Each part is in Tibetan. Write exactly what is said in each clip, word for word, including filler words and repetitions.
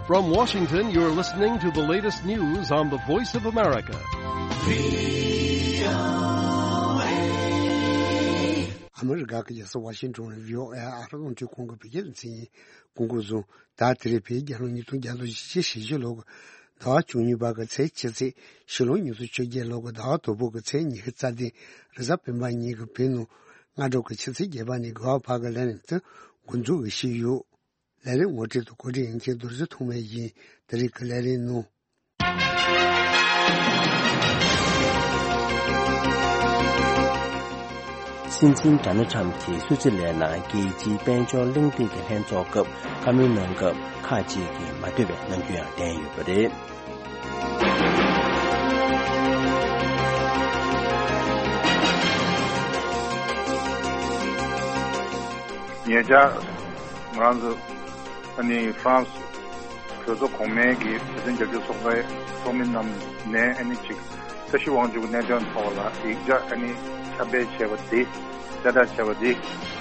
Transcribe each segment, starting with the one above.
From Washington, you're listening to the latest news on the Voice of America. ཨ་མི་རི་ཀ་གི་རྒྱལ་ས་ཝ་ཤིང་ཊོན་ནས་བྷི་ཨོ་ཨེ་ཨ་རོ་རླུང་འཕྲིན་ཁང་གི་བོད་སྐད་སྡེ་ཚན་ཡིན། སྐུ་འཁོར་བཟུང་། ད་དེ་རིང་བོད་རྒྱལ་ལོ་ཉིས་སྟོང་བརྒྱ་དང་བཞི་བཅུ་ཞེ་བཞི་ལོ་གི་ཟླ་བ་བཅུ་གཉིས་པ་གི་ཚེས་ཕྱེད་ཚེས། ཕྱི་ལོ་ཉིས་སྟོང་བཅོ་བརྒྱད་ལོ་གི་ཟླ་བ་དང་པོ་གི་ཚེས་ཉི་ཤུ་རྩ་བདུན། རེས་གཟའ་སྤེན་པ་ཉིན་གྱི་བོད་ནང་སྔ་དྲོ་གི་ཆུ་ཚོད་བརྒྱད་པ་ནས་དགུ་པ་བར་གྱི་ལས་རིམ་དེ་འགོ་འཛུགས་ཞུས་ཡོད། ལས་རིམ་ངོ་སྤྲོད་དང་གོ་སྒྲིག་ཡིན་མཁན་རྡོ་རྗེ་ཐོགས་མེད་ཡིན། དེ་རིང་གི་ལས་རིམ་ནང་། སྲིད་འཛིན་ཌོ་ནལ་ཊམ་གྱིས་སུད་སི་ལན་ནང་རྒྱལ་སྤྱིའི་དཔལ་འབྱོར་གླེང་སྟེགས་ཀྱི་ལྷན་ཚོགས་སྐབས་བཀའ་མོལ་གནང་སྐབས། ཁག་ཅིག་གིས་མ་འདོད་པའི་རྣམ་འགྱུར་ཡང་བསྟན་ཡོད་པ་རེད། ཉེ་ཆར་ང་རང་ཚོ་ཨ་ནི་ཧྥ་རན་སི་གྲོས་ཚོགས་གོང་མའི་གི་ཕྱི་དོན་རྒྱབ་སྐྱོར་ཚོགས་པའི་ཚོགས་མི་རྣམས་ནས་ཨ་ནི་ཅིག་ས་གཞི་དབང་ཕྱུག་གི་གནད་དོན་ཐོག་ལ་ཡིག་ཆ་ཨ་ནི་ཁྱབ་སྤེལ་བྱས་པ་དེ། གསལ་བསྒྲགས་བྱས་པ་དེ་དེ་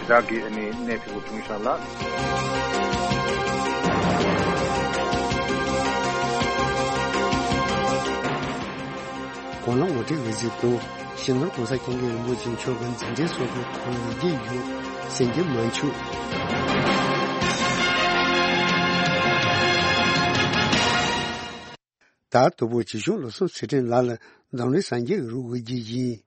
དག་གི་ཨ་ནི་གནད་འཁེལ་པོ་བྱུང་ཤག་ལ། གོང་ལ་ངོ་སྤྲོད་ལས་གཟིགས་དང་། སྤྱི་ནོར་༸གོང་ས་༸སྐྱབས་མགོན་རིན་པོ་ཆེ་མཆོག་གི་མཛད་འཕྲིན་སོགས་ཀྱི་ཐོག་ལ་ཡི་གེ་ཡོད་ཟེར་གྱི་མ་བྱུང་། ད་དུ་བོ་ཆེ་ཆུང་ལོ་གསུམ་ཚེ་ཕྲན་ལགས་ལ་འཛམ་གླིང་སངས་རྒྱས་ཀྱི་རིགས་འོད་ཀྱི་ཡིན།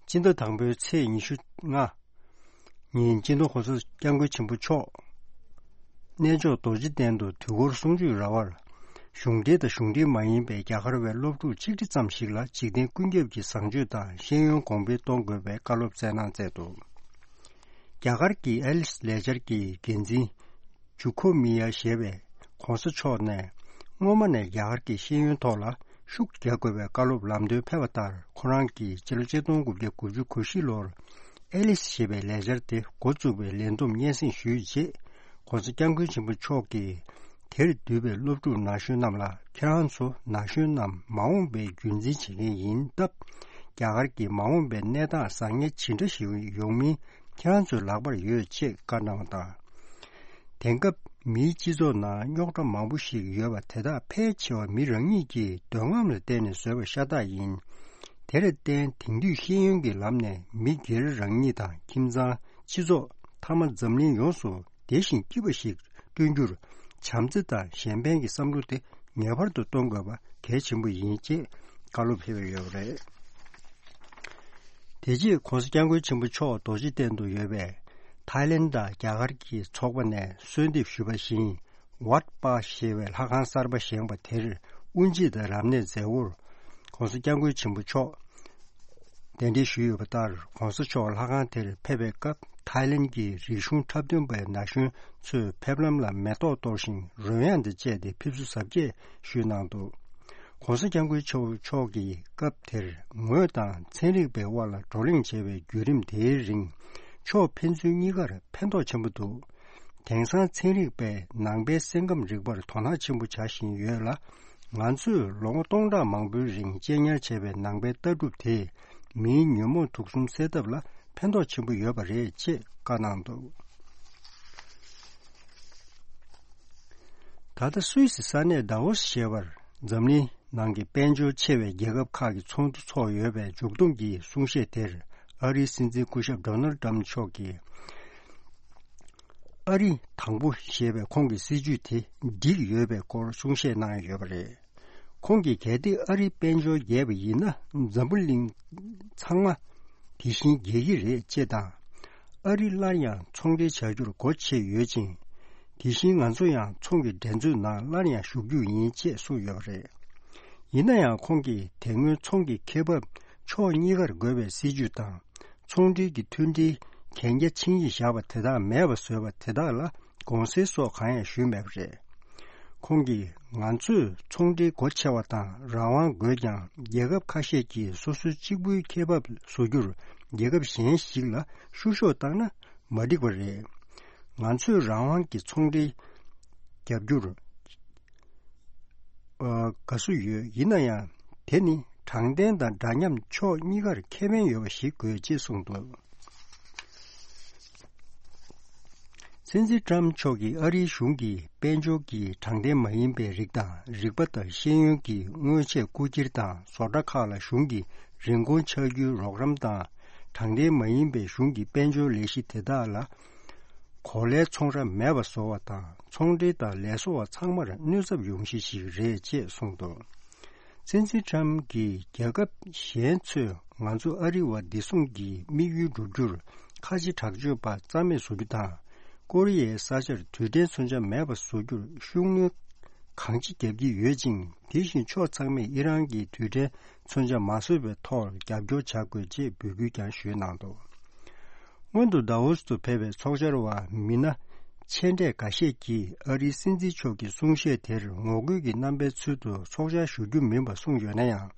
སྤྱི་ཟླ་དང་པོའི་ཚེས་ཉི་ཤུ་ལྔ་ཉིན་སྤྱི་ནོར་༸གོང་ས་༸སྐྱབས་མགོན་ཆེན་པོ་མཆོག་གནས་མཆོག་རྡོ་རྗེ་གདན་དུ་དུས་འཁོར་གསུང་ཆོས་ར་བར་གཞུང་འབྲེལ་དང་གཞུང་འབྲེལ་མ་ཡིན་པའི་རྒྱ་གར་བའི་སློབ་ཕྲུག་ཆིག་ཁྲི་ཙམ་ཞིག་ལ་འཇིག་རྟེན་ཀུན་ཁྱབ་ཀྱི་བཟང་སྤྱོད་དང་ཤེས་ཡོན་གོང་འཕེལ་གཏོང་དགོས་པའི་བཀའ་སློབ་སྩལ་གནང་མཛད་འདུག་རྒྱ་གར་གྱི་ཨེ་ལིས་ལས་འཆར་གྱི་འགན་འཛིན་ཇུ་ཁོ་མི་ཡ་ཞེས་པས་༸གོང་ས་མཆོག་ནས་སྔོན་མ་ནས་རྒྱ་གར་གྱི་ཤེས་ཡོན་ཐོག་ལ་ཤུགས་རྒྱག་དགོས་པའི་བཀའ་སློབ་ལམ་སྟོན་ཕེབས་པ་ལྟར། ཁོ་རང་གིས་སྤྱི་ལོ་ཆིག་སྟོང་དགུ་བརྒྱ་དགུ་བཅུ་གོ་བཞི་ལོར་ཨེ་ལིས་ཞེས་པའི་ལས་འཆར་དེ་འགོ་བཙུགས་པའི་ལས་བསྡོམས་སྙན་སེང་ཞུས་རྗེས། ༸གོང་ས་༸སྐྱབས་མགོན་ཆེན་པོ་མཆོག་གིས་དེར་འདུས་པའི་སློབ་ཕྲུག་ན་གཞོན་རྣམས་ལ། ཁྱེད་རང་ཚོ་ན་གཞོན་རྣམས་མ་འོངས་པའི་རྒྱུན་འཛིན་བྱེད་མཁན་ཡིན་སྟབས། རྒྱ་གར་གྱི་མ་འོངས་པའི་གནས་སྟངས་བཟང་ངན་ཇི་འདྲ་ཞིག་ཡོང་མིན་ཁྱེད་རང་ཚོའི་ལག་པར་ཡོད་ཅེས་བཀའ་གནང་བ་དང་། དེང་སྐབས་མིའི་སྤྱི་ཚོགས་ནང་རྙོག་དྲ་མང་པོ་ཞིག་ཡོད་པ་དེ་དག་ཕལ་ཆེ་བ་མི་རང་ཉིད་ཀྱི་འདོད་རྔམ་ལ་བརྟེན་ནས་བཟོས་པ་ཤ་སྟག་ཡིན། དེར་བརྟེན་དེང་དུས་ཤེས་ཡོན་གྱི་ལམ་ནས་མི་སྒེར་རང་ཉིད་དང་ཁྱིམ་ཚང་། སྤྱི་ཚོགས། མཐའ་མ་འཛམ་གླིང་ཡོངས་སུ་བདེ་ཞིང་སྐྱིད་པ་ཞིག་བསྐྲུན་རྒྱུར་བྱམས་བརྩེ་དང་གཞན་ཕན་གྱི་བསམ་བློ་དེ་ངེས་པར་དུ་གཏོང་དགོས་པ་གལ་ཆེན་པོ་ཡིན་ཅེས་བཀའ་སློབ་ཕེབས་ཡོད་པ་རེད། དེ་རྗེས་༸གོང་ས་༸སྐྱབས་མགོན་ཆེན་པོ་མཆོག་རྡོ་རྗེ་གདན་དུ་ཡོད་པའི་ཐའི་ལེན་དང་རྒྱ་གར་གྱི་ཚོགས་པ་ནས་གསོལ་འདེབས་ཞུས་པ་བཞིན། ཝཱཊ་པཱ་ཞེས་པའི་ལྷ་ཁང་གསར་པ་བཞེངས་པ་དེར་དབུ་འབྱེད་དང་རབ་གནས་མཛད་སྒོར་༸གོང་ས་༸སྐྱབས་མགོན་ཆེན་པོ་མཆོག་གདན་འདྲེན་ཞུས་ཡོད་པ་ལྟར། ༸གོང་ས་མཆོག་ལྷ་ཁང་དེར་ཕེབས་པའི་སྐབས། ཐའི་ལེན་གྱི་རིག་གཞུང་འཁྲབ་སྟོན་པའི་ན་གཞོན་ཚོས་ཕེབས་ལམ་ལ་མེ་ཏོག་གཏོར་ཞིང་རོལ་དབྱངས་དང་བཅས་ཏེ་ཕེབས་བསུ་གཟབ་རྒྱས་ཞུས་གནང་འདུག ༸གོང་ས་༸སྐྱབས་མགོན་ཆེན་པོ་མཆོག་གིས་སྐབས་དེར་ངོས་དང་ཚན་རིག་པའི་དབར་ལ་བགྲོ་གླེང་བྱས་པའི་བརྒྱུད་རིམ་དེའི་རིང་། ཕྱོགས་ཕན་ཚུན་གཉིས་ཀར་ཕན་ཐོགས་ཆེན་པོ་འདུག་དེང་སང་ཚན་རིག་པས་ནང་པའི་སེམས་ཁམས་རིག་པར་དོ་སྣང་ཆེན་པོ་བྱ་བཞིན་ཡོད་ལ། ང་ཚོས་ལོ་ངོ་སྟོང་ཕྲག་མང་པོའི་རིང་གཅེས་ཉར་བྱས་པའི་ནང་པའི་ལྟ་གྲུབ་དེས་མིའི་ཉོན་མོངས་དུག་གསུམ་སེལ་ཐབས་ལ་ཕན་ཐོགས་ཆེན་པོ་ཡོད་པ་རེད་ཅེས་བཀའ་གནང་འདུག་ད་ལྟ་སུད་སི་ས་གནས་དཱ་ཝོ་སི་ཞེས་པར་འཛམ་གླིང་ནང་གི་དཔལ་འབྱོར་ཆེ་བའི་རྒྱལ་ཁབ་ཁག་གི་ཚོགས་འདུ་འཚོགས་ཡོད་པའི་མཇུག་བསྡོམས་ཀྱི་གསུང་བཤད་དེར། ཨ་རིའི་སྲིད་འཛིན་སྐུ་ཞབས་ཌོ་ནལ་ཏྲམ་མཆོག་གིས། ཨ་རི་དང་པོ་ཞེས་པའི་ཁོང་གི་སྲིད་ཇུས་དེ་འགྲིག་ཡོད་པའི་སྐོར་གསུང་བཤད་གནང་ཡོད་པ་རེད། ཁོང་གིས་གལ་ཏེ་ཨ་རིའི་དཔལ་འབྱོར་རྒྱས་པ་ཡིན་ན། འཛམ་བུ་གླིང་ཚང་མ་དེ་བཞིན་རྒྱས་ཀྱི་རེད་ཅེས་དང་། ཨ་རི་སླར་ཡང་ཚོང་འབྲེལ་བྱ་རྒྱུར་སྒོ་ཕྱེ་ཡོད་ཅིང་། དེ་བཞིན་ང་ཚོ་ཡང་ཚོང་གི་འགྲན་རྩོད་ནང་སླར་ཡང་ཞུགས་རྒྱུ་ཡིན་ཅེས་གསུངས་ཡོད་པ་རེད། ཡིན་ན་ཡང་ཁོང་གིས་དེ་སྔོན་ཚོང་གི་ཁེ་འབབ་ཕྱོགས་གཉིས་ཀར་བགོས་པའི་སྲིད་ཇུས་དང་། ཚོང་འབྲེལ་གྱི་མཐུན་སྒྲིལ་གན་རྒྱ་ཆིངས་ཡིག་བཞག་པ་དེ་དག་མེད་པ་བཟོས་པ་དེ་དག་ལ་དགོངས་སེལ་སོགས་གང་ཡང་ཞུས་མེད་པ་རེད། ཁོང་གིས་ང་ཚོས་ཚོང་འབྲེལ་སྒོ་ཕྱེ་བ་དང་རང་དབང་དགོས་ཀྱང་། རྒྱལ་ཁབ་ཁ་ཤས་ཀྱིས་སོ་སོའི་གཅིག་པུའི་ཁེ་འབབ་བཟོ་རྒྱུར་རྒྱལ་ཁབ་གཞན་ཞིག་ལ་བཤུ་གཞོག་བཏང་ན་མ་འགྲིག་པ་རེད། ང་ཚོས་རང་དབང་གི་ཚོང་འབྲེལ་རྒྱབ་སྐྱོར། ཨ། དགའ་བསུ་ཡོད། ཡིན་ན་ཡང་དེ་ནི་དྲང་བདེན་དང་འདྲ་མཉམ་ཕྱོགས་གཉིས་ཀར་ཁེ་ཕན་ཡོད་པ་ཞིག་དགོས་ཅེས་གསུངས་འདུག་སྲིད་འཛིན་ཊམ་མཆོག་གིས་ཨ་རིའི་གཞུང་གིས་དཔལ་འབྱོར་གྱི་དྲང་བདེན་མ་ཡིན་པའི་རིགས་དང་། རིག་པ་དང་ཤེས་ཡོན་གྱི་དངོས་ཆས་རྐུ་འཁྱེར་དང་། བཟོ་གྲྭ་ཁག་ལ་གཞུང་གིས་རིན་གོང་ཆག་རྒྱུའི་རོགས་རམ་དང་། དྲང་བདེན་མ་ཡིན་པའི་གཞུང་གི་དཔལ་འབྱོར་ལས་གཞི་དེ་དག་ལ་གོ་ལའི་ཚོང་ར་མེད་པ་བཟོ་བ་དང་། ཚོང་འབྲེལ་དང་ལས་བཟོ་བ་ཚང་མར་གནོད་ཚབས་ཡོང་གཞི་ཞིག་རེད་ཅེས་གསུངས་འདུག། སྲིད་འཛིན་ཊམ་གྱིས་རྒྱལ་ཁབ་གཞན་ཚོས་ང་ཚོ་ཨ་རི་བ་བདེ་སྲུང་གི་དམིགས་ཡུལ་བསྒྲུབ་རྒྱུར་ཁ་ཆེ་དྲག་སྤྱོད་པ་རྩ་མེད་བཟོ་རྒྱུ་དང་། ཀོ་རི་ཡའི་ས་ཆར་རྡུལ་ཕྲན་མཚོན་ཆ་མེད་པ་བཟོ་རྒྱུར་ཤུགས་སྣོན་གང་ཅི་བརྒྱབ་ཀྱི་ཡོད་ཅིང་། དེ་བཞིན་ཕྱོགས་ཚང་མས་ཨི་རན་གྱིས་རྡུལ་ཕྲན་མཚོན་ཆ་མ་བཟོ་བའི་ཐོག་རྒྱབ་སྐྱོར་བྱ་དགོས་ཅེས་འབོད་སྐུལ་ཀྱང་ཞུས་གནང་འདུག། སྔོན་དུ་དཱ་ཝོ་སི་དུ་ཕེབས་པའི་ཚོགས་བཅར་བ་མི་སྣ་ཆེ་གྲས་འགའ་ཤས་ཀྱིས་ཨ་རིའི་སྲིད་འཛིན་མཆོག་གི་གསུང་བཤད་དེར་ངོ་རྒོལ་གྱི་རྣམ་པའི་ཚུལ་དུ་ཚོགས་བཅར་ཞུ་རྒྱུ་མིན་པ་གསུངས་ཡོད་ན་ཡང་།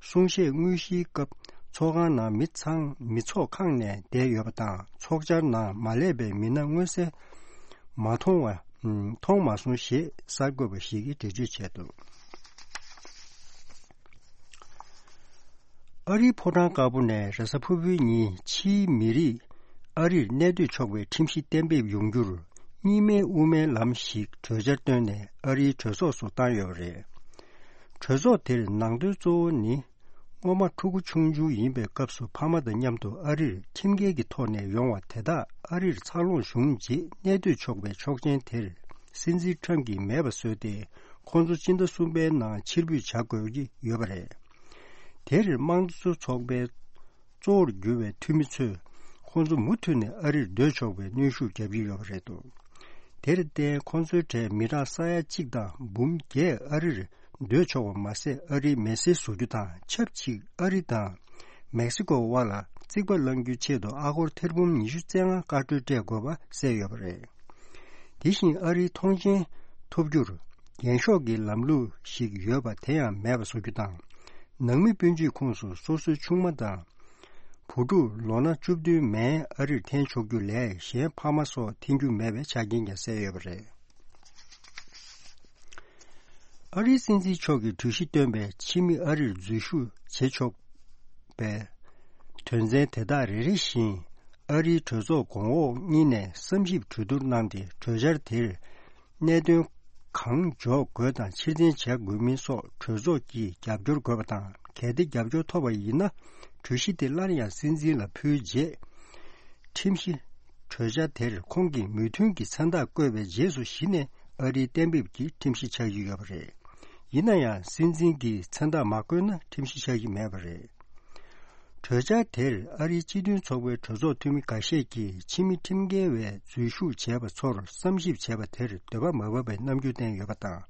གསུང་བཤད་དངོས་གཞིའི་སྐབས་ཚོགས་ཁང་ནང་མི་ཚང་མི་ཚོགས་ཁེངས་ནས་བསྡད་ཡོད་པ་དང་། ཚོགས་བཅར་ནང་མ་སླེབས་པའི་མི་སྣ་མངོན་གསལ་མ་མཐོང་བ། མཐོང་མ་སོང་ཞེས་གསར་འགོད་པ་ཞིག་གིས་འགྲེལ་བརྗོད་བྱས་འདུག། ཨ་རིའི་ཕོ་བྲང་དཀར་པོ་ནས་རེས་གཟའ་ཕུར་བུའི་ཉིན་ཕྱིའི་མི་རིགས་ཨ་རིར་གནས་སྡོད་ཆོག་པའི་ཁྲིམས་གཞི་གཏན་འབེབས་ཡོང་རྒྱུར་གཉིས་སྨན་དབུ་མའི་ལམ་ཞིག་གྲོས་འཆར་བཏོན་ནས་ཨ་རིའི་གྲོས་ཚོགས་སུ་བཏང་ཡོད་པ་རེད། གྲོས་ཚོགས་དེར་ནང་དོན་གཙོ་བོ་ནི། སྔོན་མ་ཕྲུ་གུ་ཆུང་ཆུང་ཡིན་པའི་སྐབས་སུ་ཕ་མ་དང་མཉམ་དུ་ཨ་རིར་ཁྲིམས་འགལ་གྱི་ཐོག་ནས་ཡོང་བ་དེ་དག་ཨ་རིར་འཚར་ལོངས་བྱུང་རྗེས་གནས་སྡོད་ཆོག་པའི་ཆོག་མཆན་དེར་སྲིད་འཛིན་ཊམ་གྱིས་མེད་པ་བཟོས་ཏེ། ཁོང་ཚོ་སྤྱི་ཟླ་གསུམ་པའི་ནང་ཕྱིར་འབུད་བྱ་དགོས་ཀྱི་ཡོད་པ་རེད། དེར་དམངས་གཙོ་ཚོགས་པའི་གཙོ་བོར་གྱུར་བའི་འཐུས་མི་ཚོས་ཁོང་ཚོ་མུ་མཐུད་ནས་ཨ་རིར་སྡོད་ཆོག་པའི་གནོན་ཤུགས་བརྒྱབ་ཀྱི་ཡོད་པ་རེད་འདུག། དེར་བརྟེན་ཁོང་ཚོའི་གྲས་མི་གྲངས་ས་ཡ་གཅིག་དང་འབུམ་བརྒྱད་ཨ་རིར་སྡོད་ཆོག་པ་མ་ཟད། ཨ་རིའི་མི་སེར་བཟོ་རྒྱུ་དང་། ཆབས་ཅིག་ཨ་རི་དང་མེག་སི་ཀོ་དབར་ལ་རྩིག་པ་བསླང་རྒྱུའི་ཆེད་དུ་ཨ་སྒོར་ཐེར་འབུམ་ཉི་ཤུ་རྩ་ལྔ་བཀའ་འཁྲོལ་སྤྲད་དགོས་པ་གསལ་ཡོད་པ་རེད། དེ་བཞིན་ཨ་རིའི་ཐོངས་མཆན་ཐོབ་རྒྱུར་རྒྱན་ཤོག་གི་ལམ་ལུགས་ཤིག་ཡོད་པ་དེ་ཡང་མེད་པ་བཟོ་རྒྱུ་དང་། ནང་མི་སྤུན་མཆེད་ཁོངས་སུ་སོ་སོའི་ཆུང་མ་དང་། བུ་ཕྲུག་ལོ་ན་བཅུ་བདུན་མན་ཨ་རིར་འཐེན་ཆོག་རྒྱུ་ལས་གཞན་ཕ་མ་སོགས་འཐེན་རྒྱུ་མེད་པའི་ཆ་རྐྱེན་ཀྱང་གསལ་ཡོད་པ་རེད། ཨ་རིའི་སྲིད་འཛིན་མཆོག་གིས་གྲོས་གཞི་བཏོན་པའི་ཕྱི་མི་ཨ་རིར་འཛུལ་ཞུགས་བྱེད་ཆོག་པའི་དོན་ཚན་དེ་དག་རེ་རེ་བཞིན་ཨ་རིའི་གྲོས་ཚོགས་གོང་འོག་གཉིས་ནས་བསམ་ཞིབ་གྲོས་བསྡུར་གནང་སྟེ། གྲོས་འཆར་དེར་གནད་དོན་གང་འཇོག་དགོས་དང་ཕྱིར་འཐེན་བྱ་དགོས་མིན་སོགས་གྲོས་ཚོགས་ཀྱིས་རྒྱབ་སྐྱོར་དགོས་པ་དང་། གལ་ཏེ་རྒྱབ་སྐྱོར་ཐོབ་པ་ཡིན་ན། གྲོས་གཞི་དེ་སླར་ཡང་སྲིད་འཛིན་ལ་ཕུལ་རྗེས། ཁྲིམས་གཞི་གྲོས་འཆར་དེར་ཁོང་གིས་མོས་མཐུན་གྱི་མཚན་རྟགས་བཀོད་པའི་རྗེས་སུ་གཞི་ནས་ཨ་རིའི་གཏན་འབེབས་ཀྱི་ཁྲིམས་གཞི་ཆགས་ཀྱི་ཡོད་པ་རེད། ཡིན་ན་ཡང་སྲིད་འཛིན་གྱིས་མཚན་རྟགས་མ་བཀོད་ན་ཁྲིམས་གཞི་ཆགས་ཀྱི་མེད་པ་རེད། གྲོས་འཆར་དེར་ཨ་རིའི་སྤྱི་མཐུན་ཚོགས་པའི་གྲོས་ཚོགས་འཐུས་མི་འགའ་ཤས་ཀྱིས་ཕྱི་མི་ཁྲིམས་འགལ་བའི་འཛུལ་ཞུགས་བྱས་པ་ཚོར་བསམ་ཞིབ་བྱས་པ་དེར་འདོད་པ་མ་བབས་པའི་རྣམ་འགྱུར་བསྟན་ཡོད་པ་དང་།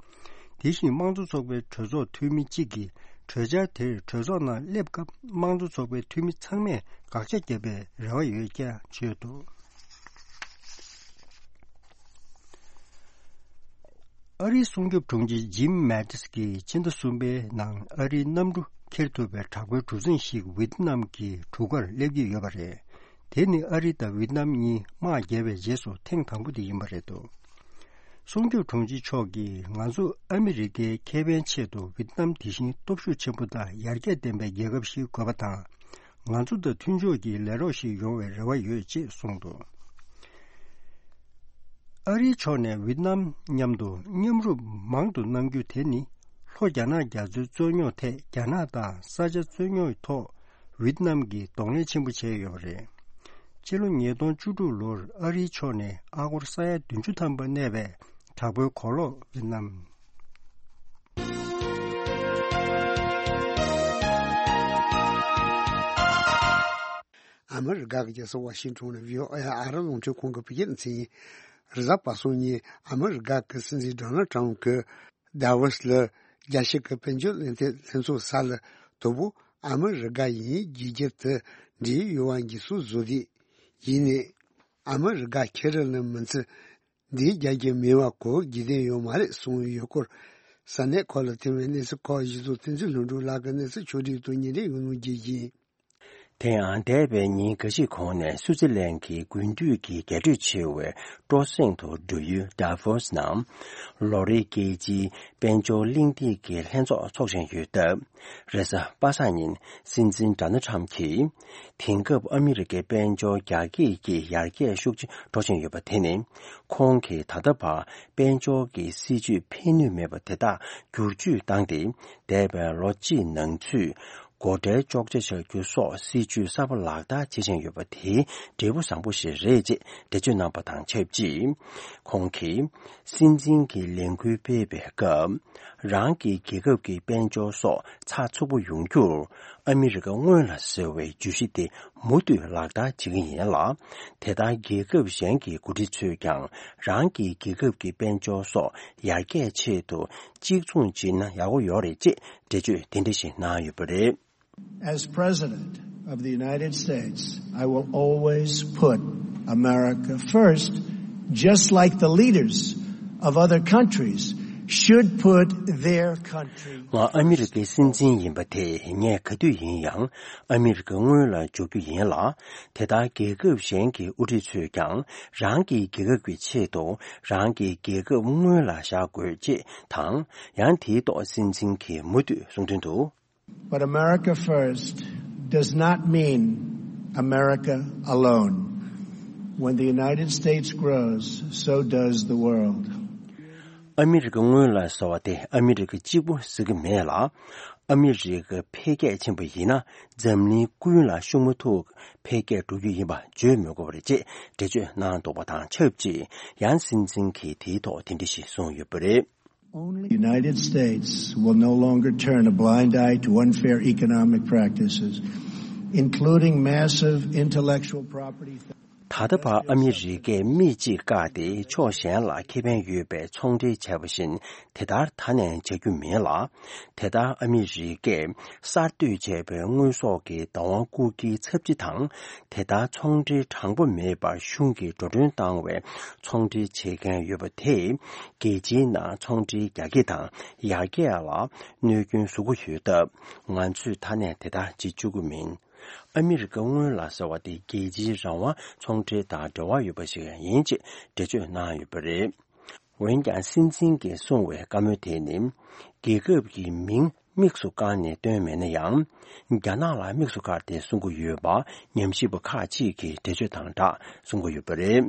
དེ་བཞིན་དམངས་གཙོ་ཚོགས་པའི་གྲོས་ཚོགས་འཐུས་མི་གཅིག་གིས་གྲོས་འཆར་དེར་གྲོས་ཚོགས་ནང་སླེབས་སྐབས་དམངས་གཙོ་ཚོགས་པའི་འཐུས་མི་ཚང་མས་དགག་བྱ་བརྒྱབ་པའི་རེ་བ་ཡོད་ཀྱང་བརྗོད་འདུག། ཨ་རིའི་སྲུང་སྐྱོབ་དྲུང་ཆེ་ཇིམ་མེ་ཏིས་ཀྱིས་ཕྱི་ཟླ་གསུམ་པའི་ནང་ཨ་རིའི་གནམ་གྲུ་འཁྱེར་ཐུབ་པའི་དྲག་པོའི་གྲུ་གཟིངས་ཤིག་ཝེད་ནམ་གྱི་གྲུ་ཁར་སླེབས་ཀྱི་ཡོད་པ་རེད། དེ་ནི་ཨ་རི་དང་ཝེད་ནམ་གཉིས་དམག་བརྒྱབ་པའི་རྗེས་སུ་ཐེངས་དང་པོ་དེ་ཡིན་པ་རེད་འདུག། སྲུང་སྐྱོབ་དྲུང་ཆེ་མཆོག་གིས། ང་ཚོ་ཨ་མི་རི་ཀའི་ཁེ་ཕན་ཆེད་དུ་ཝེད་ནམ་དེ་བཞིན་སྟོབས་ཤུགས་ཆེན་པོ་དང་ཡར་རྒྱས་ལྡན་པའི་རྒྱལ་ཁབ་ཞིག་དགོས་པ་དང་། ང་ཚོ་དང་མཐུན་ཕྱོགས་ཀྱི་ལས་རོགས་ཤིག་ཡོང་བའི་རེ་བ་ཡོད་ཅེས་གསུངས་འདུག། ཨ་རིའི་ཕྱོགས་ནས་ཝེད་ནམ་མཉམ་དུ་མཉམ་རུབ་མང་དུ་གནང་རྒྱུ་དེ་ནི། ལྷོ་རྒྱ་ནག་རྒྱ་མཚོའི་རྩོད་རྙོག་ཐད་རྒྱ་ནག་དང་ས་ཆ་རྩོད་རྙོག་ཐོག་ཝེད་ནམ་གྱིས་གདོང་ལེན་ཆེན་པོ་བྱས་ཡོད་པ་རེད། ཕྱི་ལོ་ཉིས་སྟོང་བཅུ་དྲུག་ལོར་ཨ་རིའི་ཕྱོགས་ནས་ཨ་སྒོར་ས་ཡ་བདུན་ཅུ་ཐམ་པ་གནས་པའི་དྲག་པོའི་གོ་ལོག་ཝེད་ནམ། ཨ་མི་རི་ཀ་གི་རྒྱལ་ས་ཝ་ཤིང་ཊོན་ནས་བྷི་ཨོ་ཨེ་ཨ་རི་རླུང་འཕྲིན་ཁང་གི་བོད་སྐད་སྡེ་ཚན་ཡིན། རེས་གཟའ་པ་སངས་ཉིན་ཨ་མི་རི་ཀ་གི་སྲིད་འཛིན་ཌོ་ནལ་ཊམ་གྱིས་དཱ་ཝོ་སི་ལ་རྒྱལ་སྤྱི་གི་དཔལ་འབྱོར་གླེང་སྟེགས་ལྷན་ཚོགས་ས་ལ་དོ་པོ་ཨ་མི་རི་ཀ་ཡིན་རྒྱལ་ཁབ་དུ་འབྲེལ་ཡོད་པ་འགྱུར་སོ་བཟོ་དེ་ཡིན་ནས། ཨ་མི་རི་ཀ་ཁེ་རི་ལ་མི་ཚེ་འདིའི་རྒྱལ་གྱི་མེད་པ་གོ་རྒྱུ་དེ་ཡོད་མ་རེད་གསུངས་ཡོད་སྐོར། ས་གནས་ཁག་ལ་ཐོན་པའི་གནས་ཚུལ་ཁག་གཞི་བཟུང་བསྟན་འཛིན་ལྷུན་གྲུབ་ལགས་ཀྱི་གནས་ཚུལ་ཕྱོགས་སྒྲིག་ཏུ་ཉིན་རེ་ཡོང་སྒྲིག་ཡིན། དེ་ཡང་འདས་པའི་ཉིན་འགའ་ཞིག་གོང་ནས་སུའུ་ཙི་ལན་གྱི་དགུན་དུས་ཀྱི་རྒྱས་སྤྲོས་ཆེ་བའི་སྤྲོ་གསེང་དུ་འགྲོ་ཡུལ་ཌ་ཕོ་སི་ནང་ལོ་རེའི་རྒྱལ་སྤྱིའི་དཔལ་འབྱོར་གླེང་སྟེགས་ཀྱི་ལྷན་ཚོགས་འཚོགས་བཞིན་ཡོད་སྟབས། རེས་གཟའ་པ་སངས་ཉིན་སྲིད་འཛིན་ཌོ་ནལ་ཁྲམ་གྱིས། དེང་སྐབས་ཨ་མི་རི་ཀའི་དཔལ་འབྱོར་རྒྱ་སྐྱེད་ཀྱི་ཡར་རྒྱས་ཤུགས་ཆེ་འགྲོ་བཞིན་ཡོད་པ་དེ་ནི། ཁོང་གིས་ད་ལྟ་བར་དཔལ་འབྱོར་གྱི་སྲིད་ཇུས་ཕན་ནུས་མེད་པ་དེ་དག་བསྒྱུར་བཅོས་བཏང་སྟེ། འདས་པའི་ལོ་གཅིག་ནང་ཚུད། སྒོ་ཁྲལ་གཅོག་ཆ་བྱ་རྒྱུ་སོགས་སྲིད་ཇུས་གསར་པ་ལག་བསྟར་བྱེད་བཞིན་ཡོད་པ་དེ་འབྲས་བུ་བཟང་པོ་ཞིག་རེད་ཅེས་འགྲེལ་བརྗོད་གནང་པ་དང་ཆབས་ཅིག་ཁོང་གིས་སྲིད་འཛིན་གྱི་ལས་འགུལ་སྤེལ་བའི་སྐབས། རང་གི་རྒྱལ་ཁབ་ཀྱི་དཔལ་འབྱོར་སོགས་ཚགས་ཚུད་པོ་ཡོང་རྒྱུར་ཨ་མི་རི་ཀ་སྔོན་ལ་ཟེར་བའི་བརྗོད་གཞི་དེ་མུ་མཐུད་ལག་བསྟར་བྱེད་ཀྱི་ཡིན་ལ། དེ་ལྟར་རྒྱལ་ཁབ་གཞན་གྱི་འགོ་ཁྲིད་ཚོས་ཀྱང་རང་གི་རྒྱལ་ཁབ་ཀྱི་དཔལ་འབྱོར་སོགས་ཡར་རྒྱས་ཆེད་དུ་གཅིག་མཚུངས་བྱེད་ན་ཡག་པོ་ཡོད་རེད་ཅེས་འགྲེལ་བརྗོད་དེ་འདྲ་ཞིག་གནང་ཡོད་པ་རེད། As President of the United States, I will always put America first, just like the leaders of other countries should put their country. ང་ཨ་མི་རི་ཀའི་སྲིད་འཛིན་ཡིན་པ་དེ་ངས་ག་དུས་ཡིན་ཡང་ཨ་མི་རི་ཀ་སྔོན་ལ་འཇོག་རྒྱུ་ཡིན་ལ། དེ་ལྟར་རྒྱལ་ཁབ་གཞན་གྱི་དབུ་ཁྲིད་ཚོས་ཀྱང་རང་གི་རྒྱལ་ཁབ་ཀྱི་ཆེད་དུ་རང་གི་རྒྱལ་ཁབ་སྔོན་ལ་བཞག་དགོས་ཅེས་དང་། ཡང་དེའི་ཐོག་སྲིད་འཛིན་གྱིས་མུ་མཐུད་གསུང་དོན་དུ། But America first does not mean America alone. When the United States grows, so does the world. ཨ་མི་རི་ཀ་སྔོན་ལ་ཟེར་བ་དེ་ཨ་མི་རི་ཀ་གཅིག་པུ་ཟེར་གྱི་མེད་ལ། ཨ་མི་རི་ཀ་འཕེལ་རྒྱས་ཕྱིན་པ་ཡིན་ན་འཛམ་གླིང་ཀུན་ལ་ཤུགས་མ་ཐུག་འཕེལ་རྒྱས་འགྲོ་རྒྱུ་ཡིན་པ་བརྗོད་མི་དགོས་པ་རེད་ཅེས་འགྲེལ་བརྗོད་གནང་འདུག་པ་དང་ཆབས་ཅིག་ཡང་སྲིད་འཛིན་གྱིས་དེའི་ཐོག་དེ་འདྲ་ཞིག་གསུངས་ཡོད་པ་རེད། Only the United States will no longer turn a blind eye to unfair economic practices, including massive intellectual property theft. ད་ལྟ་བར་ཨ་མི་རི་ཀས་མིག་གཅིག་བཀག་སྟེ་ཕྱོགས་གཞན་ལ་ཁེ་ཕན་ཡོད་པའི་ཚོང་འབྲེལ་བྱས་པ་བཞིན་དེ་ལྟར་ད་ནས་བྱ་རྒྱུ་མིན་ལ། དེ་ལྟར་ཨ་མི་རི་ཀས་གསར་གཏོད་བྱས་པའི་དངོས་ཟོག་གི་བདག་དབང་རྐུ་འཁྱེར་ཚབས་ཆེ་དང་། དེ་ལྟར་ཚོང་འབྲེལ་དྲང་པོ་མེད་པར་གཞུང་གིས་འགྲོ་གྲོན་བཏང་བའི་ཚོང་འབྲེལ་བྱེད་མཁན་ཡོད་པ་དེས་རྒྱལ་སྤྱིའི་ནང་ཚོང་འབྲེལ་རྒྱ་སྐྱེད་དང་ཡར་རྒྱས་ལ་གནོད་སྐྱོན་བཟོ་གི་ཡོད་སྟབས། ང་ཚོས་ད་ནས་དེ་ལྟར་བྱེད་བཅུག་གི་མིན། ཨ་མི་རི་ཀ་སྔོན་ལ་ཟེར་བ་དེ་རྒྱལ་སྤྱིའི་རང་དབང་ཚོང་འབྲེལ་དང་འབྲེལ་བ་ཡོད་པ་ཞིག་ཡིན་ཅེས་འགྲེལ་བརྗོད་གནང་ཡོད་པ་རེད། འོན་ཀྱང་སྲིད་འཛིན་གྱིས་གསུངས་པའི་བཀའ་མོལ་དེ་ནི། རྒྱལ་ཁབ་ཀྱི་མིང་དམིགས་སུ་བཀར་ནས་བཏོན་མེད་ན་ཡང་། རྒྱ་ནག་ལ་དམིགས་སུ་བཀར་ཏེ་གསུང་གི་ཡོད་པ་ཉམས་ཞིབ་པ་ཁག་ཅིག་གིས་འགྲེལ་བརྗོད་དང་སྦྲགས་གསུང་གི་ཡོད་པ་རེད།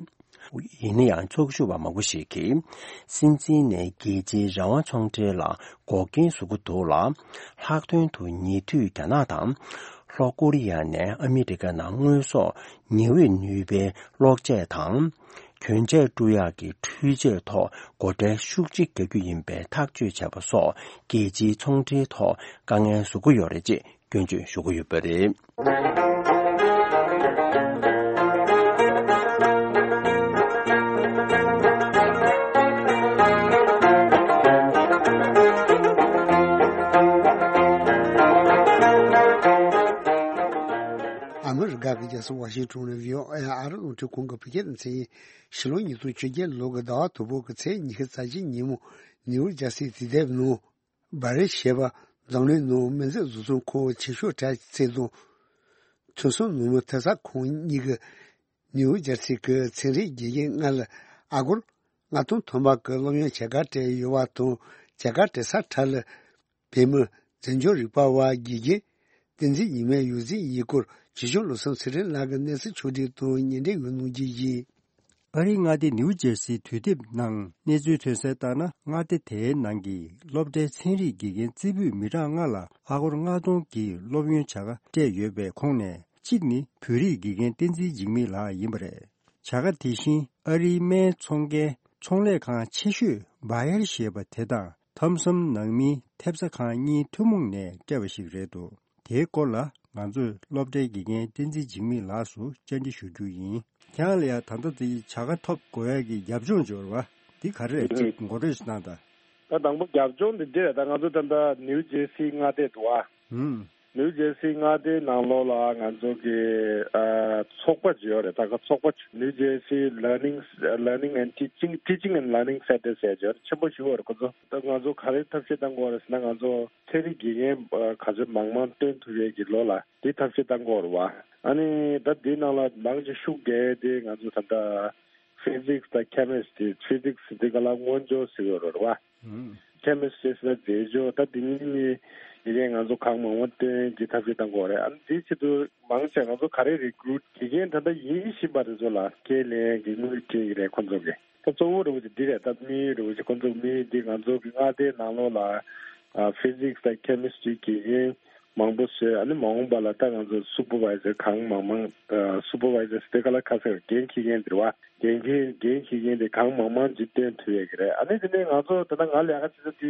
ཡིན་ན་ཡང་ཚོགས་ཞུགས་པ་མང་པོ་ཞིག་གིས། སྲིད་འཛིན་ནས་རྒྱལ་སྤྱིའི་རང་དབང་ཚོང་འབྲེལ་ལ་འགོག་རྐྱེན་བཟོ་གི་འདུག་ལ། ལྷག་དོན་དུ་ཉེ་དུས་རྒྱ་ནག་དང་། ལྷོ་ཀོ་རི་ཡ་ནས་ཨ་མི་རི་ཀ་ནང་དངོས་ཟོག་ཉི་འོད་ནུས་པའི་གློག་ཆས་དང་། གྱོན་ཆས་སྤྲོད་ཡག་གི་འཕྲུལ་ཆས་ཐོག་སྒོ་ཁྲལ་ཤུགས་ཆེ་རྒྱག་རྒྱུ་ཡིན་པའི་ཐག་གཅོད་བྱས་པ་སོགས་རྒྱལ་སྤྱིའི་ཚོང་འབྲེལ་ཐོག་དཀའ་ངལ་བཟོ་གི་ཡོད་རེད་ཅེས་སྐྱོན་བརྗོད་ཞུ་གི་ཡོད་པ་རེད། ཨ་མི་རི་ཀ་གི་རྒྱལ་ས་ཝ་ཤིང་ཊོན་ནས་བྷི་ཨོ་ཨེ་ཨ་རི་རླུང་འཕྲིན་ཁང་གི་བོད་སྐད་སྡེ་ཚན་ཡིན། ཕྱི་ལོ་ཉིས་སྟོང་བཅོ་བརྒྱད་ལོ་གི་ཟླ་བ་དང་པོ་གི་ཚེས་ཉི་ཤུ་རྩ་གཅིག་ཉིན་མོ་ནིའུ་ཇར་སི་དུས་དེབ་ནང་། སྦ་རི་ཞེས་པ་འཛམ་གླིང་ནང་སྨན་རྫས་བཟོ་ཚོང་ཁང་ཆེ་ཤོས་གྲས་གཅིག་དང་། ཐོན་བཟང་ནུབ་མོ་ཐེབས་རྩ་ཁང་གཉིས་ཀྱིས་ནིའུ་ཇར་སི་གི་ཚན་རིག་དགེ་རྒན་ལྔ་ལ་ཨ་སྒོར་ལྔ་སྟོང་ཐམ་པ་གི་སློབ་ཡོན་བྱ་དགའ་སྤྲད་ཡོད་པ་དང་། བྱ་དགའ་སྤྲད་ས་ཁྲ་ལ་བོད་མི་འཛིན་སྐྱོང་རིག་པ་བ་དགེ་རྒན་བསྟན་འཛིན་ཉི་མའི་ཡོངས་འཛིན་ཡིན་སྐོར་ཇི་བཞུགས་བློ་བཟང་ཚེ་རིང་ལགས་ཀྱི་གནས་ཚུལ་ཕྱོགས་སྒྲིག་དང་ཉན་འབྲེལ་ཡོད་གནང་རྒྱུ་ཡིན། ཨ་རིའི་མངའ་སྡེ་ནིའུ་ཇར་སིའི་དུས་དེབ་ནང་གནས་ཚུལ་ཐོན་གསལ་ལྟར་ན། མངའ་སྡེ་དེའི་ནང་གི་སློབ་གྲྭའི་ཚན་རིག་དགེ་རྒན་རྩེ་ཕུད་མི་གྲངས་ལྔ་ལ་ཨ་སྒོར་ལྔ་སྟོང་གི་སློབ་ཡོན་བྱ་དགའ་སྤྲད་ཡོད་པའི་ཁོངས་ནས། གཅིག་ནི་བོད་རིགས་དགེ་རྒན་བསྟན་འཛིན་འཇིགས་མེད་ལགས་ཡིན་པ་རེད། བྱ་དགའ་དེ་བཞིན་ཨ་རིའི་སྨན་ཚོང་མཁན་ཚོང་ལས་ཁང་ཆེ་ཤོས་སྦ་ཡར་ཞེས་པ་དེ་དང་། ཐོན་བཟང་ནང་མིའི་ཐེབས་རྩ་ཁང་གཉིས་ཐུན་མོང་ནས་སྤྲད་པ་ཞིག་རེད་འདུག་དེའི་སྐོར་ལ་ང་ཚོས་སློབ་གྲྭའི་དགེ་རྒན་བསྟན་འཛིན་འཇིགས་མེད་ལགས་སུ་བཅར་འདྲི་ཞུ་རྒྱུ་ཡིན། ཁྱེད་རང་ལ་ཡང་ད་ལྟ་དེ་བྱ་དགའ་ཐོབ་དགོས་ཡག་གི་རྒྱབ་ལྗོངས་འབྱོར་བ་འདི་ག་རེ་རེད། གཅིག་ངོ་སྤྲོད་ཞིག་གནང་དང་། ད་དང་པོ་རྒྱབ་ལྗོངས་འདི་འདི་རེད། ད་ང་ཚོ་ད་ལྟ་ནིའུ་ཇེར་སི་མངའ་སྡེ་འདུག་ཨ། ཧུམ། ནིའུ་ཇར་སི་མངའ་སྡེའི་ནང་ལོགས་ལ་ང་ཚོ་གི་ཨ་ཚོགས་པ་ཅིག་ཡོད་རེད། ད་ག་ཚོགས་པ་ནིའུ་ཇར་སི་Learning Learning and Teaching Teaching and Learning Centers ཟེར་ཅིག་ཡོད་རེད། ཆེན་པོ་ཞིག་ཡོད་རེད་ཁོ་ཚོ། ད་ང་ཚོ་ག་རེ་ཐབས་ཤེས་བཏང་དགོས་རེད་ཟེར་ན། ང་ཚོ་ཚན་རིག་དགེ་རྒན་ཨ་ག་ཚོད་མང་མང་བཏོན་ཐུབ་ཡས་ཀྱི་ལོ་ལ་དེ་ཐབས་ཤེས་བཏང་དགོས་རེད་བ། ཨ་ནི་ད་དེའི་ནང་ལ་མང་ཆེ་ཤུགས་རྒྱག་ཡས་དེ་ང་ཚོ་ད་ལྟ་Physics དང་Chemistry། Physics འདི་ག་ལ་མངོན་སྦྱོར་ཟེར་གྱི་ཡོད་རེད་བ། Chemistry ཟེར་ན་རྫས་སྦྱོར། ད་དེ་གཉིས་ནི་ཡི་གེ་ང་ཚོ་གང་མང་མང་བཏོན་གྱི་ཐབས་ཤེས་བཏང་དགོས་རེད། ཨ་ནི་དེའི་ཆེད་དུ་མང་ཆེ་ང་ཚོ་ག་རེ་recruit དགེ་རྒན་ད་ལྟ་ཡིན་བཞིན་པ་དེ་ཚོ་ལ་ཁས་ལེན་གྱི་དངུལ་སྤྲད་ཀྱི་རེད་ཁོང་ཚོ་གིས། ད་གཙོ་བོ་རེད་བ་ཅིག་འདི་རེད། ད་དམིགས་ཡུལ་རེད་བ་ཅིག་ཁོང་ཚོ་དམིགས་ཡུལ་འདི་ང་ཚོ་གི་མངའ་སྡེའི་ནང་ལོགས་ལ་ཨ་Physics དང་Chemistry དགེ་རྒན་མང་པོ་བཟོས། ཨ་ནི་མ་འོངས་པ་ལ་ད་ང་ཚོ་Supervisor གང་མང་མང་ཨ་Supervisor དེ་ག་ལ་ཁ་ཟེར་འགན་འཁྱེར་མཁན་དེ་རེད་བ། འགན་འཁྱེར་འགན་འཁྱེར་མཁན་དེ་གང་མང་མང་ཅིག་བཏོན་ཐུབ་ཡས་ཀྱི་རེད། ཨ་ནི་དེ་ནས་ང་ཚོ་ད་ལྟ་ང་ལས་ཀ་བྱེད་ས་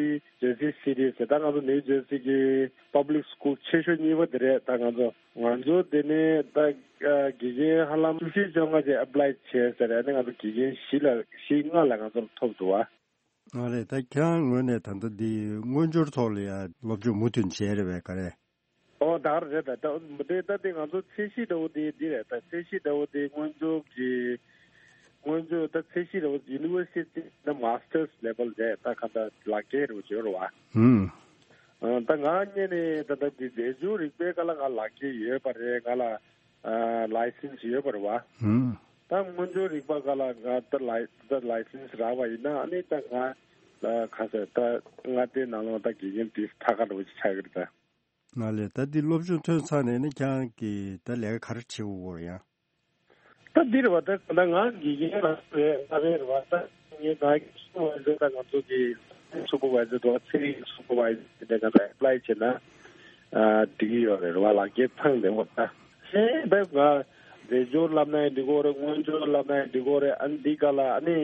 དེ་Jersey City ཟེར། ད་ང་ཚོ་New Jersey གི་Public School ཆེ་ཤོས་གཉིས་པ་དེ་རེད། ད་ང་ཚོ་ང་ཚོ་དེ་ནས་ད་ཨ་དགེ་རྒན་ཧ་ལམ་བཅུ་བཞི་བཅོ་ལྔ་ཅིག་apply བྱས་ཟེར། ཨ་ནི་ང་ཚོ་དགེ་རྒན་བཞི་ལ་བཞི་ལྔ་ལ་ང་ཚོར་ཐོབ་འདུག་བ། ཨ་རེད། ད་ཁྱེད་རང་ངོས་ནས་ད་ལྟ་འདི་དངོས་འབྱོར་ཐོག་ལ་ཡ་སློབ་སྦྱོང་མུ་མཐུད་བྱས་རེད་པས་ག་རེ། ཨོ་ད་ག་རེད། ད་ད་དེ་ད་དེ་ང་ཚོ་ཚད་གཞི་འདྲ་བོ་དེ་འདི་རེད། ད་ཚད་གཞི་འདྲ་བོ་དེ་དངོས་འབྱོར་གྱི་དངོས་འབྱོར་ད་ཚད་གཞི་འདྲ་བོ་University ད་Masters level རེད། ད་ག་ད་ལག་འཁྱེར་རེད་བ་བརྗོད་རེད་བ། ཧུམ། ཨ་ད་ང་གཉིས་ནས་ད་ལྟ་འདི་རྫས་སྦྱོར་རིག་པའི་སྐོར་ལ་ང་ལག་འཁྱེར་ཡོད་པ་རེད། ང་ལ་ཨ་license ཡོད་པ་རེད་བ། ཧུམ། ད་དངོས་འབྱོར་རིག་པ་སྐོར་ལ་ང་ད་ལའི་ད་license རག་པ་ཡིན་ན་ཨ་ནི་ད་ང་ཨ་ག་ཟེར་ད་མངའ་སྡེའི་ནང་ལོགས་ད་དགེ་རྒན་དེ་ཐད་ཀར་འདྲ་བོ་ཅིག་ཆགས་ཀྱི་རེད་ད། ང་ལས་ད་འདི་སློབ་སྦྱོང་ཐོན་ཚར་ནས་ནི་ཁྱེད་རང་གིས་ད་ལས་ཀ་ག་རེ་བྱེད་དགོས་ཡོད་རེད་ཡང་། ད་འདི་རེད་བ། ད་ད་ང་དགེ་རྒན་ལ་རེད་ང་རེད་རེད་བ། ད་ངས་ད་Supervisor ད་ང་ཚོ་གི་Supervisor དང་ཚན་རིག་Supervisor དེ་འདྲ་ང་ཚོ་apply བྱས་ན་ཨ་འགྲིག་གི་ཡོད་རེད་བ། ལག་འཁྱེར་ཚང་བསྡད་ཡོད་ད། ཧེ་ད་ང་རྫས་སྦྱོར་བསླབ་ན་ཡང་འགྲིག་གི་རེད། དངོས་སྦྱོར་བསླབ་ན་ཡང་འགྲིག་གི་རེད། ཨ་ནི་འདི་ག་ལ་ཨ་ནི་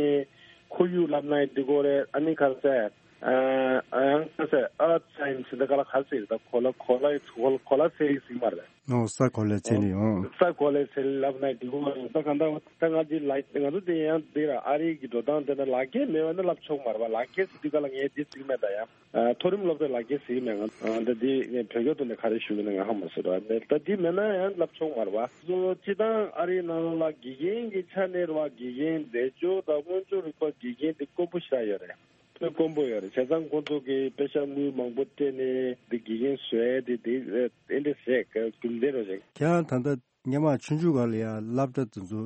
ཁོར་ཡུག་བསླབ་ན་ཡང་འགྲིག་གི་རེད། ཨ་ནི་ག་ཟེར། ཨ་ཡང་ཁ་ཟེར་Earth Science འདི་ག་ལ་ག་ཟེར་ད་གོ་ལ་གོ་ལ་གོ་ལ་གོ་ལ་ཚན་རིག་ཟེར་གྱི་མ་རེད། ཨོ་ས་གོ་ལའི་ཚན་རིག་ཨོ། ས་གོ་ལའི་ཚན་རིག་བསླབ་ན་འགྲིག་གི་མ་རེད། ད་གང་ལྟར་ད་ང་འདི་ལ་ང་ཚོ་དེ་ཡང་འདི་ར་ཨ་རི་གི་འགྲོ་སྟངས་དེ་ན་ལག་འཁྱེར་མེད་པ་ན་བསླབ་ཆོག་མ་རེད་བ། ལག་འཁྱེར་ཟེར་དུས་ག་ལ་ངས་འདི་ཟེར་གྱི་མེད་ད་ཡང་། ཨ་མཐོ་རིམ་སློབ་གྲྭའི་ལག་འཁྱེར་ཟེར་གྱི་མེད། ང་ཨ་ད་འདི་ངས་བོད་སྐད་ཐོག་ནས་ག་རེ་ཞུ་གི་ན་ང་ཧ་མ་སོ་ར་མེད། ད་འདི་མེད་ན་ཡང་བསླབ་ཆོག་མ་རེད་བ། སོ་སྤྱི་བཏང་ཨ་རིའི་ནང་ལ་དགེ་རྒན་གྱི་ཆ་ནས་རེད་བ། དགེ་རྒན་རྫས་སྦྱོར་དང་དངོས་སྦྱོར་རིག་པ་དགེ་རྒན་འདི་དཀོན་པོ་ཞེ་དྲག་ཡོད་རེད། དཔེ་དཀོན་པོ་ཡོད་རེད། བྱས་ཙང་ཁོང་ཚོ་གིས་དཔེ་ཤག་དངུལ་མང་པོ་སྤྲད་ནས་འདི་དགེ་རྒན་བཟོ་ཡས་དེ་དེ་ཨེ་འདྲ་ཟེར་རྒྱུ་མཚན་རོ་ཞིག་ཁྱེད་རང་ད་ལྟ་སྔོན་མ་ཆུང་ཆུང་སྒང་ལ་ཡ་སློབ་གྲྭ་དེ་ཚོ་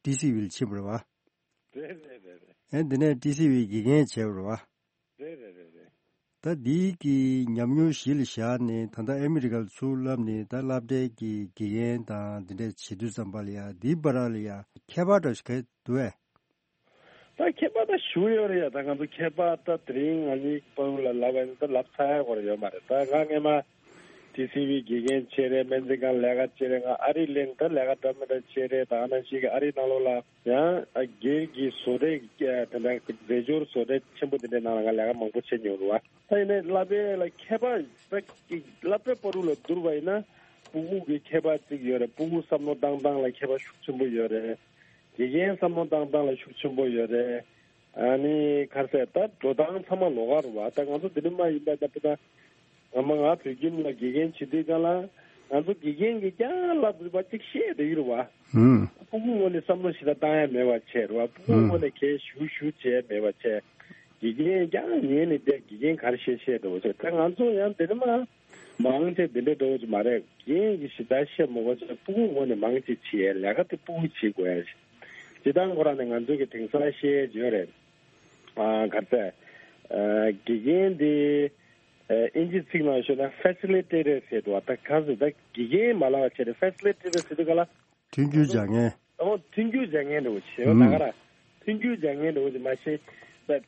ཊི་སི་ཝི་ལ་ཕྱིན་པ་རེད་བ། རེད་རེད་རེད་རེད། ཨེ་འདི་ནས་ཊི་སི་ཝི་དགེ་རྒན་བྱས་པ་རེད་བ། རེད་རེད་རེད་རེད། ད་འདིའི་གི་ཉམས་མྱོང་གཞི་ལ་བཞག་ནས་ད་ལྟ་ཨ་མི་རི་ཀར་ཚུར་ལབ་ནས་ད་སློབ་གྲྭའི་གི་དགེ་རྒན་དང་འདི་འདྲས་བྱེད་དུས་ཙམ་པ་ལ་ཡ་འདིའི་བར་ལ་ཡ་ཁྱད་པར་འདྲ་ཞིག་ག་འདུག་ཨེ། ད་ཁྱད་པར་ད་ཞུ་ཡོད་རེད་ཡ། ད་ང་ཚོ་ཁྱད་པར་ད་དེ་རིང་ང་གཉིས་བར་ལ་ལབ་ཡ་ད་ལབ་ཚར་ཡ་སྐོར་ཡོད་མ་རེད། ད་ང་སྔས་མ་ཊི་སི་ཝི་དགེ་རྒན་བྱས་རེད། སྨན་རྩིས་ཁང་ལས་ཀ་བྱས་རེད། ང་ཨ་རི་གླེང་ད་ལས་ཀ་འདྲ་མི་འདྲ་བྱས་རེད། ད་ང་ནང་བཞིན་གྱི་ཨ་རིའི་ནང་ལོགས་ལ་ཡང་སྒེར་གྱི་བཟོ་གྲྭའི་དེ་འདྲ་རྫས་སྦྱོར་བཟོ་གྲྭ་ཆེན་པོ་དེ་འདྲའི་ནང་ལ་ང་ལས་ཀ་མང་པོ་བྱས་མྱོང་རེད་བ། ད་ཡིན་ནའི་བསླབ་པའི་ལ་ཁྱད་པར་ད་བསླབ་པའི་བར་དུ་ལ་བསྡུར་བ་ཡིན་ན་སྤུ་གུ་གི་ཁྱད་པར་ཅིག་ཡོད་རེད། སྤུ་གུ་བསམ་བློ་བཏང་སྟངས་ལ་ཁྱད་པར་ཤུགས་ཆེན་པོ་ཡོད་རེད། དགེ་རྒན་བསམ་བློ་བཏང་སྟངས་ལ་ཤུགས་ཆེན་པོ་ཡོད་རེད། ཨ་ནི་ག་རེ་ཟེར་ད་འགྲོ་སྟངས་ཚང་མ་ལོགས་ཀ་རེད་བ། ད་ང་ཚོ་འདི་འདྲ་མ་ཡིན་པ་ད་ད་ང་མ་ང་བོད་ཁྱིམ་ལ་དགེ་རྒན་བྱེད་དུས་སྒང་ལ་ང་ཚོ་དགེ་རྒན་གྱིས་ཀྱང་བསླབ་རེད་བ་ཅིག་བཤད་བསྡད་ཀྱི་རེད་བ། ཧུམ། སྤུ་གུ་ངོས་ནས་བསམ་བློ་ཞིག་ད་བཏང་ཡ་མེད་པ་བྱས་རེད་བ། སྤུ་གུ་ཧུམ། ངོས་ནས་གལ་ཞུ་ཞུ་བྱས་མེད་པ་བྱས། དགེ་རྒན་ཀྱང་ཉན་ནས་བསྡད། དགེ་རྒན་ག་རེ་བཤད་བཤད་འགྲོ་བ་བྱས། ད་ང་ཚོ་ཡང་འདི་འདྲ་མ་མང་ཆེ་འདི་འདྲ་འགྲོ་བ་ཅིག་མ་རེད། དགེ་རྒན་གྱིས་ཞིབ་ཕྲ་བཤད་མ་དགོས་ཚེ་སྤུ་གུ་ངོས་ནས་མང་ཆེ་བྱེད་ཡ་ལས་ཀ་དེ་སྤུ་གུ་བྱེད་དགོས་ཡ་ཞིག་སྤྱི་བཏང་ཁོ་རང་ནས་ང་ཚོ་གི་དེང་སང་བཤད་ཡོད་རེད། ཨ་ག་རེ་ཟེར། ཨ་དགེ་རྒན་དེ་ཨ་ཨིན་ཇི་ཚིག་ནང་ཤོད་ན་ཕེ་སི་ལི་ཊེ་ཊར་ཟེར་འདུག་བ། ད་ག་ཟེར་ད་དགེ་རྒན་མ་ལབ་པ་བྱས་ཏེ་ཕེ་སི་ལི་ཊེ་ཊར་ཟེར་དུས་ག་ལ། མཐུན་འགྱུར་སྦྱང་མཁན། ཨོ་མཐུན་འགྱུར་སྦྱང་མཁན་འདྲ་བོ་བྱས་ཡོད་ན་ཨུམ། ག་ར། མཐུན་འགྱུར་སྦྱང་མཁན་འདྲ་བོ་ཅིག་མ་ཤེས། ད་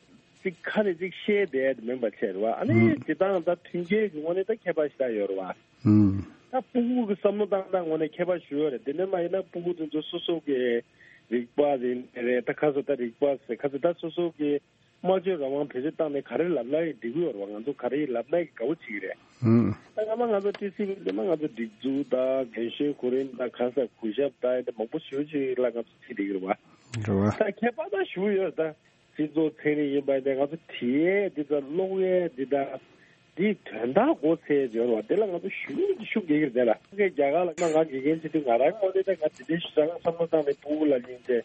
ཅིག་ཁ་ནས་ཅིག་བཤད་བསྡད་མིན་པ་བྱས་རེད་བ། ཨ་ནི་ཨུམ། སྤྱིར་བཏང་ད་མཐུན་རྐྱེན་གྱི་ངོས་ནས་ད་ཁྱད་པར་ཞེ་དྲག་ཡོད་རེད་བ། ཨུམ། ད་སྤུ་གུ་གི་བསམ་བློ་བཏང་སྟངས་ངོས་ནས་ཁྱད་པར་ཞིག་ཡོད་རེད། དེ་འདྲ་མ་ཡིན་ན་སྤུ་གུ་དེ་ཚོ་སོ་སོ་གི་རིག་པ་རེད་རེད། ད་ཁ་སོ་ད་རིག་པ་ཟེར་ཁ་སོ་ད་སོ་སོ་གི་སྨྲ་བརྗོད་རང་དབང་བེད་སྤྱོད་བཏང་ནས་ག་རེ་ལབ་ན་ཡང་འགྲིག་གི་ཡོད་རེད་བ། ང་ཚོ་ག་རེ་ལབ་ན་ཡང་དགའ་པོ་བྱེད་ཀྱི་རེད། ཧུམ། ད་སྔ་མ་ང་ཚོ་ཊི་སི་ཝི་འདི་མ་ང་ཚོ་སྒྲིག་འཛུགས་དང་རྒན་གཞོན་གོ་རིམ་དང་ག་ས་གུས་ཞབས་དང་འདི་མང་པོ་ཞེ་པོ་ཅིག་ལ་ང་ཚོ་ཁྲིད་བསྡད་ཀྱི་རེད་བ། རེད་བ། ད་ཁྱད་པར་ད་ཞུ་ཡོད། ད་སྤྱི་ཚོགས་ཚན་རིག་ཡིན་པ་འདི་ང་ཚོ་བྲིས་ཡས་འདི་དང་ཀློག་ཡས་འདི་དང་ འདིའི་དོན་དག་མགོ་ཚོས་ཡོད་རེད་བ། དེ་ལ་ང་ཚོ་ཞུ་ཞུ་དགོས་ཀྱི་རེད་ལ། ངས་རྒྱ་གར་ལ་ང་ང་དགེ་རྒན་བྱེད་དུས་ང་རང་ངོས་ནས་ད་ང་དེ་འདྲའི་ཞུ་ས་ང་བསམ་བློ་བཏང་ནས་ཕྲུ་གུ་ལ་ལིན་ཏེ་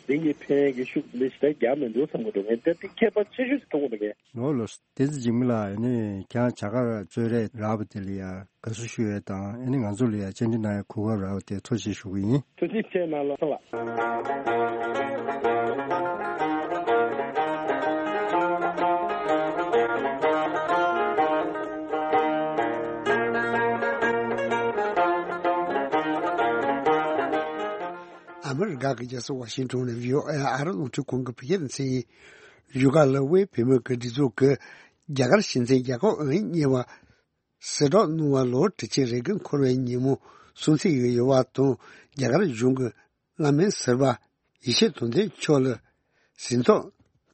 འདི་ངས་ཕན་གྱི་ཤུགས་འདི་ཞིག་ད་རྒྱག་མི་འདུག་བསམ་གྱི་འདུག་ངས་ད་དེ་ཁྱད་པར་ཆེ་ཤོས་ཤིག་མཐོང་གི་འདུག་ངས། ནོར་ལོ། བསྟན་འཛིན་འཇིགས་མེད་ལགས། ཨ་ནི་ཁྱེད་རང་བྱ་དགའ་གཙོས་རེད་རག་པ་དེ་ལ་ཡ་དགའ་བསུ་ཞུ་ཡས་དང་། ཨ་ནི་ང་ཚོ་ལ་ཡ་བཅར་འདྲི་གནང་ཡས་གོ་སྐབས་རག་པ་དེ་ཐུགས་རྗེ་ཆེ་ཞུ་གི་ཡིན། ཐུགས་རྗེ་ཆེ་གནང་ལགས་སོ་ལགས། ཨ་མི་རི་ཀ་གི་རྒྱལ་ས་ཝ་ཤིང་ཏོན་ནས་བྷི་ཨོ་ཨེ་ཨ་རི་རླུང་འཕྲིན་ཁང་གི་བོད་སྐད་སྡེ་ཚན་ཡིན། བཞུགས་སྒར་ལ་དབུས་བོད་མིའི་སྒེར་སྡེ་ཚོགས་ཀྱི་རྒྱ་གར་སྤྱི་མཚན་རྒྱལ་ཁབ་ཨང་གཉིས་པ་ཟིན་ཐོ་བསྣུར་བ་ལོ་དྲུག་ཅུ་རེ་དགུ་འཁོར་བའི་ཉིན་མོ་སྲུང་བརྩི་ཡོད་པ་དང་། རྒྱ་གར་གཞུང་གིས་བླ་སྨན་ཟུར་པ་ཡེ་ཤེས་དོན་ལྡན་མཆོག་ལ་ཟིན་ཐོ་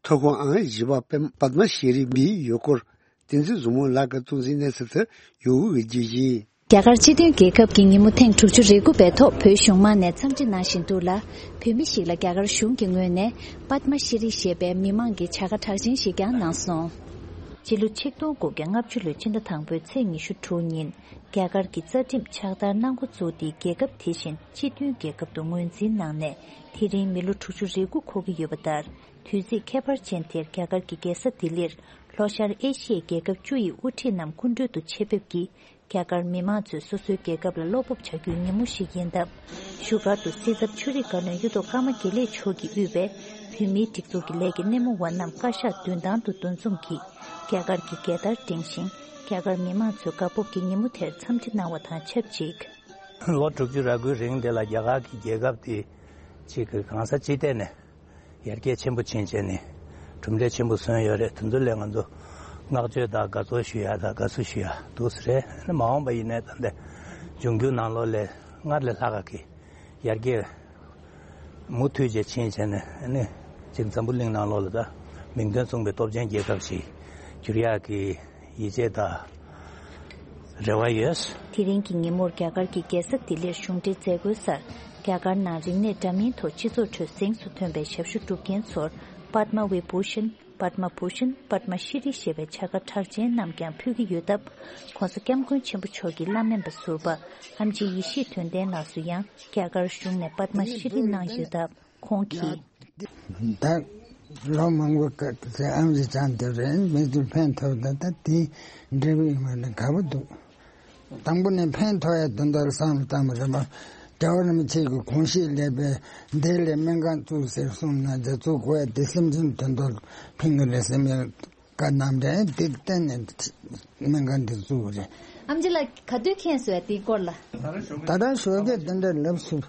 ཐོབ་ཁུངས་ཨང་བཞི་པ་པདྨ་ཤྲི་འབུལ་ཡོད་སྐོར་བསྟན་འཛིན་བཟང་མོ་ལགས་ཀྱིས་གཏོང་འཛིན་གནས་ཚུལ་དེ་ཡོད་འོས་ཀྱི་བརྗོད་གཞི། རྒྱ་གར་སྤྱི་མཐུན་རྒྱལ་ཁབ་ཀྱི་ཉིན་མོ་ཐེངས་དྲུག་ཅུ་རེ་དགུ་པའི་ཐོག་བོད་གཞུང་མང་ནས་འཚམས་འདྲི་གནང་བཞིན་འདུག་ལ། བོད་མི་ཞིག་ལ་རྒྱ་གར་གཞུང་གི་ངོས་ནས་པདྨ་ཤྲི་ཞེས་པའི་མི་མང་གི་བྱ་དགའ་གྲགས་ཅན་ཞིག་ཀྱང་གནང་སོང་། སྤྱི་ལོ་ཆིག་སྟོང་དགུ་བརྒྱ་ལྔ་བཅུ་ལོའི་ཕྱི་ཟླ་དང་པོའི་ཚེས་ཉི་ཤུ་དྲུག་ཉིན། རྒྱ་གར་གྱི་རྩ་ཁྲིམས་ཕྱག་བསྟར་གནང་འགོ་བཙུགས་ཏེ། རྒྱལ་ཁབ་དེ་བཞིན་སྤྱི་མཐུན་རྒྱལ་ཁབ་ཏུ་ངོས་འཛིན་གནང་ནས་དེ་རིང་མི་ལོ་དྲུག་ཅུ་རེ་དགུ་འཁོར་གྱི་ཡོད་པ་ལྟར། དུས་ཚིགས་ཁྱད་པར་ཅན་དེར་རྒྱ་གར་གྱི་རྒྱལ་ས་ལྡི་ལིར་ལྷོ་ཤར་ཨེ་ཤི་ཡའི་རྒྱལ་ཁབ་བཅུ་ཡི་དབུ་ཁྲིད་རྣམས་སྐུ་མགྲོན་དུ་ཆེད་ཕེབས་ཀྱིས། རྒྱ་གར་མི་མང་ཚོས་སོ་སོའི་རྒྱལ་ཁབ་ལ་བློ་སྤོབས་བྱ་རྒྱུའི་ཉིན་མོ་ཞིག་ཡིན་སྟབས། བཞུགས་སྒར་དུ་སྲིད་ཚབ་ཆོས་རིག་བཀའ་བློན་གཡུ་ཐོག་ཀརྨ་དགེ་ལེགས་མཆོག་གིས་དབུས་པའི་བོད་མིའི་སྒྲིག་འཛུགས་ཀྱི་ལས་ཀྱི་སྣེ་མོ་བ་རྣམས་བཀའ་ཤག་མདུན་ཐང་དུ་འདུ་འཛོམས་ཀྱིས་རྒྱ་གར་གྱི་རྒྱལ་དར་བསྒྲེངས་ཤིང་། རྒྱ་གར་མི་མང་ཚོས་དགའ་སྤོབས་ཀྱི་ཉིན་མོ་དེར་འཚམས་འདྲི་གནང་བ་དང་ཆབས་ཅིག། ལོ་དྲུག་ཅུ་རེ་དགུའི་རིང་དེ་ལ་རྒྱ་གར་གྱི་རྒྱལ་ཁབ་དེ་གཅིག་གི་གང་ས་ཅི་ཐད་ནས། ཡར་རྒྱས་ཆེན་པོ་ཕྱིན་བྱས་ནས་གྲུབ་འབྲས་ཆེན་པོ་སོན་ཡོད་རེད། དེ་ཚོ་ལ་ང་ཚོ་བསྔགས་བརྗོད་དང་དགའ་ཚོར་ཞུ་ཡ་དང་དགའ་བསུ་ཞུ་ཡ་འདུག་ས་རེད། ཨ་ནི་མ་འོངས་པ་ཡིན་ནའི་ད་ལྟ་འབྱུང་འགྱུར་ནང་ལོགས་ལ་སྔར་ལས་ལྷག་ག་གི་ཡར་རྒྱས་མུ་མཐུད་བྱས་ཕྱིན་བྱས་ནས། ཨ་ནི་ཅིག་འཛམ་བུ་གླིང་ནང་ལོགས་ལ་ད་མིང་དོན་མཚུངས་པའི་སྟོབས་ཆེན་རྒྱལ་ཁབ་ཅིག་འགྱུར་ཡག་གི་ཡིད་ཆེས་དང་རེ་བ་ཡོད། དེ་རིང་གི་ཉིན་མོར་རྒྱ་གར་གྱི་རྒྱལ་ས་ལྡི་ལིར་གཞུང་འབྲེལ་མཛད་སྒོའི་སར། རྒྱ་གར་ནང་རིག་གནས་འདྲ་མིན་ཐོག་སྤྱི་ཚོགས་ཁྲོད་གཟེངས་སུ་ཐོན་པའི་ཞབས་ཞུ་སྒྲུབ་མཁན་ཚོར་པདྨ་བི་བྷུ་ཤན། པདྨ་བྷུ་ཤན། པདྨ་ཤྲི་ཞེས་པའི་བྱ་དགའ་གྲགས་ཅན་རྣམས་ཀྱང་ཕུལ་གྱི་ཡོད་སྟབས། ༸གོང་ས་༸སྐྱབས་མགོན་ཆེན་པོ་མཆོག་གི་བླ་སྨན་པ་ཟུར་པ་ཨེམ་ཆི་ཡེ་ཤེས་དོན་ལྡན་ལགས་སུ་ཡང་རྒྱ་གར་གཞུང་ནས་པདྨ་ཤྲི་གནང་ཡོད་སྟབས། ཁོང་གིས། ད་ལོ་མང་པོ་ཀ་ཟེར་ཨམ་ཆི་ཅང་དེ་རེད། མི་ཚོས་ཕན་ཐོགས་ད་ད་དེ་འབྲས་བུ་ཡིན་པ་ནི་དགའ་པོ་འདུག། དང་པོ་ནས་ཕན་ཐོགས་ཡ་དོན་དག་བསམ་བློ་བཏང་བ་རེད་པ། རྒྱལ་བ་རིན་པོ་ཆེ་གི་དགོངས་བཞེད་ལས་པའི་འདི་ལས་སྨན་ཁང་བཙུགས་ཟེར་གསུངས་ན་རྒྱ་མཚོ་གོ་ཡ་དེ་སེམས་ཅན་དོན་དག་ཕན་གི་རེད་བསམ་ཡ་བཀའ་གནང་རེད། དེ་བརྟེན་ནས་སྨན་ཁང་འདི་བཙུགས་རེད། ཨམ་ཆི་ལགས་ག་དུས་མཁྱེན་སོང་ཡ་དེའི་སྐོར་ལ། ད་ལྟ་ཞོགས་ཀས་དེ་འདྲ་ལབ་སོང་།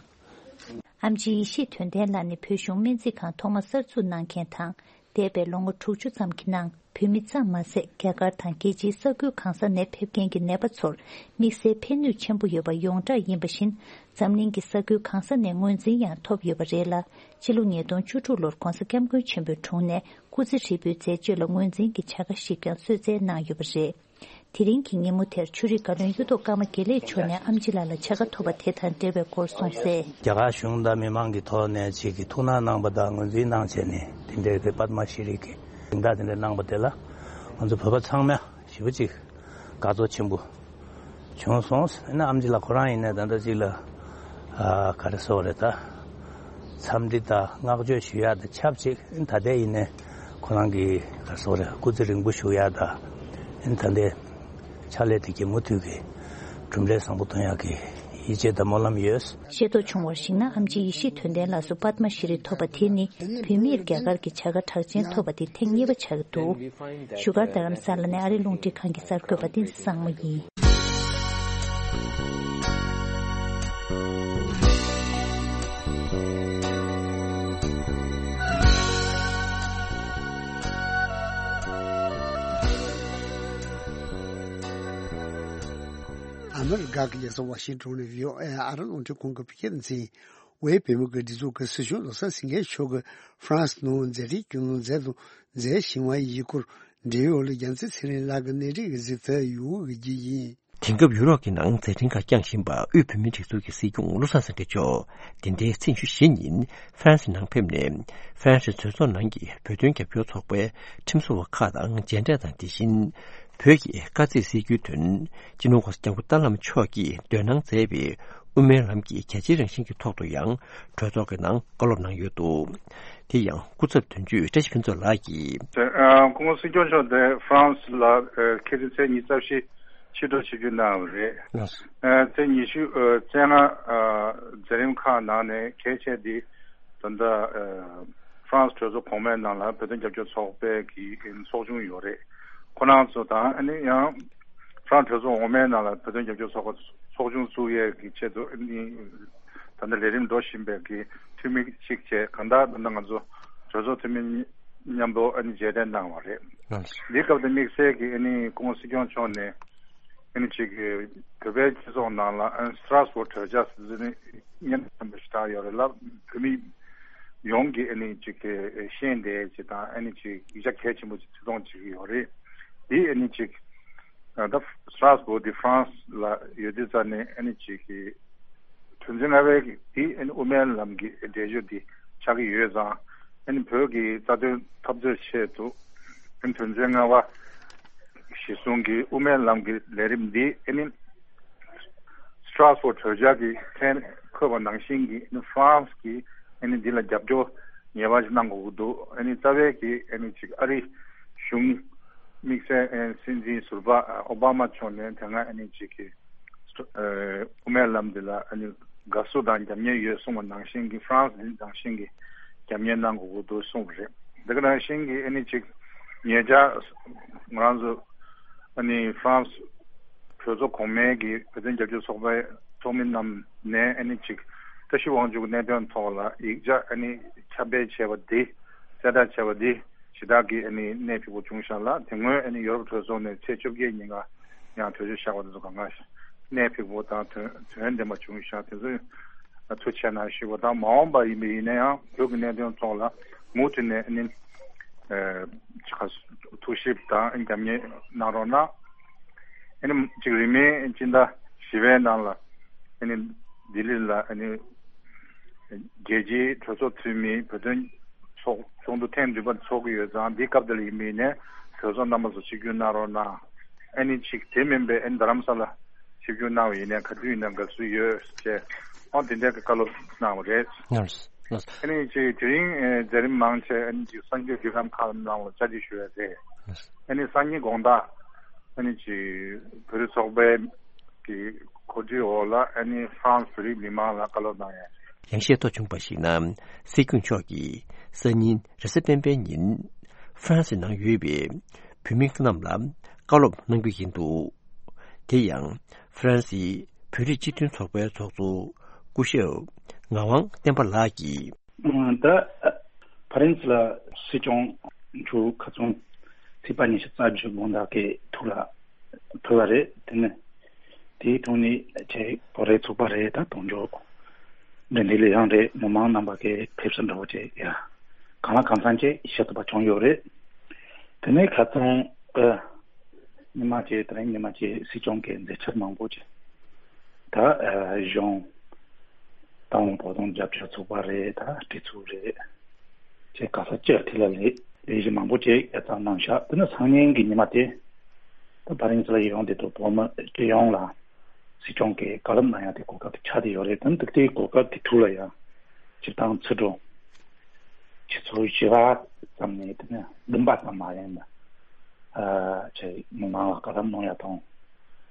ཨེམ་ཆི་ཡེ་ཤེས་དོན་ལྡན་ལགས་ནི་བོད་གཞུང་སྨན་རྩིས་ཁང་ཐོག་མ་གསར་འཛུགས་གནང་མཁན་དང་། འདས་པའི་ལོ་ངོ་དྲུག་ཅུ་ཙམ་གྱི་ནང་བོད་མི་ཙམ་མ་ཟད། རྒྱ་གར་དང་རྒྱལ་སྤྱིའི་ས་ཁུལ་གང་ས་ནས་ཕེབས་མཁན་གྱི་ནད་པ་ཚོར་དམིགས་བསལ་ཕན་ནུས་ཆེན་པོ་ཡོད་པ་ཡོངས་གྲགས་ཡིན་པ་བཞིན། འཛམ་གླིང་གི་ས་ཁུལ་གང་ས་ནས་ངོས་འཛིན་ཡང་ཐོབ་ཡོད་པ་རེད་ལ། ཕྱི་ལོ་ཉིས་སྟོང་བཅུ་དྲུག་ལོར་༸གོང་ས་༸སྐྱབས་མགོན་ཆེན་པོའི་དྲུང་ནས་སྐུ་ཚེ་ཧྲིལ་པོའི་མཛད་སྤྱོད་ལ་ངོས་འཛིན་གྱི་བྱ་དགའ་ཞིག་ཀྱང་གསོལ་སྩལ་གནང་ཡོད་པ་རེད། དེ་རིང་གི་ཉིན་མོ་དེར་ཆོས་རིག་བཀའ་བློན་གཡུ་ཐོག་ཀརྨ་དགེ་ལེགས་མཆོག་ནས་ཨེམ་ཆི་ལགས་ལ་བྱ་དགའ་ཐོབ་པ་དེ་དང་འབྲེལ་བའི་སྐོར་གསུངས་གསལ། རྒྱ་གར་གཞུང་དང་མི་མང་གི་ཐོག་ནས་ཅིག་གི་ཐུགས་སྣང་གནང་པ་དང་ངོས་འཛིན་གནང་བྱས་ནས་དེ་འདྲའི་གི་པདྨ་ཤྲི་གི་གཟེངས་རྟགས་དེ་འདྲ་གནང་པ་དེ་ལ་ང་ཚོ་བོད་པ་ཚང་མ་ཞེ་པོ་ཅིག་དགའ་ཚོར་ཆེན་པོ་བྱུང་སོང་། ཨ་ནི་ཨེམ་ཆི་ལགས་ཁོ་རང་ཡིན་ནའི་ད་ལྟ་ཅིག་ལ་ཨ་ག་རེ་ཟེར་དགོས་རེད། ད་འཚམས་འདྲི་དང་བསྔགས་བརྗོད་ཞུ་ཡག་དང་ཆབས་ཅིག་ཨ་ནི་ད་ལྟ་ཡིན་ནའི་ཁོ་རང་གི་ག་རེ་ཟེར་དགོས་རེད། སྐུ་ཚེ་རིང་པོ་བཞུགས་ཡག་དང་། ཨ་ནི་ད་ལྟའི་ཕྱག་ལས་དེ་གའི་མུ་མཐུད་ཀྱི་གྲུབ་འབྲས་བཟང་པོ་ཐོན་ཡག་གི་ཡིད་ཆེས་དང་སྨོན་ལམ་ཡོད། ཤེས་རྟོགས་བྱུང་བར་གཞིགས་ན། ཨེམ་ཆི་ཡེ་ཤེས་དོན་ལྡན་ལགས་སུ་པདྨ་ཤྲི་ཐོབ་པ་དེ་ནི་བོད་མིར་རྒྱ་གར་གྱི་བྱ་དགའ་གྲགས་ཅན་ཐོབ་པ་དེ་ཐེངས་གཉིས་པ་ཆགས་ཀྱི་འདུག། བཞུགས་སྒར་རྡ་རམ་ས་ལ་ནས་ཨ་རིའི་རླུང་འཕྲིན་ཁང་གི་གསར་འགོད་པ་བསྟན་འཛིན་བཟང་མོ་ཡིན། ཨ་མི་རི་ཀ་གི་རྒྱལ་ས་ཝ་ཤིང་ཏོན་ནས་བྷི་ཨོ་ཨེ་ཨ་རིའི་རླུང་འཕྲིན་ཁང་གི་བོད་སྐད་སྡེ་ཚན། དབུས་བོད་མིའི་སྒེར་སྡེ་ཚོགས་ཀྱི་སྲིད་སྐྱོང་བློ་བཟང་སེང་གེ་མཆོག་གིས་ཧྥ་རན་སི་ནང་མཛད་འཕྲིན་རྒྱུན་ལོན་མཛད་དང་མཛད་བཞིན་པ་ཡི་སྐོར་འབྲེལ་ཡོད་ལ་རྒྱལ་མཚན་ཚེ་རིང་ལགས་ཀྱིས་གནས་འདྲི་གི་གཟིགས་ཚུལ་ཡོད་འོས་ཀྱི་ཡིན། དེང་སྐབས་ཡུ་རོབ་ཀྱི་ནང་མཛད་འཕྲིན་ཁག་བསྐྱངས་བཞིན་པ་དབུས་བོད་མིའི་སྒྲིག་འཛུགས་ཀྱི་སྲིད་སྐྱོང་བློ་བཟང་སེང་གེ་མཆོག་འདི་ཟླའི་ཚེས་ཉི་ཤུ་རྩ་བཞི་ཉིན་ཧྥ་རན་སི་ནང་ཕེབས་ནས། ཧྥ་རན་སི་གྲོས་ཚོགས་ནང་གི་བོད་དོན་རྒྱབ་སྐྱོར་ཚོགས་པའི་ཁྲིམས་བཟོ་བ་ཁག་དང་མཇལ་འཕྲད་དང་། དེ་བཞིན་ བོད་ཀྱི་དཀའ་ཚེགས་སེལ་རྒྱུའི་དོན་སྤྱི་ནོར་༧གོང་ས་༧སྐྱབས་མགོན་ཏཱ་ལའི་བླ་མ་མཆོག་གིས་འདོན་གནང་མཛད་པའི་དབུ་མའི་ལམ་གྱི་རྒྱ་ཆེའི་རང་བཞིན་གྱི་ཐོག་ཏུ་ཡང་གྲོས་ཚོགས་ཀྱི་ནང་བཀའ་སློབ་གནང་ཡོད་འདུག། དེ་ཡང་སྐུ་ཚབ་དོན་གཅོད་བཀྲ་ཤིས་ཕུན་ཚོགས་ལགས་ཀྱིས། ཨ། སྐུ་ངོ་སྲིད་སྐྱོང་མཆོག་དེ་ཧྥ་རན་སི་ལ་ཨ་ཁ་སང་ཚེས་ཉི་ཤུ་རྩ་བཞི་ཕྱི་དྲོ་ཆིབས་བསྒྱུར་གནང་བ་རེད། ལགས་སོ། ཨ། ཚེས་ཉི་ཤུ་ཨ་རྩ་ལྔ་ཨ་མཛད་རིམ་ཁག་ནང་ནས་གལ་ཆེ་དེ་ད་ལྟ་ཨ་ཧྥ་རན་སི་གྲོས་ཚོགས་གོང་མའི་ནང་ལ་བོད་དོན་རྒྱབ་སྐྱོར་ཚོགས་པའི་གི་ཚོགས་ཆུང་ཡོད་རེད། ཁོ་རང་ཚོ་དང་ཨ་ནི་ཡང་ཧྥ་རན་སི་གྲོས་ཚོགས་འོག་མའི་ནང་ལ་བོད་དོན་རྒྱབ་སྐྱོར་ཚོགས་པ་ཚོགས་ཆུང་བཙུགས་ཡས་ཀྱི་ཆེད་དུ་ཨ་ནི་ད་ལྟ་ལས་རིམ་འགྲོ་བཞིན་པའི་གི་འཐུས་མི་གཅིག་བྱས། གང་ལྟར་ད་ལྟ་ང་ཚོ་གྲོས་ཚོགས་འཐུས་མི་མཉམ་པོ་ཨ་ནི་མཇལ་འཕྲད་གནང་བ་རེད། ལགས་སོ། འདིའི་སྐབས་དེ་དམིགས་བསལ་གྱི་ཨ་ནི་སྐུ་ངོ་སྲིད་སྐྱོང་མཆོག་ནས་ཨ་ནི་ཅིག་བོད་པའི་སྤྱི་ཚོགས་ནང་ལ་ཨ་ནི་སི་ཏྲ་སི་བོར་གྲོས་འཆར་ཟེར་ནས་སྙན་ཐོན་པ་ཞིག་བཏང་ཡོད་རེད་ལ། བོད་མི་ཡོངས་ཀྱིས་ཨ་ནི་ཅིག་ཤེས་བདེ་ཅིག་དང་ཨ་ནི་ཅིག་ཡིག་ཆ་གལ་ཆེན་པོ་ཅིག་བརྩི་མཐོང་བྱེད་ཀྱི་ཡོད་རེད། འདི་ཨ་ནི་ཅིག་ད་སི་ཏྲ་སི་བོར་འདི་ཧྥ་རན་སི་ལ་ཡོད་དུས་ཙ་ནས་ཨ་ནི་ཅིག་གི་དོན་ཚན་ལྔ་པའི་འདི་ཨ་ནི་དབུ་མའི་ལམ་གྱི་འགྲེལ་བརྗོད་འདི་ཆགས་ཀྱི་ཡོད་ཙང་ཨ་ནི་བོད་ཀྱི་རྩ་དོན་འཐབ་རྩོད་ཆེད་དུ་ཨ་ནི་དོན་ཚན་ལྔ་པ་གཞི་བཟུང་གི་དབུ་མའི་ལམ་གྱི་ལས་རིམ་འདི་ཨ་ནི་སི་ཏྲ་སི་བོར་གྲོས་འཆར་གྱི་ཐད་འཁོད་པ་ནང་བཞིན་གྱི་ཨ་ནི་ཧྥ་རན་སི་གིས་ཨ་ནི་འདི་ལ་རྒྱབ་སྐྱོར་ངེས་པར་ཞིག་གནང་དགོས་ཀྱི་འདུག། ཨ་ནི་རྩ་བའི་གི་ཨ་ནི་ཅིག་ཨ་རི་གཞུང་དམིགས་བསལ་ཨ་ནི་སྲིད་འཛིན་ཟུར་པ་ཨོ་བྷ་མ་མཆོག་ནས་དེ་སྔ་ཨ་ནི་ཅིག་གི་ཨ་དབུ་མའི་ལམ་འདི་ལ་ཨ་ནི་དགའ་བསུ་དང་རྒྱབ་གཉེར་ཡོད་གསུངས་པ་ནང་བཞིན་གྱི་ཧྥ་རན་སི་འདི་ནང་བཞིན་གྱི་རྒྱབ་གཉེར་གནང་དགོས་ཀྱི་འདུག་གསུངས་པ་རེད། དེ་ག་ནང་བཞིན་གྱི་ཨ་ནི་ཅིག་ཉེ་ཆར་ང་རང་ཚོ་ཨ་ནི་ཧྥ་རན་སི་གྲོས་ཚོགས་གོང་མའི་གི་བོད་དོན་རྒྱབ་སྐྱོར་ཚོགས་པའི་ཚོགས་མི་རྣམས་ནས་ཨ་ནི་ཅིག་བཀྲ་ཤིས་དབང་ཕྱུག་གནད་དོན་ཐོག་ལ་ཡིག་ཆ་ཨ་ནི་ཁྱབ་སྤེལ་བྱས་པ་འདི་གསལ་བསྒྲགས་བྱས་པ་འདི་ཞེ་དྲག་གི་ཨ་ནི་གནད་ཕིགས་པོ་བྱུང་ཤག་ལ། དེ་སྔོན་ཨ་ནི་ཡོ་རོབ་གྲོས་ཚོགས་ནས་ཚེས་བཅོ་བརྒྱད་ཉིན་ཀ་ཡང་གྲོས་ཆོད་བཞག་པ་དེ་ཚོ་གང་ག་གནད་ཕིགས་པོ་དང་དོན་དོན་ལྡན་པ་བྱུང་ཤག། དེ་ཚོ་ཐུགས་རྗེ་གནང་ཞུ་བ་དང་། མ་འོངས་པ་ཡིན་པ་ཡིན་ན་ཡང་བོད་ཀྱི་གནད་དོན་ཐོག་ལ་མུ་མཐུད་ནས་ཨ་ནི་ཨ་ཁ་ཐུགས་ཞིབ་དང་རྒྱབ་གཉེར་གནང་རོགས་གནང་། ཨ་ནི་ཅིག་རིང་མིན་སྤྱི་ཟླ་བཞི་པའི་ནང་ལ་ཨ་ནི་ལྡི་ལི་ལ་ཨ་ནི་རྒྱལ་སྤྱིའི་གྲོས་ཚོགས་འཐུས་མིའི་བོད་དོན་ཚོགས་ཚོགས་འདུ་ཐེངས་བདུན་པ་འཚོགས་ཀྱི་ཡོད་ཙང་། འདིའི་སྐབས་དེ་ལ་ཡིན་པ་ཡིན་ནའི་གྲོས་ཚོགས་རྣམ་པ་ཚོ་ཆིབས་བསྒྱུར་གནང་རོགས་གནང་། ཨ་ནི་ཅིག་དེ་མིན་པའི་ཨ་ནི་རྡ་རམ་ས་ལ་ཆིབས་བསྒྱུར་གནང་བ་ཡིན་ནའི་ག་དུས་ཡིན་ན་དགའ་བསུ་ཡོད་ཅེས་ཨོ་དེ་འདྲའི་བཀའ་སློབ་གནང་བ་རེད། ལགས་སོ། ལགས་སོ། ཨ་ནི་ཅིག་དེ་རིང་ཨེ་མཛད་རིམ་མང་ཆེ་ཨ་ནི་ཅིག་གསར་འགོད་བརྒྱུད་ལམ་ཁག་ནང་ལ་བཅར་འདྲི་ཞུ་ཡ་རེད། ལགས་སོ། ཨ་ནི་སང་ཉིན་དགོང་དག་ཨ་ནི་ཅིག་བོད་རིགས་ཚོགས་པའི་གི་གོ་སྒྲིག་འོག་ལ་ཨ་ནི་ཧྥ་རན་སི་བོད་རིགས་མི་མང་ལ་བཀའ་སློབ་གནང་ཡ་རེད། ཡང་ཤེས་རྟོགས་བྱུང་བར་གཞིགས་ན། སྲིད་སྐྱོང་མཆོག་གིས་སང་ཉིན་རེས་གཟའ་སྤེན་པའི་ཉིན་ཧྥ་རན་སི་ནང་ཡོད་པའི་བོད་མི་རྣམས་ལ་བཀའ་སློབ་གནང་རྒྱུ་ཡིན་འདུག། དེ་ཡང་ཧྥ་རན་སིའི་བོད་རིགས་སྤྱི་མཐུན་ཚོགས་པའི་ཚོགས་གཙོ་སྐུ་ཞབས་ངག་དབང་བསྟན་པ་ལགས་ཀྱིས། ད་ཕ་རན་སི་ལ་སྲིད་སྐྱོང་མཆོག་ཁ་སང་ཚེས་པ་ཉི་ཤུ་རྩ་བཞི་དགོང་དག་གི་ཐུགས་ལ་ཕུལ་བ་རེད། དེ་ནི་དེའི་ཐོག་ནས་ཆེ་བོད་རིགས་ཚོགས་པ་རེད། ད་དོན་གཅོད་འབྲེལ་འདྲིས་ལས་ཁང་རེད། མི་མང་རྣམ་པ་གིས་ཕེབས་བསུ་འདྲ་བོ་བྱས་ཡ་གང་ལ་གང་འཚམ་ཅིག་ཞུ་ཐུབ་པ་བྱུང་ཡོད་རེད། དེ་ནས་ཁ་སང་ཨ་ཉི་མ་གཅིག་དེ་རིང་ཉི་མ་གཅིག་སྲིད་སྐྱོང་གི་མཛད་འཆར་མང་པོ་ཅིག་ད་ཨ་གཞུང་ཏང་བོད་དོན་རྒྱབ་སྐྱོར་ཚོགས་པ་རེད། ད་སྒྲིག་འཛུགས་རེད། ཅེས་ག་ས་ཅིར་དེ་ལ་ལས་ལས་གཞི་མང་པོ་ཅིག་ཡ་བརྩམས་གནང་ཤག། དེ་ནི་སང་ཉིན་གྱི་ཉི་མ་དེ་ད་ཕ་རན་སི་ལ་ཡོང་དེ་དུ་བོད་མི་སྤྱི་ཡོངས་ལ་སྲིད་སྐྱོང་གིས་བཀའ་སློབ་གནང་ཡ་དེ་གོ་སྐབས་དེ་ཆགས་བསྡད་ཡོད་རེད། དེ་ནི་དེ་གོ་སྐབས་དེ་ཐུག་ལ་ཡ་སྤྱིར་བཏང་ཕྱི་དྲོ་ཆུ་ཚོད་བཞི་པ་ཙམ་ནས་དེ་ནི་བདུན་པ་ཙམ་མ་ཡིན་ན་ཨ་ཅེ་མི་མང་ལ་བཀའ་སློབ་གནང་ཡ་དང་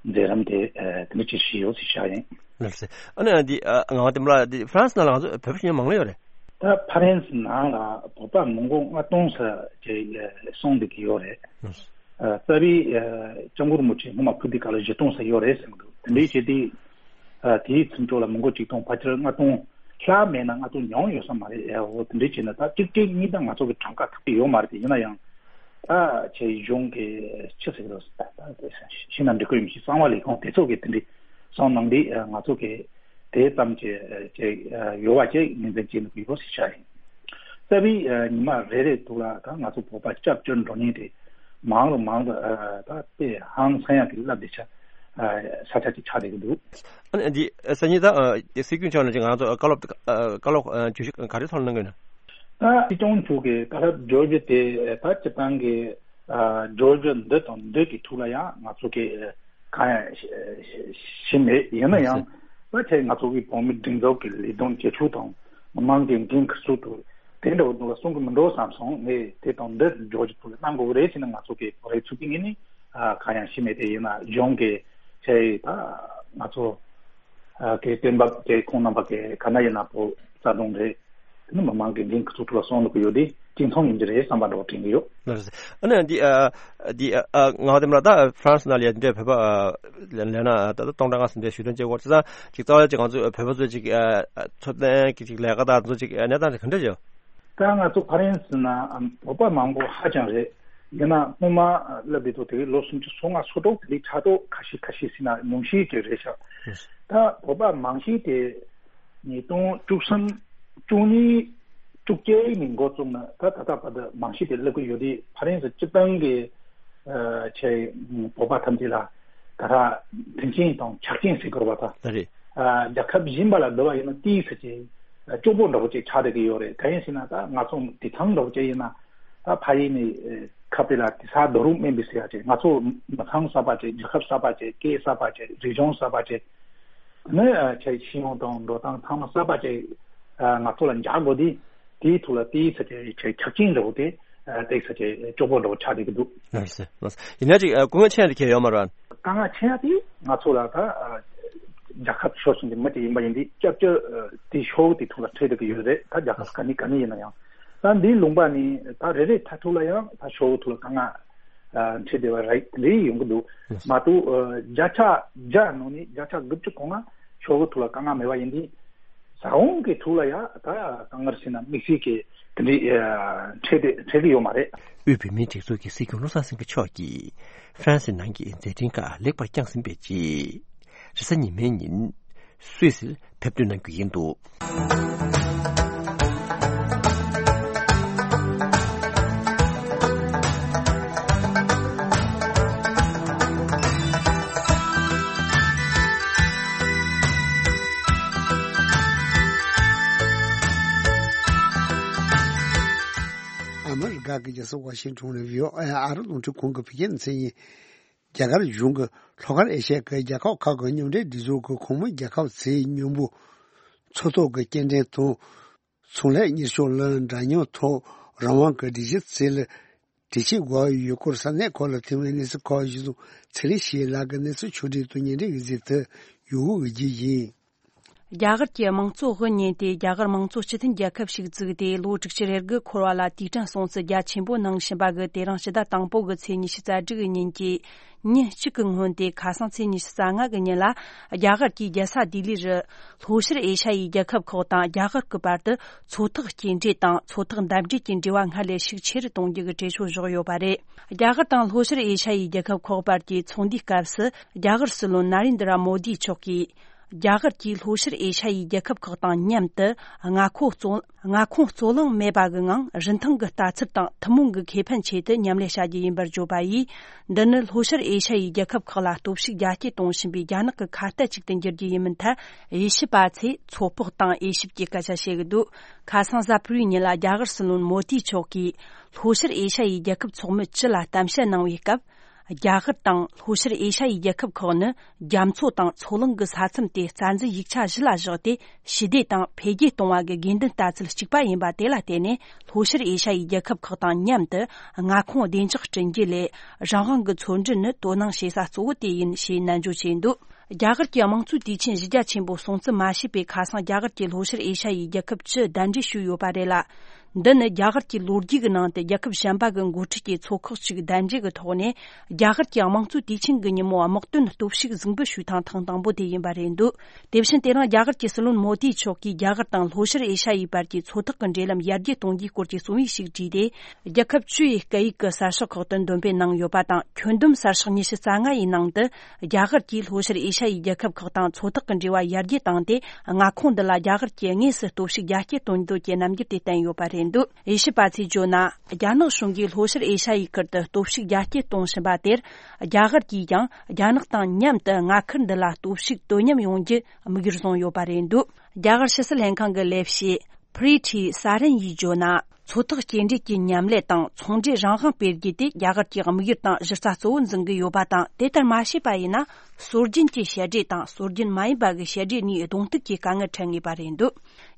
མཛད་རིམ་དེ་ཨ་དེ་འདྲ་ཅིག་ཞིག་ཡོད་ཟེར་བྱ་ཡིན། ལགས་སེ། ཨ་ནི་འདི་ཨ་ངག་དབང་བསྟན་པ་ལགས། འདི་ཧྥ་རན་སི་ནང་ལ་ང་ཚོ་བོད་པ་ཞེ་དྲག་མང་ལོས་ཡོད་རེད། ད་ཧྥ་རན་སི་ནང་ལ་བོད་པ་མི་མགོ་ལྔ་སྟོང་ཙམ་ཅིག་གསུངས་བསྡད་ཀྱི་ཡོད་རེད། ཨ་རྩ་བའི་ཨ་སྐྱབས་མགོན་རིན་པོ་ཆེ་སྔོན་མ་ཕེབས་དུས་སྐབས་ལ་བཞི་སྟོང་ཙམ་ཡོད་རེད་ཟེར་གྱི་འདུག། དེ་འདྲའི་བྱས་དུས་ཨ་དེའི་ཚུན་ཚོད་ལ་མི་མགོ་གཅིག་སྟོང་ཕལ་ཆེར་ལྔ་སྟོང་ལྷག་མེད་ན་ལྔ་སྟོང་ཉུང་ཡོད་ས་མ་རེད། ཨ་འོ་དེ་འདྲའི་བྱས་ན་ད་གཅིག་གཅིག་གཉིས་ད་ང་ཚོ་གི་གྲངས་ཀ་ཐུབ་ཀྱི་ཡོད་མ་རེད་དེ། ཡིན་ན་ཡང་ད་ཆེ་གཞུང་གི་ཆི་ཟེར་གྱི་རེད། ཤིང་ནང་འབྲི་གོས་མི་ཤེས་གསང་བ་ལས་ཁུངས་དེ་ཚོ་གི་དེ་འདྲའི་གསང་གནང་དུས་ང་ཚོ་གི་དེ་ཙམ་གྱི་ཅིག་ཡོད་པ་ཅིག་ངོས་འཛིན་བྱེད་ནུས་ཡོད་ཟེར་བྱ་ཡིན། རྩ་བའི་ཉི་མ་རེ་རེ་དུ་ལ་ད་ང་ཚོ་བོད་པ་སྐྱབས་བཅོལ་འགྲོ་མཁན་དེ་མང་རུ་མང་རུ་ད་དཔེ་ཧང་སང་ཡག་གི་རླབས་དེ་ཆ་ས་ཆ་ཅིག་ཆགས་བསྡད་ཀྱི་འདུག། ཨ་ནི་འདི་སང་ཉིན་ད་སྲིད་སྐྱོང་མཆོག་ནས་ཅིག་ང་ཚོ་བཀའ་སློབ་བཀའ་སློབ་བརྗོད་གཞི་ག་རེ་ཐོག་ལ་གནང་གི་ཡོད་ན། ད་སྲིད་སྐྱོང་མཆོག་གི་བཀའ་སློབ་བརྗོད་གཞི་དེ་ད་སྤྱིར་བཏང་གི་ ཨ་འབྱོར་རྒྱུ་འདི་དང་འདི་གི་ཐོག་ལ་ཡང་ང་ཚོ་གི་གང་ཡང་ཤེས་མེད། ཡིན་ན་ཡང་ད་ཆེ་ང་ཚོ་གི་བོད་མི་སྒྲིག་འཛུགས་ཀྱི་ལས་དོན་བྱེད་ཕྱོགས་དང་མི་མང་གི་འགན་ཁུར་ཚུལ་དུ་དེ་འདྲ་བོ་ལ་གསུང་གི་མི་འགྲོ་བསམ་སོང་། ངས་དེ་དང་འདི་འབྱོར་རྒྱུ་ཐོག་ལ་གནང་དགོས་རེད་ཟེར་ན་ང་ཚོ་གི་རེ་ཚུལ་གི་ངོས་ནས་ཨ་གང་ཡང་ཤེས་མེད། དེ་ཡིན་ན་གཞུང་གི་ཆེ་ད་ང་ཚོ་ཨ་གི་སྟོན་པ་གི་ཁོང་རྣམ་པ་གི་ག་ན་ཡིན་ན་བོད་རྩ་དྲུང་རེད། དེ་ནི་མི་མང་གི་འགན་ཁུར་ཚུལ་ཐོག་ལ་གསུང་དགོས་ཡོད་དེ་གཅིག་མཚུངས་ཡིན་གྱི་རེད་བསམ་པ་འདྲ་བོ་དྲན་གྱི་ཡོད། ལགས་སོ། ཨ་ནི་འདི་ཨ་འདི་ཨ་ང་དེ་མ་ད་ཧྥ་རན་སི་ནང་ལ་ཡ་འདི་འདྲའི་བོད་པ་ཨ་ལས་ན་ད་ལྟ་སྟོང་ཕྲག་ལྔ་ཙམ་འདྲ་ཞུ་དོན་བྱེད་དགོས་ཙང་ཅིག་རྩ་བ་ཅིག་ང་ཚོ་བོད་པ་ཚོས་ཅིག་ཨ་ཚོད་ལྟ་གི་ཅིག་ལས་ཀ་དང་ཚོ་ཅིག་གནས་སྟངས་ཅིག་ག་འདྲ་བྱུང་། ད་ང་ཚོ་ཧྥ་རན་སི་ན་བོད་པ་མང་པོ་ཧ་ཅང་རེད། ཡིན་ན་སྔོན་མ་ལབ་དུས་དེ་ལོ་སུམ་ཅུ་སོ་ལྔ་སོ་དྲུག་དེ་ལས་ཕྲག་དོག་ཁ་ཤས་ཁ་ཤས་ཟིན་ན་ཉུང་ཤས་ཅིག་རེད་ཤག་ད་བོད་པ་མང་ཤས་དེ་ཉིས་སྟོང་བཅུ་གསུམ་བཅུ་གཉིས་བཅུ་བརྒྱད་ནས་འགོ་བཙུགས་ན་ད་ད་ལྟ་བར་དུ་མང་ཤས་དེ་སླེབས་ཀྱི་ཡོད་དེ། ཧྥ་རན་སི་སྤྱི་བཏང་གི་ཨ་ཆེ་བོད་པ་ཐམས་ཅད་ལ་ད་ལྟ་མཐུན་རྐྱེན་དང་ཆ་རྐྱེན་ཟེར་དགོས་པ་ད་ད་རེད། ཨ་རྒྱལ་ཁབ་གཞན་པ་ལ་བསྡུར་བ་ཡིན་ན་དེའི་ས་ཆེ་སྐྱོ་པོ་འདྲ་བོ་ཅིག་ཆགས་བསྡད་ཀྱི་ཡོད་རེད། གང་ཡིན་ཟེར་ན་ད་ང་ཚོ་དེ་ཐང་འདྲ་བོ་ཅིག་ཡིན་ན་ད་ཕ་ཡུལ་ནས་ཁ་པེ་ལ་དེ་ས་རྡོ་རུག་སྨིན་པའི་ཟེར་ཡ་ཅིག་ང་ཚོ་མི་ཚང་གསར་པ་ཅིག་རྒྱལ་ཁབ་གསར་པ་ཅིག་སྐད་གསར་པ་ཅིག་རིག་གཞུང་གསར་པ་ཅིག་ནི་ཆེ་ཤེས་ཡོན་དང་འགྲོ་སྟངས་ཚང་མ་གསར་པ་ཅིག་ང་ཚོ་ལ་འཇགས་དགོས་དེ་དེའི་ཐོག་ལ་དེའི་ས་ཆེ་ཆེ་ཆ་རྐྱེན་འདྲ་བོ་དེ་དེའི་ས་ཆེ་སྐྱོ་པོ་འདྲ་བོ་ཆགས་བསྡད་ཀྱི་འདུག་ལགས་སོ། ལགས་སོ། ཡིན་ན་ཅིག་ཨ་དཀའ་ངལ་ཆེ་ཡ་དེ་གལ་ཡོད་མ་རེད། དཀའ་ངལ་ཆེ་ཡ་དེ་ང་ཚོ་ལ་ད་ཨ་རྒྱལ་ཁབ་ཕྱོགས་གཞན་གྱི་མི་དེ་ཡིན་པ་ཡིན་དུས་སྐྱབས་བཅོལ་ཨ་དེ་ཕྱོགས་དེ་ཐོག་ལ་འཕྲད་བསྡད་ཀྱི་ཡོད་རེད། ད་རྒྱལ་ཁབ་ག་ནས་ག་ནས་ཡིན་ན་ཡང་ད་འདིའི་ལུང་པ་ནས་ད་རེ་རེ་མཐའ་ཐུག་ལ་ཡང་ད་ཕྱོགས་ཐོག་ལ་དཀའ་ངལ་ཨ་འཕྲད་བསྡད་པ་རེད་རེད་ཡོང་གི་འདུག་མ་གཏོགས་ཨ་བརྒྱ་ཆ་བརྒྱ་ནང་ནས་བརྒྱ་ཆ་དགུ་བཅུ་གོ་ལྔ་ཕྱོགས་ཐོག་ལ་དཀའ་ངལ་མེད་པ་ཡིན་དུས། ས་འོག་གི་ཐོག་ལ་ཡ་ད་དཀའ་ངལ་ཟེར་ན་དམིགས་བསལ་གྱི་དེ་འདྲའི་ཨ་འཕྲད་དེ་འཕྲད་ཀྱི་ཡོད་མ་རེད། དབུས་བོད་མིའི་སྒྲིག་འཛུགས་ཀྱི་སྲིད་སྐྱོང་བློ་བཟང་སེང་གེ་མཆོག་གིས་ཧྥ་རན་སི་ནང་གི་མཛད་འཕྲིན་ཁག་ལེགས་པར་བསྐྱངས་ཟིན་པའི་རྗེས། རེས་གཟའ་ཉི་མའི་ཉིན་སུད་སིར་ཕེབས་ཐོན་གནང་རྒྱུ་ཡིན་འདུག་ཨ་མི་རི་ཀ་གི་རྒྱལ་ས་ཝ་ཤིང་ཊོན་ནས་བྷི་ཨོ་ཨེ་ཨ་རི་རླུང་འཕྲིན་ཁང་གི་བོད་སྐད་སྡེ་ཚན་ཡིན། རྒྱ་གར་གཞུང་གིས་ལྷོ་ཤར་ཨེ་ཤ་ཡའི་རྒྱལ་ཁབ་ཁག་གི་མཉམ་འབྲེལ་སྒྲིག་འཛུགས་ཀྱི་གོང་མའི་རྒྱལ་ཁབ་ཚོའི་མཉམ་པོ་མཚོ་ཐོག་གི་སྐྱེལ་འདྲེན་དང་ཚོང་ལས་གཉེར་སྐྱོང་ལ་འདྲ་མཉམ་ཐོག་རང་དབང་གི་སྒྲིག་གཞི་བརྩིས་ལ་གྲོས་ཆོད་དགོས་ཡོད་སྐོར་ས་གནས་ཁག་ལ་ཐོན་པའི་གནས་ཚུལ་ཁག་གཞི་བཟུང་ཚེ་རིང་ཞེས་ལགས་ཀྱི་གནས་ཚུལ་ཕྱོགས་སྒྲིག་ཏུ་ཉེ་འབྲེལ་གྱི་གཟིགས་དུ་ཡོད་འོས་ཀྱི་ཡིན། རྒྱ་གར་གྱི་དམངས་གཙོ་དབུ་བརྙེས་ཏེ་རྒྱ་གར་དམངས་གཙོ་སྤྱི་མཐུན་རྒྱལ་ཁབ་ཞིག་བཙུགས་ཏེ་ལོ་དྲུག་ཅུ་རེ་དགུ་འཁོར་བ་ལ་དུས་དྲན་སྲུང་བརྩི་རྒྱ་ཆེན་པོ་གནང་བཞིན་པ་གི་དེ་རིང་ཕྱི་ཟླ་དང་པོ་གི་ཚེས་ཉི་ཤུ་རྩ་དྲུག་གི་ཉིན་གྱི་ཉིན་གཅིག་གི་སྔོན་ཏེ་ཁ་སང་ཚེས་ཉི་ཤུ་རྩ་ལྔ་གི་ཉིན་ལ་རྒྱ་གར་གྱི་རྒྱལ་ས་ལྡི་ལི་རུ་ལྷོ་ཤར་ཨེ་ཤ་ཡའི་རྒྱལ་ཁབ་ཁག་དང་རྒྱ་གར་གྱི་བར་དུ་མཚོ་ཐོག་སྐྱེལ་འདྲེན་དང་མཚོ་ཐོག་འདེམས་སྒྲུག་གི་འབྲེལ་བ་སྔར་ལས་ཤུགས་ཆེ་རུ་གཏོང་རྒྱུ་གི་གྲོས་ཆོད་བཞག་ཡོད་པ་རེད། རྒྱ་གར་དང་ལྷོ་ཤར་ཨེ་ཤ་ཡའི་རྒྱལ་ཁབ་ཁག་བར་གྱི་ཚོགས་འདུའི་སྐབས་སུ་རྒྱ་གར་སྲིད་བློན་ན་རེན་དྲ་མོ་དི་མཆོག་གིས། རྒྱ་གར་གྱིས་ལྷོ་ཤར་ཨེ་ཤ་ཡའི་རྒྱལ་ཁབ་ཁག་དང་མཉམ་དུ་མངའ་ཁོངས་རྩོད་མངའ་ཁོངས་རྩོད་གླེང་མེད་པ་གི་ངང་རིན་ཐང་གི་ལྟ་ཚུལ་དང་ཐུན་མོང་གི་ཁེ་ཕན་ཆེད་དུ་མཉམ་ལས་བྱ་རྒྱུ་ཡིན་པར་བརྗོད་པ་ཡིས། འདི་ནི་ལྷོ་ཤར་ཨེ་ཤ་ཡའི་རྒྱལ་ཁབ་ཁག་ལ་སྟོབས་ཤུགས་རྒྱ་སྐྱེད་གཏོང་བཞིན་པའི་རྒྱ་ནག་གི་ཁ་གཏད་ཅིག་ཏུ་འགྱུར་རྒྱུ་ཡིན་མིན་ཐད་དབྱེ་ཞིབ་པ་ཚོས་ཚོད་དཔག་དང་དབྱེ་ཞིབ་ཀྱི་སྐད་ཆ་བཤད་ཀྱི་འདུག་ཁ་སང་གཟའ་ཕུར་བུའི་ཉིན་ལ་རྒྱ་གར་སྲིད་བློན་མོ་དི་མཆོག་གིས་ལྷོ་ཤར་ཨེ་ཤ་ཡའི་རྒྱལ་ཁབ་ཚོགས་མི་བཅུ་ལ་གཏམ་བཤད་གནང་བའི་སྐབས། རྒྱ་གར་དང་ལྷོ་ཤར་ཨེ་ཤ་ཡའི་རྒྱལ་ཁབ་ཁག་ནི་རྒྱ་མཚོ་དང་མཚོ་གླིང་གི་ས་མཚམས་དེ་རྩ་འཛིན་ཡིག་ཆ་གཞི་ལ་བཞག་སྟེ་ཞི་བདེ་དང་འཕེལ་རྒྱས་གཏོང་བ་གི་དགོས་འདུན་ལྟ་ཚུལ་གཅིག་པ་ཡིན་པ་དེ་ལ་བརྟེན་ནས་ལྷོ་ཤར་ཨེ་ཤ་ཡའི་རྒྱལ་ཁབ་ཁག་དང་མཉམ་དུ་མངའ་ཁོངས་བདེ་འཇགས་བསྐྲུན་རྒྱུ་ལས་རང་དབང་གི་མཚོ་འབྲེལ་ནི་དོ་སྣང་བྱེད་ས་གཙོ་བོ་དེ་ཡིན་ཞེས་ནན་བརྗོད་བྱས་འདུག་རྒྱ་གར་གྱི་དམངས་གཙོའི་དུས་ཆེན་བཞི་བརྒྱ་ཆེན་པོ་སྲུང་བརྩི་མ་བྱས་པའི་ཁ་སང་རྒྱ་གར་གྱི་ལྷོ་ཤར་ཨེ་ཤ་ཡའི་རྒྱལ་ཁབ་བཅུ་གདན་འདྲེན་ཞུས་ཡོད་པ་རེད་ལ། འདི་ནི་རྒྱ་གར་གྱི་ལོ་རྒྱུས་ཀྱི་ནང་དུ་རྒྱལ་ཁབ་གཞན་པ་གི་འགོ་ཁྲིད་ཀྱི་ཚོགས་ཁག་ཅིག་གདན་འདྲེན་གྱི་ཐོག་ནས་རྒྱ་གར་གྱི་དམངས་གཙོའི་དུས་ཆེན་གྱི་ཉིན་མོ་དམག་དོན་སྟོབས་ཤུགས་གཟིགས་འབུལ་ཞུས་ཐེངས་ཐེངས་དང་པོ་དེ་ཡིན་པ་རེད་འདུག་དེ་བཞིན་དེ་རིང་རྒྱ་གར་གྱི་སྲིད་བློན་མོ་དི་མཆོག་གིས་རྒྱ་གར་དང་ལྷོ་ཤར་ཨེ་ཤ་ཡའི་བར་གྱི་མཚོ་ཐོག་གི་འབྲེལ་ལམ་ཡར་རྒྱས་གཏོང་རྒྱུའི་སྐོར་གྱི་གསུང་བཤད་ཞིག་བྲིས་ཏེ། རྒྱལ་ཁབ་བཅུ་ཡི་སྐད་ཡིག་གི་གསར་ཤོག་ཁག་ཏུ་འདོན་སྤེལ་གནང་ཡོད་པ་དང་། ཁྱོན་བསྡོམས་གསར་ཤོག་ཉི་ཤུ་རྩ་ལྔ་ཡི་ནང་དུ། རྒྱ་གར་གྱིས་ལྷོ་ཤར་ཨེ་ཤ་ཡའི་རྒྱལ་ཁབ་ཁག་དང་མཚོ་ཐོག་གི་འབྲེལ་བ་ཡར་རྒྱས་བཏང་སྟེ། མངའ་ཁོངས་འདི་ལ་རྒྱ་གར་གྱིས་དངོས་སུ་སྟོབས་ཤུགས་རྒྱ་སྐྱེད་གཏོང་འདོད་ཀྱི་རྣམ་འགྱུར་དེ་བསྟན་ཡོད་པ་རེད་འདུག་དབྱེ་ཞིབ་པ་ཚོས་བརྗོད་ན། རྒྱ་ནག་གཞུང་གིས་ལྷོ་ཤར་ཨེ་ཤ་ཡའི་ཁུལ་དུ་སྟོབས་ཤུགས་རྒྱ་སྐྱེད་གཏོང་བཞིན་པ་དེར། རྒྱ་གར་གྱིས་ཀྱང་རྒྱ་ནག་དང་མཉམ་དུ་མངའ་ཁུལ་འདི་ལ་སྟོབས་ཤུགས་དོ་མཉམ་ཡོང་རྒྱུ་དམིགས་ཡུལ་བཟུང་ཡོད་པ་རེད་འདུག་རྒྱ་གར་ཕྱི་སྲིད་ལྷན་ཁང་གི་ལས་བྱེད་Preeti Saran་ཡིས་བརྗོད་ན། མཚོ་ཐོག་སྐྱེལ་འདྲེན་གྱི་མཉམ་ལས་དང་ཚོང་འབྲེལ་རང་དབང་སྤེལ་རྒྱུ་དེ་རྒྱ་གར་གྱི་དམིགས་ཡུལ་དང་གཞི་རྩ་གཙོ་བོ་འཛིན་གྱི་ཡོད་པ་དང་། དེ་ལྟར་མ་བྱས་པ་ཡིན་ན། སྲོལ་རྒྱུན་གྱི་བཤད་གྲྭས་དང་སྲོལ་རྒྱུན་མ་ཡིན་པ་གི་བཤད་གྲྭ་གཉིས་གདོང་གཏུག་གི་དཀའ་ངལ་འཕྲད་ངེས་པ་རེད་འདུག་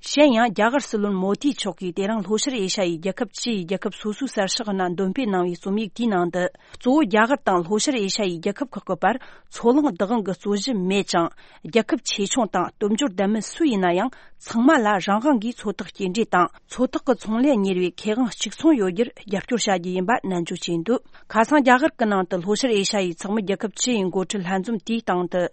གཞན་ཡང་། རྒྱ་གར་སྲིད་བློན་མོ་དི་མཆོག་གིས་དེ་རིང་ལྷོ་ཤར་ཨེ་ཤ་ཡའི་རྒྱལ་ཁབ་བཅུ་ཡི་རྒྱལ་ཁབ་སོ་སོའི་གསར་ཤོག་ནང་འདོན་སྤེལ་གནང་བའི་རྩོམ་ཡིག་དེའི་ནང་དུ། གཙོ་བོ་རྒྱ་གར་དང་ལྷོ་ཤར་ཨེ་ཤ་ཡའི་རྒྱལ་ཁབ་ཁག་གི་བར་མཚོ་གླང་བདག་དབང་གི་རྩོད་གཞི་མེད་ཅིང་། རྒྱལ་ཁབ་ཆེ་ཆུང་དང་སྟོབས་འབྱོར་ལྡན་མིན་སུ་ཡིན་ན་ཡང་། ཚང་མ་ལ་རང་དབང་གིས་མཚོ་ཐོག་སྐྱེལ་འདྲེན་དང་མཚོ་ཐོག་གི་ཚོང་ལས་གཉེར་བའི་ཁེ་དབང་གཅིག་མཚུངས་ཡོད་རྒྱུར་རྒྱབ་སྐྱོར་བྱ་རྒྱུ་ཡིན་པ་ནན་བརྗོད་བྱས་འདུག་ཁ་སང་རྒྱ་གར་གྱི་ནང་དུ་ལྷོ་ཤར་ཨེ་ཤ་ཡའི་ཚོགས་མི་རྒྱལ་ཁབ་བཅུ་ཡི་འགོ་ཁྲིད་ལྷན་འཛོམས་དེའི་སྟེང་དུ།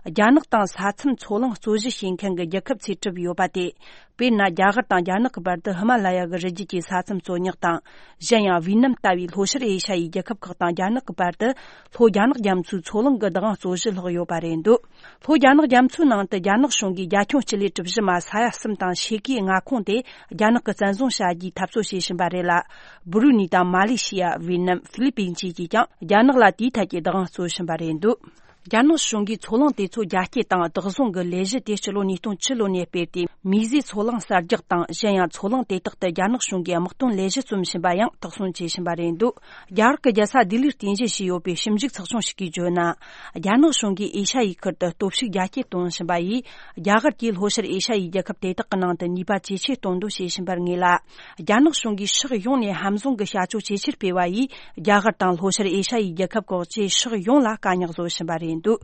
རྒྱ་ནག་དང་ས་མཚམས་མཚོ་གླང་རྩོད་གཞི་བྱེད་མཁན་གྱི་རྒྱལ་ཁབ་ཚོས་གྲུབ་ཡོད་པ་སྟེ། དཔེར་ན། རྒྱ་གར་དང་རྒྱ་ནག་གི་བར་དུ་ཧི་མ་ལ་ཡ་གི་རི་རྒྱུད་ཀྱི་ས་མཚམས་རྩོད་རྙོག་དང་། གཞན་ཡང་། ཝི་ནམ་ལྟ་བུའི་ལྷོ་ཤར་ཨེ་ཤ་ཡའི་རྒྱལ་ཁབ་ཁག་དང་རྒྱ་ནག་གི་བར་དུ། ལྷོ་རྒྱ་ནག་རྒྱ་མཚོའི་མཚོ་གླང་གི་བདག་དབང་རྩོད་གཞི་ལྷག་ཡོད་པ་རེད་འདུག་ལྷོ་རྒྱ་ནག་རྒྱ་མཚོའི་ནང་དུ་རྒྱ་ནག་གཞུང་གིས་རྒྱ་ཁྱོན་སྤྱི་ལེ་གྲུ་བཞི་མ་ས་ཡ་གསུམ་དང་ཕྱེད་ཀའི་མངའ་ཁོངས་དེ་རྒྱ་ནག་གིས་བཙན་བཟུང་བྱ་རྒྱུའི་འཐབ་རྩོད་བྱེད་བཞིན་པ་རེད་ལ། སྦུ་རུ་ནི་དང་མ་ལེ་ཤི་ཡ། ཝི་ནམ། ཧྥི་ལི་པིན་བཅས་ཀྱིས་ཀྱང་རྒྱ་ནག་ལ་དེའི་ཐད་ཀྱི་བདག་དབང་རྩོད་བཞིན་པ་རེད་འདུག་རྒྱ་ནག་གཞུང་གིས་མཚོ་གླང་དེ་ཚོ་རྒྱ་སྐྱེད་དང་བདག་བཟུང་གི་ལས་གཞི་དེ་སྤྱི་ལོ་ཉིས་སྟོང་བཅུ་ལོ་ནས་སྤེལ་ཏེ། མིའི་ཟས་མཚོ་གླང་གསར་རྒྱག་དང་། གཞན་ཡང་མཚོ་གླང་དེ་དག་ཏུ་རྒྱ་ནག་གཞུང་གིས་དམག་དོན་ལས་གཞི་རྩོམ་བཞིན་པ་ཡང་དག་སྲུང་བྱེད་བཞིན་པ་རེད་འདུག་རྒྱ་གར་གྱི་རྒྱལ་ས་ལྡི་ལིར་རྟེན་གཞི་བྱས་ཡོད་པའི་ཞིབ་འཇུག་ཚགས་ཆུང་ཞིག་གིས་བརྗོད་ན། རྒྱ་ནག་གཞུང་གིས་ཨེ་ཤ་ཡའི་ཁུལ་དུ་སྟོབས་ཤུགས་རྒྱ་སྐྱེད་གཏོང་བཞིན་པ་ཡིས། རྒྱ་གར་གྱིས་ལྷོ་ཤར་ཨེ་ཤ་ཡའི་རྒྱལ་ཁབ་དེ་དག་གི་ནང་དུ་ནུས་པ་ཇེ་ཆེར་གཏོང་འདོད་བྱེད་བཞིན་པར་ངེས་ལ། རྒྱ་ནག་གཞུང་གིས་ཕྱོགས་ཡོངས་ནས་ཧམ་བཟུང་གི་བྱ་སྤྱོད་ཇེ་ཆེར་སྤེལ་བ་ཡིས། རྒྱ་གར་དང་ལྷོ་ཤར་ཨེ་ཤ་ཡའི་རྒྱལ་ཁབ་ཁག་བཅས་ཕྱོགས་ཡོངས་ལ་དཀའ་རྙོག་བཟོ་བཞིན་པ་རེད་འདུག་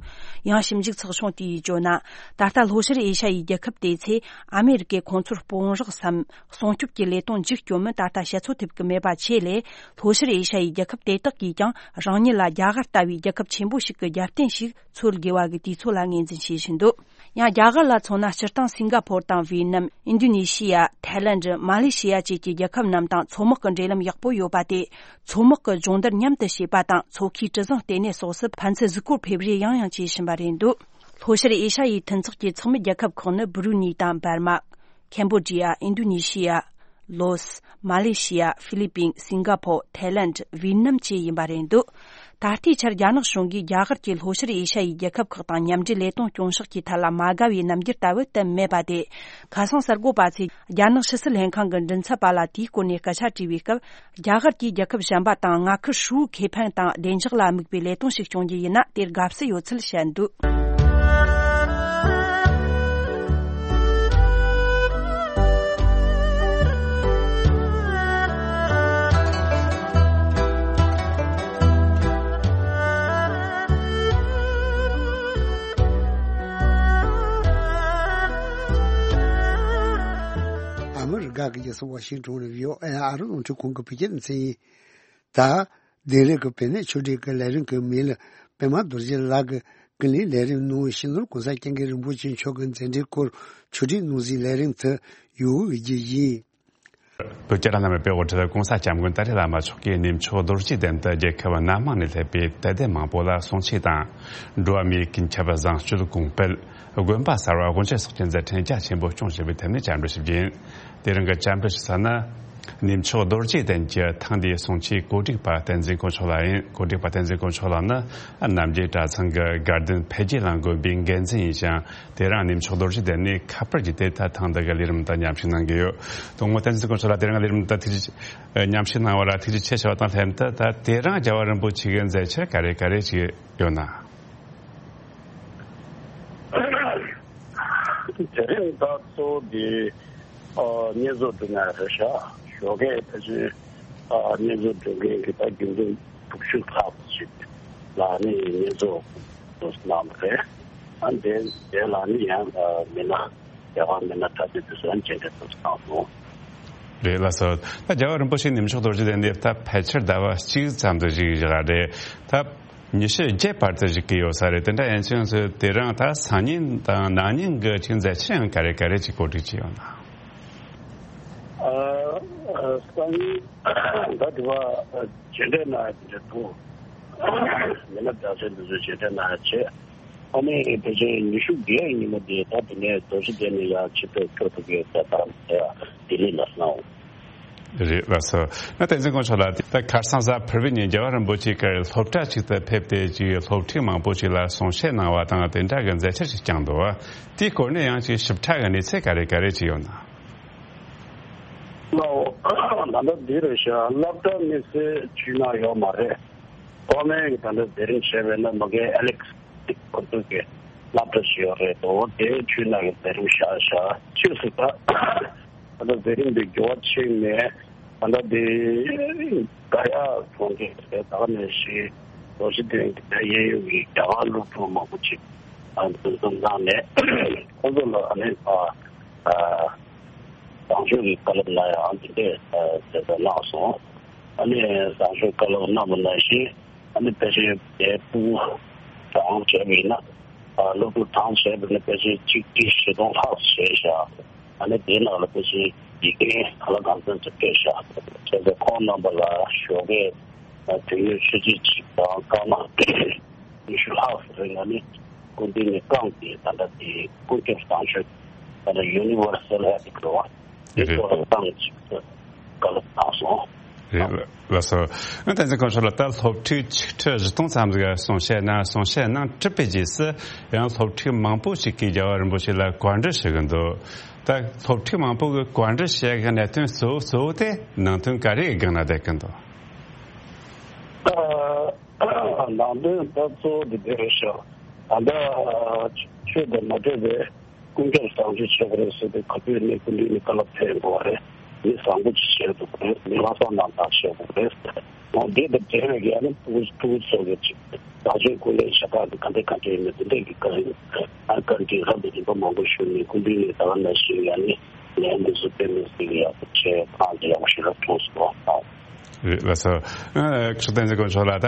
ཡང་ཞིབ་འཇུག་ཚགས་ཆུང་དེས་བརྗོད་ན། ད་ལྟ་ལྷོ་ཤར་ཨེ་ཤ་ཡའི་རྒྱལ་ཁབ་དེ་ཚོས་ཨ་མེ་རི་ཀས་ཁོང་ཚོར་དཔུང་རོགས་སམ། སྲུང་སྐྱོབ་ཀྱི་ལས་དོན་མཇུག་སྐྱོང་མིན་ད་ལྟ་བཤད་ཚོད་ཐེབས་ཀྱི་མེད་པ་བྱས་ལས། ལྷོ་ཤར་ཨེ་ཤ་ཡའི་རྒྱལ་ཁབ་དེ་དག་གིས་ཀྱང་རང་ཉིད་ལ་རྒྱ་གར་ལྟ་བུའི་རྒྱལ་ཁབ་ཆེན་པོ་ཞིག་གི་རྒྱབ་རྟེན་ཞིག་འཚོལ་དགོས་པ་གི་དུས་ཚོད་ལ་ངོས་འཛིན་བྱེད་བཞིན་འདུག་ཡང་རྒྱ་གར་ལ་མཚོན་ན། སྤྱིར་བཏང་སིང་ག་ཕོར་དང་ཝི་ནམ། ཨིན་རྡུ་ནེ་ཤི་ཡ། ཐའི་ལེནྡ། མ་ལེ་ཤི་ཡ་བཅས་ཀྱི་རྒྱལ་ཁབ་རྣམས་དང་མཚོ་དམག་གི་འབྲེལ་ལམ་ཡག་པོ་ཡོད་པ་སྟེ། མཚོ་དམག་གི་སྦྱོང་བརྡར་མཉམ་དུ་བྱེད་པ་དང་། མཚོ་ཁའི་གྲུ་གཟིངས་ལྟེ་གནས་སོགས་སུ་ཕན་ཚུན་གཟིགས་སྐོར་ཕེབས་རེས་ཡང་ཡང་བྱེད་བཞིན་པ་རེད་འདུག་ལྷོ་ཤར་ཨེ་ཤ་ཡའི་མཐུན་ཚོགས་ཀྱི་ཚོགས་མི་རྒྱལ་ཁབ་ཁག་ནི་སྦུ་རུ་ནི་དང་འབར་མ། ཁེམ་བོ་ཌི་ཡ། ཨིན་རྡུ་ནེ་ཤི་ཡ། ལོ་སི། མ་ལེ་ཤི་ཡ། ཧྥི་ལི་པིན། སིང་ག་ཕོར། ཐའི་ལེནྡ། ཝི་ནམ་བཅས་ཡིན་པ་རེད་འདུག་ད་ལྟའི་ཆར་རྒྱ་ནག་གཞུང་གིས་རྒྱ་གར་གྱིས་ལྷོ་ཤར་ཨེ་ཤ་ཡའི་རྒྱལ་ཁབ་ཁག་དང་མཉམ་འབྲེལ་ལས་དོན་སྐྱོང་ཕྱོགས་ཀྱི་ཐད་ལ་མ་དགའ་བའི་རྣམ་འགྱུར་ལྟ་བུ་བསྟན་མེད་པ་དེ། ཁ་སང་གསར་འགོད་པ་ཚོས་རྒྱ་ནག་ཕྱི་སྲིད་ལྷན་ཁང་གི་མགྲིན་ཚབ་པ་ལ་དེའི་སྐོར་ནས་སྐད་ཆ་དྲིས་པའི་སྐབས། རྒྱ་གར་གྱིས་རྒྱལ་ཁབ་གཞན་པ་དང་མངའ་ཁུལ་ཧྲིལ་བོའི་ཁེ་ཕན་དང་བདེ་འཇགས་ལ་དམིགས་པའི་ལས་དོན་ཞིག་སྐྱོང་རྒྱུ་ཡིན་ན་དེར་དགའ་བསུ་ཡོད་ཚུལ་བཤད་འདུག་ཨ་མི་རི་ཀ་གི་རྒྱལ་ས་ཝ་ཤིང་ཊོན་ནས་བྷི་ཨོ་ཨེ་ཨ་རི་རླུང་འཕྲིན་ཁང་གི་བོད་སྐད་སྡེ་ཚན་ཡིན། ད། དིང་རི་གི་བོད་གནས་ཆོས་ཁྲིད་ཀྱི་ལས་རིམ་གྱི་མིང་ལ་པདྨ་རྡོ་རྗེ་ལགས་ཀྱིས་ཀུན་གླེང་ལས་རིམ་ནང་སྤྱི་ནོར་༸གོང་ས་༸སྐྱབས་མགོན་རིན་པོ་ཆེ་མཆོག་གི་མཛད་འཕྲིན་སྐོར་ཆོས་ཁྲིད་གནང་གཟིགས་ལས་རིམ་དུ་ཡོད་རྒྱུ་ཡིན། བོད་རྒྱལ་ལ་ནང་པའི་དཔེ་དབང་ཁྲིད་༸གོང་ས་༸སྐྱབས་མགོན་ཏཱ་ལའི་བླ་མ་མཆོག་གིས་གནས་མཆོག་རྡོ་རྗེ་གདན་དུ་རྒྱལ་ཁབ་སྣ་མང་ནས་སླེབས་པའི་དད་ལྡན་མང་པོ་ལ་གསུང་ཆོས་དང་། འགྲོ་བ་མིའི་ཀུན་ཁྱབ་བཟང་སྤྱོད་གོང་སྤེལ། དགོན་པ་གསར་བ་དབུ་འབྱེད་སོགས་ཀྱི་མཛད་འཕྲིན་རྒྱ་ཆེན་པོ་སྐྱོང་བཞིན་པའི་ཐད་ནས་བཅར་འདྲི་ཞུ་རྒྱུ་ཡིན། དེ་རིང་གི་བཅར་འདྲི་ཞུ་ས་ནི། གནས་མཆོག་རྡོ་རྗེ་གདན་གྱི་ཐེངས་འདིའི་གསུང་ཆོས་གོ་སྒྲིག་པ་བསྟན་འཛིན་དཀོན་མཆོག་ལགས་ཡིན། གོ་སྒྲིག་པ་བསྟན་འཛིན་དཀོན་མཆོག་ལགས་ནི་རྣམ་རྒྱལ་གྲྭ་ཚང་གི་དགའ་ལྡན་འཕེལ་རྒྱས་གླིང་དགོན་པའི་འགན་འཛིན་ཡིན་ཞིང་། དེ་རིང་གནས་མཆོག་རྡོ་རྗེ་གདན་ནས་ཁ་པར་བརྒྱུད་དེ་ད་ཐེངས་འདི་གི་ལས་རིམ་དང་མཉམ་ཞུགས་གནང་གི་ཡོད། དང་པོ་བསྟན་འཛིན་དཀོན་མཆོག་ལགས། དེ་རིང་ལས་རིམ་དང་ཐུགས་རྗེ་མཉམ་ཞུགས་གནང་བ་ལ་ཐུགས་རྗེ་ཆེ་ཞུ་བ་དང་ལྷན་དུ། ད་དེ་རིང་རྒྱལ་བ་རིན་པོ་ཆེ་གི་མཛད་འཆར་ག་རེ་ག་རེ་ཅིག་ཡོད་ན། དེ་རིང་ད་གཙོ་བོ་དེ་ཨ་བསྙེན་རྫོགས་སྒྲུབ་མཁན་རེད་ཤག་ཞོགས་ཀས་ཕལ་ཆེར་ཨ་བསྙེན་རྫོགས་སྒྲུབ་མཁན་གྱི་ད་དགེ་འདུན་དྲུག་ཅུ་ལྷག་ཅིག་ལ་ནི་བསྙེན་རྫོགས་གནང་བ་རེད། ཨ་དེ་དེ་ལ་ནི་ཡང་ཨ་མི་སྣ་རྒྱ་གར་མི་སྣ་གྲྭ་བཙུན་དེ་ཚོ་ཡང་མཇལ་འཕྲད་ཐུབ་ཚང་སོང་། རེད་ལགས་སོ། ད་རྒྱལ་བ་རིན་པོ་ཆེ་གནས་མཆོག་རྡོ་རྗེ་གདན་འདིར་ད་ཕལ་ཆེར་ཟླ་བ་གཅིག་ཙམ་དུ་བཞུགས་བཞག་རེད། ད་ཉི་ཤུ་བརྒྱད་བར་དུ་བཞུགས་ཀྱི་ཡོད་ས་རེད། དེ་འདྲ་ཡིན་ཙང་དེ་རིང་ད་སང་ཉིན་དང་གནངས་ཉིན་གྱི་ཅིག་མཛད་འཆར་ཡང་ག་རེ་ག་རེ་ཅིག་གོ་སྒྲིག་བྱས་ཡོད་ན། ཨ་ཨ་སང་ཉིན་ད་དེ་བ་མཇལ་འཕྲད་གནང་ཡ་དེ་འདྲ་འདུག་མི་སྣ་གྲྭ་བཙུན་དེ་ཚོ་མཇལ་འཕྲད་གནང་ཡ་བྱས། ཨ་ནི་ཕལ་ཆེར་ཉི་ཤུ་བརྒྱད་ཉིན་མོ་དེ་ད་དེ་ནས་རྡོ་རྗེ་གདན་ནས་ཡར་ཆིབས་སྒྲིག་འཁྱོག་ཐུབ་ཀྱི་ད་ལྟ་དེ་ལྡི་ལི་ལ་སོང་། རེད་ལགས་སོ། ན་བསྟན་འཛིན་དཀོན་མཆོག་ལགས། ད་ཁ་སང་གཟའ་ཕུར་བུའི་ཉིན་རྒྱལ་བ་རིན་པོ་ཆེ་གིས་སློབ་གྲྭ་ཅིག་ཏུ་ཕེབས་ཏེ་ཅིག་སློབ་ཕྲུག་མང་པོ་ཅིག་ལ་གསུང་བཤད་གནང་བ་དང་དེ་འདྲ་གི་མཛད་འཆར་ཞིག་བསྐྱངས་འདུག་བ། དེའི་སྐོར་ནས་ཡང་ཅིག་ཞིབ་ཕྲ་གི་གནས་ཚུལ་ག་རེ་ག་རེ་ཅིག་ཡོད་ན། ལའོ། ད་ལྟ་འདི་རེད་ཤག་སློབ་གྲྭ་དམིགས་བསལ་ཇུས་ནང་ཡོད་མ་རེད། ཐོག་མའི་གི་ད་ལྟ་མཛད་རིམ་བྱས་པས་ན་མ་གི་ཨ་ལེག་སི་ཁོ་ཚོ་གི་སློབ་གྲྭ་ཞིག་ཡོད་རེད་དོ། དེའི་ཇུས་ནང་གི་མཛད་རིམ་བཞག་ཤག་ཕྱིས་སུ་ད་ད་ལྟ་མཛད་རིམ་འདི་འགྱུར་བ་ཕྱིན་ནས་ད་ལྟ་འདི་ག་ཡ་ཚོང་ཁང་དེ་ད་ག་ནས་ཤི་རྡོ་རྗེ་གདན་གྱི་ད་གཡས་གཡོན་གྱི་རྒྱ་གར་སློབ་ཕྲུག་མང་པོ་ཅིག་ཨ་འཛོམས་འཛོམས་གནང་ནས་ཁོ་ཚོ་ལ་ཨ་ནི་ཨ། བཟང་སྤྱོད་ཀྱི་བཀའ་སློབ་གནང་ཡ་འདི་འདྲས་ཟེར་ཏེ་གནང་སོང་། ཨ་ནི་བཟང་སྤྱོད་བཀའ་སློབ་གནང་བ་ནང་བཞིན་ཨ་ནི་ཕལ་ཆེར་དེ་ཕྲུ་གུ་གྲངས་བྱས་པ་ཡིན་ན་ཨ་སློབ་ཕྲུག་གྲངས་བྱས་པ་ཡིན་ན་ཕལ་ཆེར་ཆིག་ཁྲི་བཞི་སྟོང་ལྷག་བྱས་ཤག་ཨ་ནི་དེའི་ནང་ལ་ཕལ་ཆེར་ཡིག་རྒན་ག་ལ་གང་འཚམ་ཅིག་ཕེབས་ཤག་བྱས་ཙང་ཁོང་རྣམ་པ་ལ་ཞོགས་ཀས་དོན་ཡོད་ཆུ་ཚོད་གཅིག་དང་སྐར་མ། ཉི་ཤུ་ལྷག་ཙམ་རིང་ལ་ནི་སྐུ་མདུན་ནས་བསྐངས་ཏེ་ད་ལྟ་དེ་ཀུན་ཁྱབ་བཟང་སྤྱོད་ད་ལྟ་ཡུ་ནི་ཝར་སལ་ཧེལ་ཐི་ལབ་པ་དེ་རེད། ཐོག་ལ་བཏང་ཅིག་ཏུ་བཀའ་སློབ་བཏང་སོང་། རེད། ལགས་སོ། ཨ་བསྟན་འཛིན་སྐུ་ཞབས་ལགས། ད་སློབ་ཕྲུག་ཆིག་ཁྲི་བཞི་སྟོང་ཙམ་ཞིག་གསུང་བཤད་གནང་། གསུང་བཤད་གནང་གྲུབ་པའི་རྗེས་སུ་ཡང་སློབ་ཕྲུག་མང་པོ་ཞིག་གིས་རྒྱལ་བ་རིན་པོ་ཆེ་ལ་བཀའ་འདྲི་ཞུ་གི་འདུག་ད་སློབ་ཕྲུག་མང་པོ་གིས་བཀའ་འདྲི་བཤད་གི་གནད་དོན་གཙོ་བོ་གཙོ་བོ་དེ་ནང་དོན་ག་རེ་སྒང་ལ་བསྡད་ཀྱི་འདུག་ནང་དོན་ད་གཙོ་བོ་དེ་དེ་རེད་ཤག་ད་ལྟ་ཆོས་དང་མ་འབྲེལ་བའི་ཀུན་ཁྱབ་བཟང་སྤྱོད་བྱེད་དགོས་རེད་ཟེར་ཏེ་ག་དུས་ནས་སྐུ་མདུན་ནས་བཀའ་སློབ་ཕེབས་དགོས་པ་རེད། མི་བཟང་པོ་ཅིག་བྱེད་དགོས་རེད། མི་ལྷག་བསམ་རྣམ་དག་བྱེད་དགོས་རེད། འོ་དེ་དང་འབྲེལ་བའི་གི་ཨ་ནི་ཕྲུ་གུ་ཕྲུ་གུ་ཚོ་གི་ཅིག་བཟང་སྤྱོད་སྐུལ་སློང་བྱེད་སྟངས་དེ་ག་འདྲས་ག་འདྲས་ཡིན་མིན་དེ་འདྲས་ཀྱི་བཀའ་དྲིན་ཨ་བཀའ་དྲིན་རབ་ཏུ་རིམ་པ་མང་པོ་ཞུས་ནས་སྐུ་མདུན་ནས་ད་ག་ནང་བཞིན་ཡང་ནི་ལན་འདི་ཚོ་དཔེ་མི་སྲིད་ཀྱི་ཡག་པོ་བྱས་ཐང་དུ་ཡག་པོ་ཞིག་རབ་མཐོང་སོང་། རེད། ལགས་སོ། ཨ་ཁྲི་བསྟན་འཛིན་དཀོན་མཆོག་ལགས།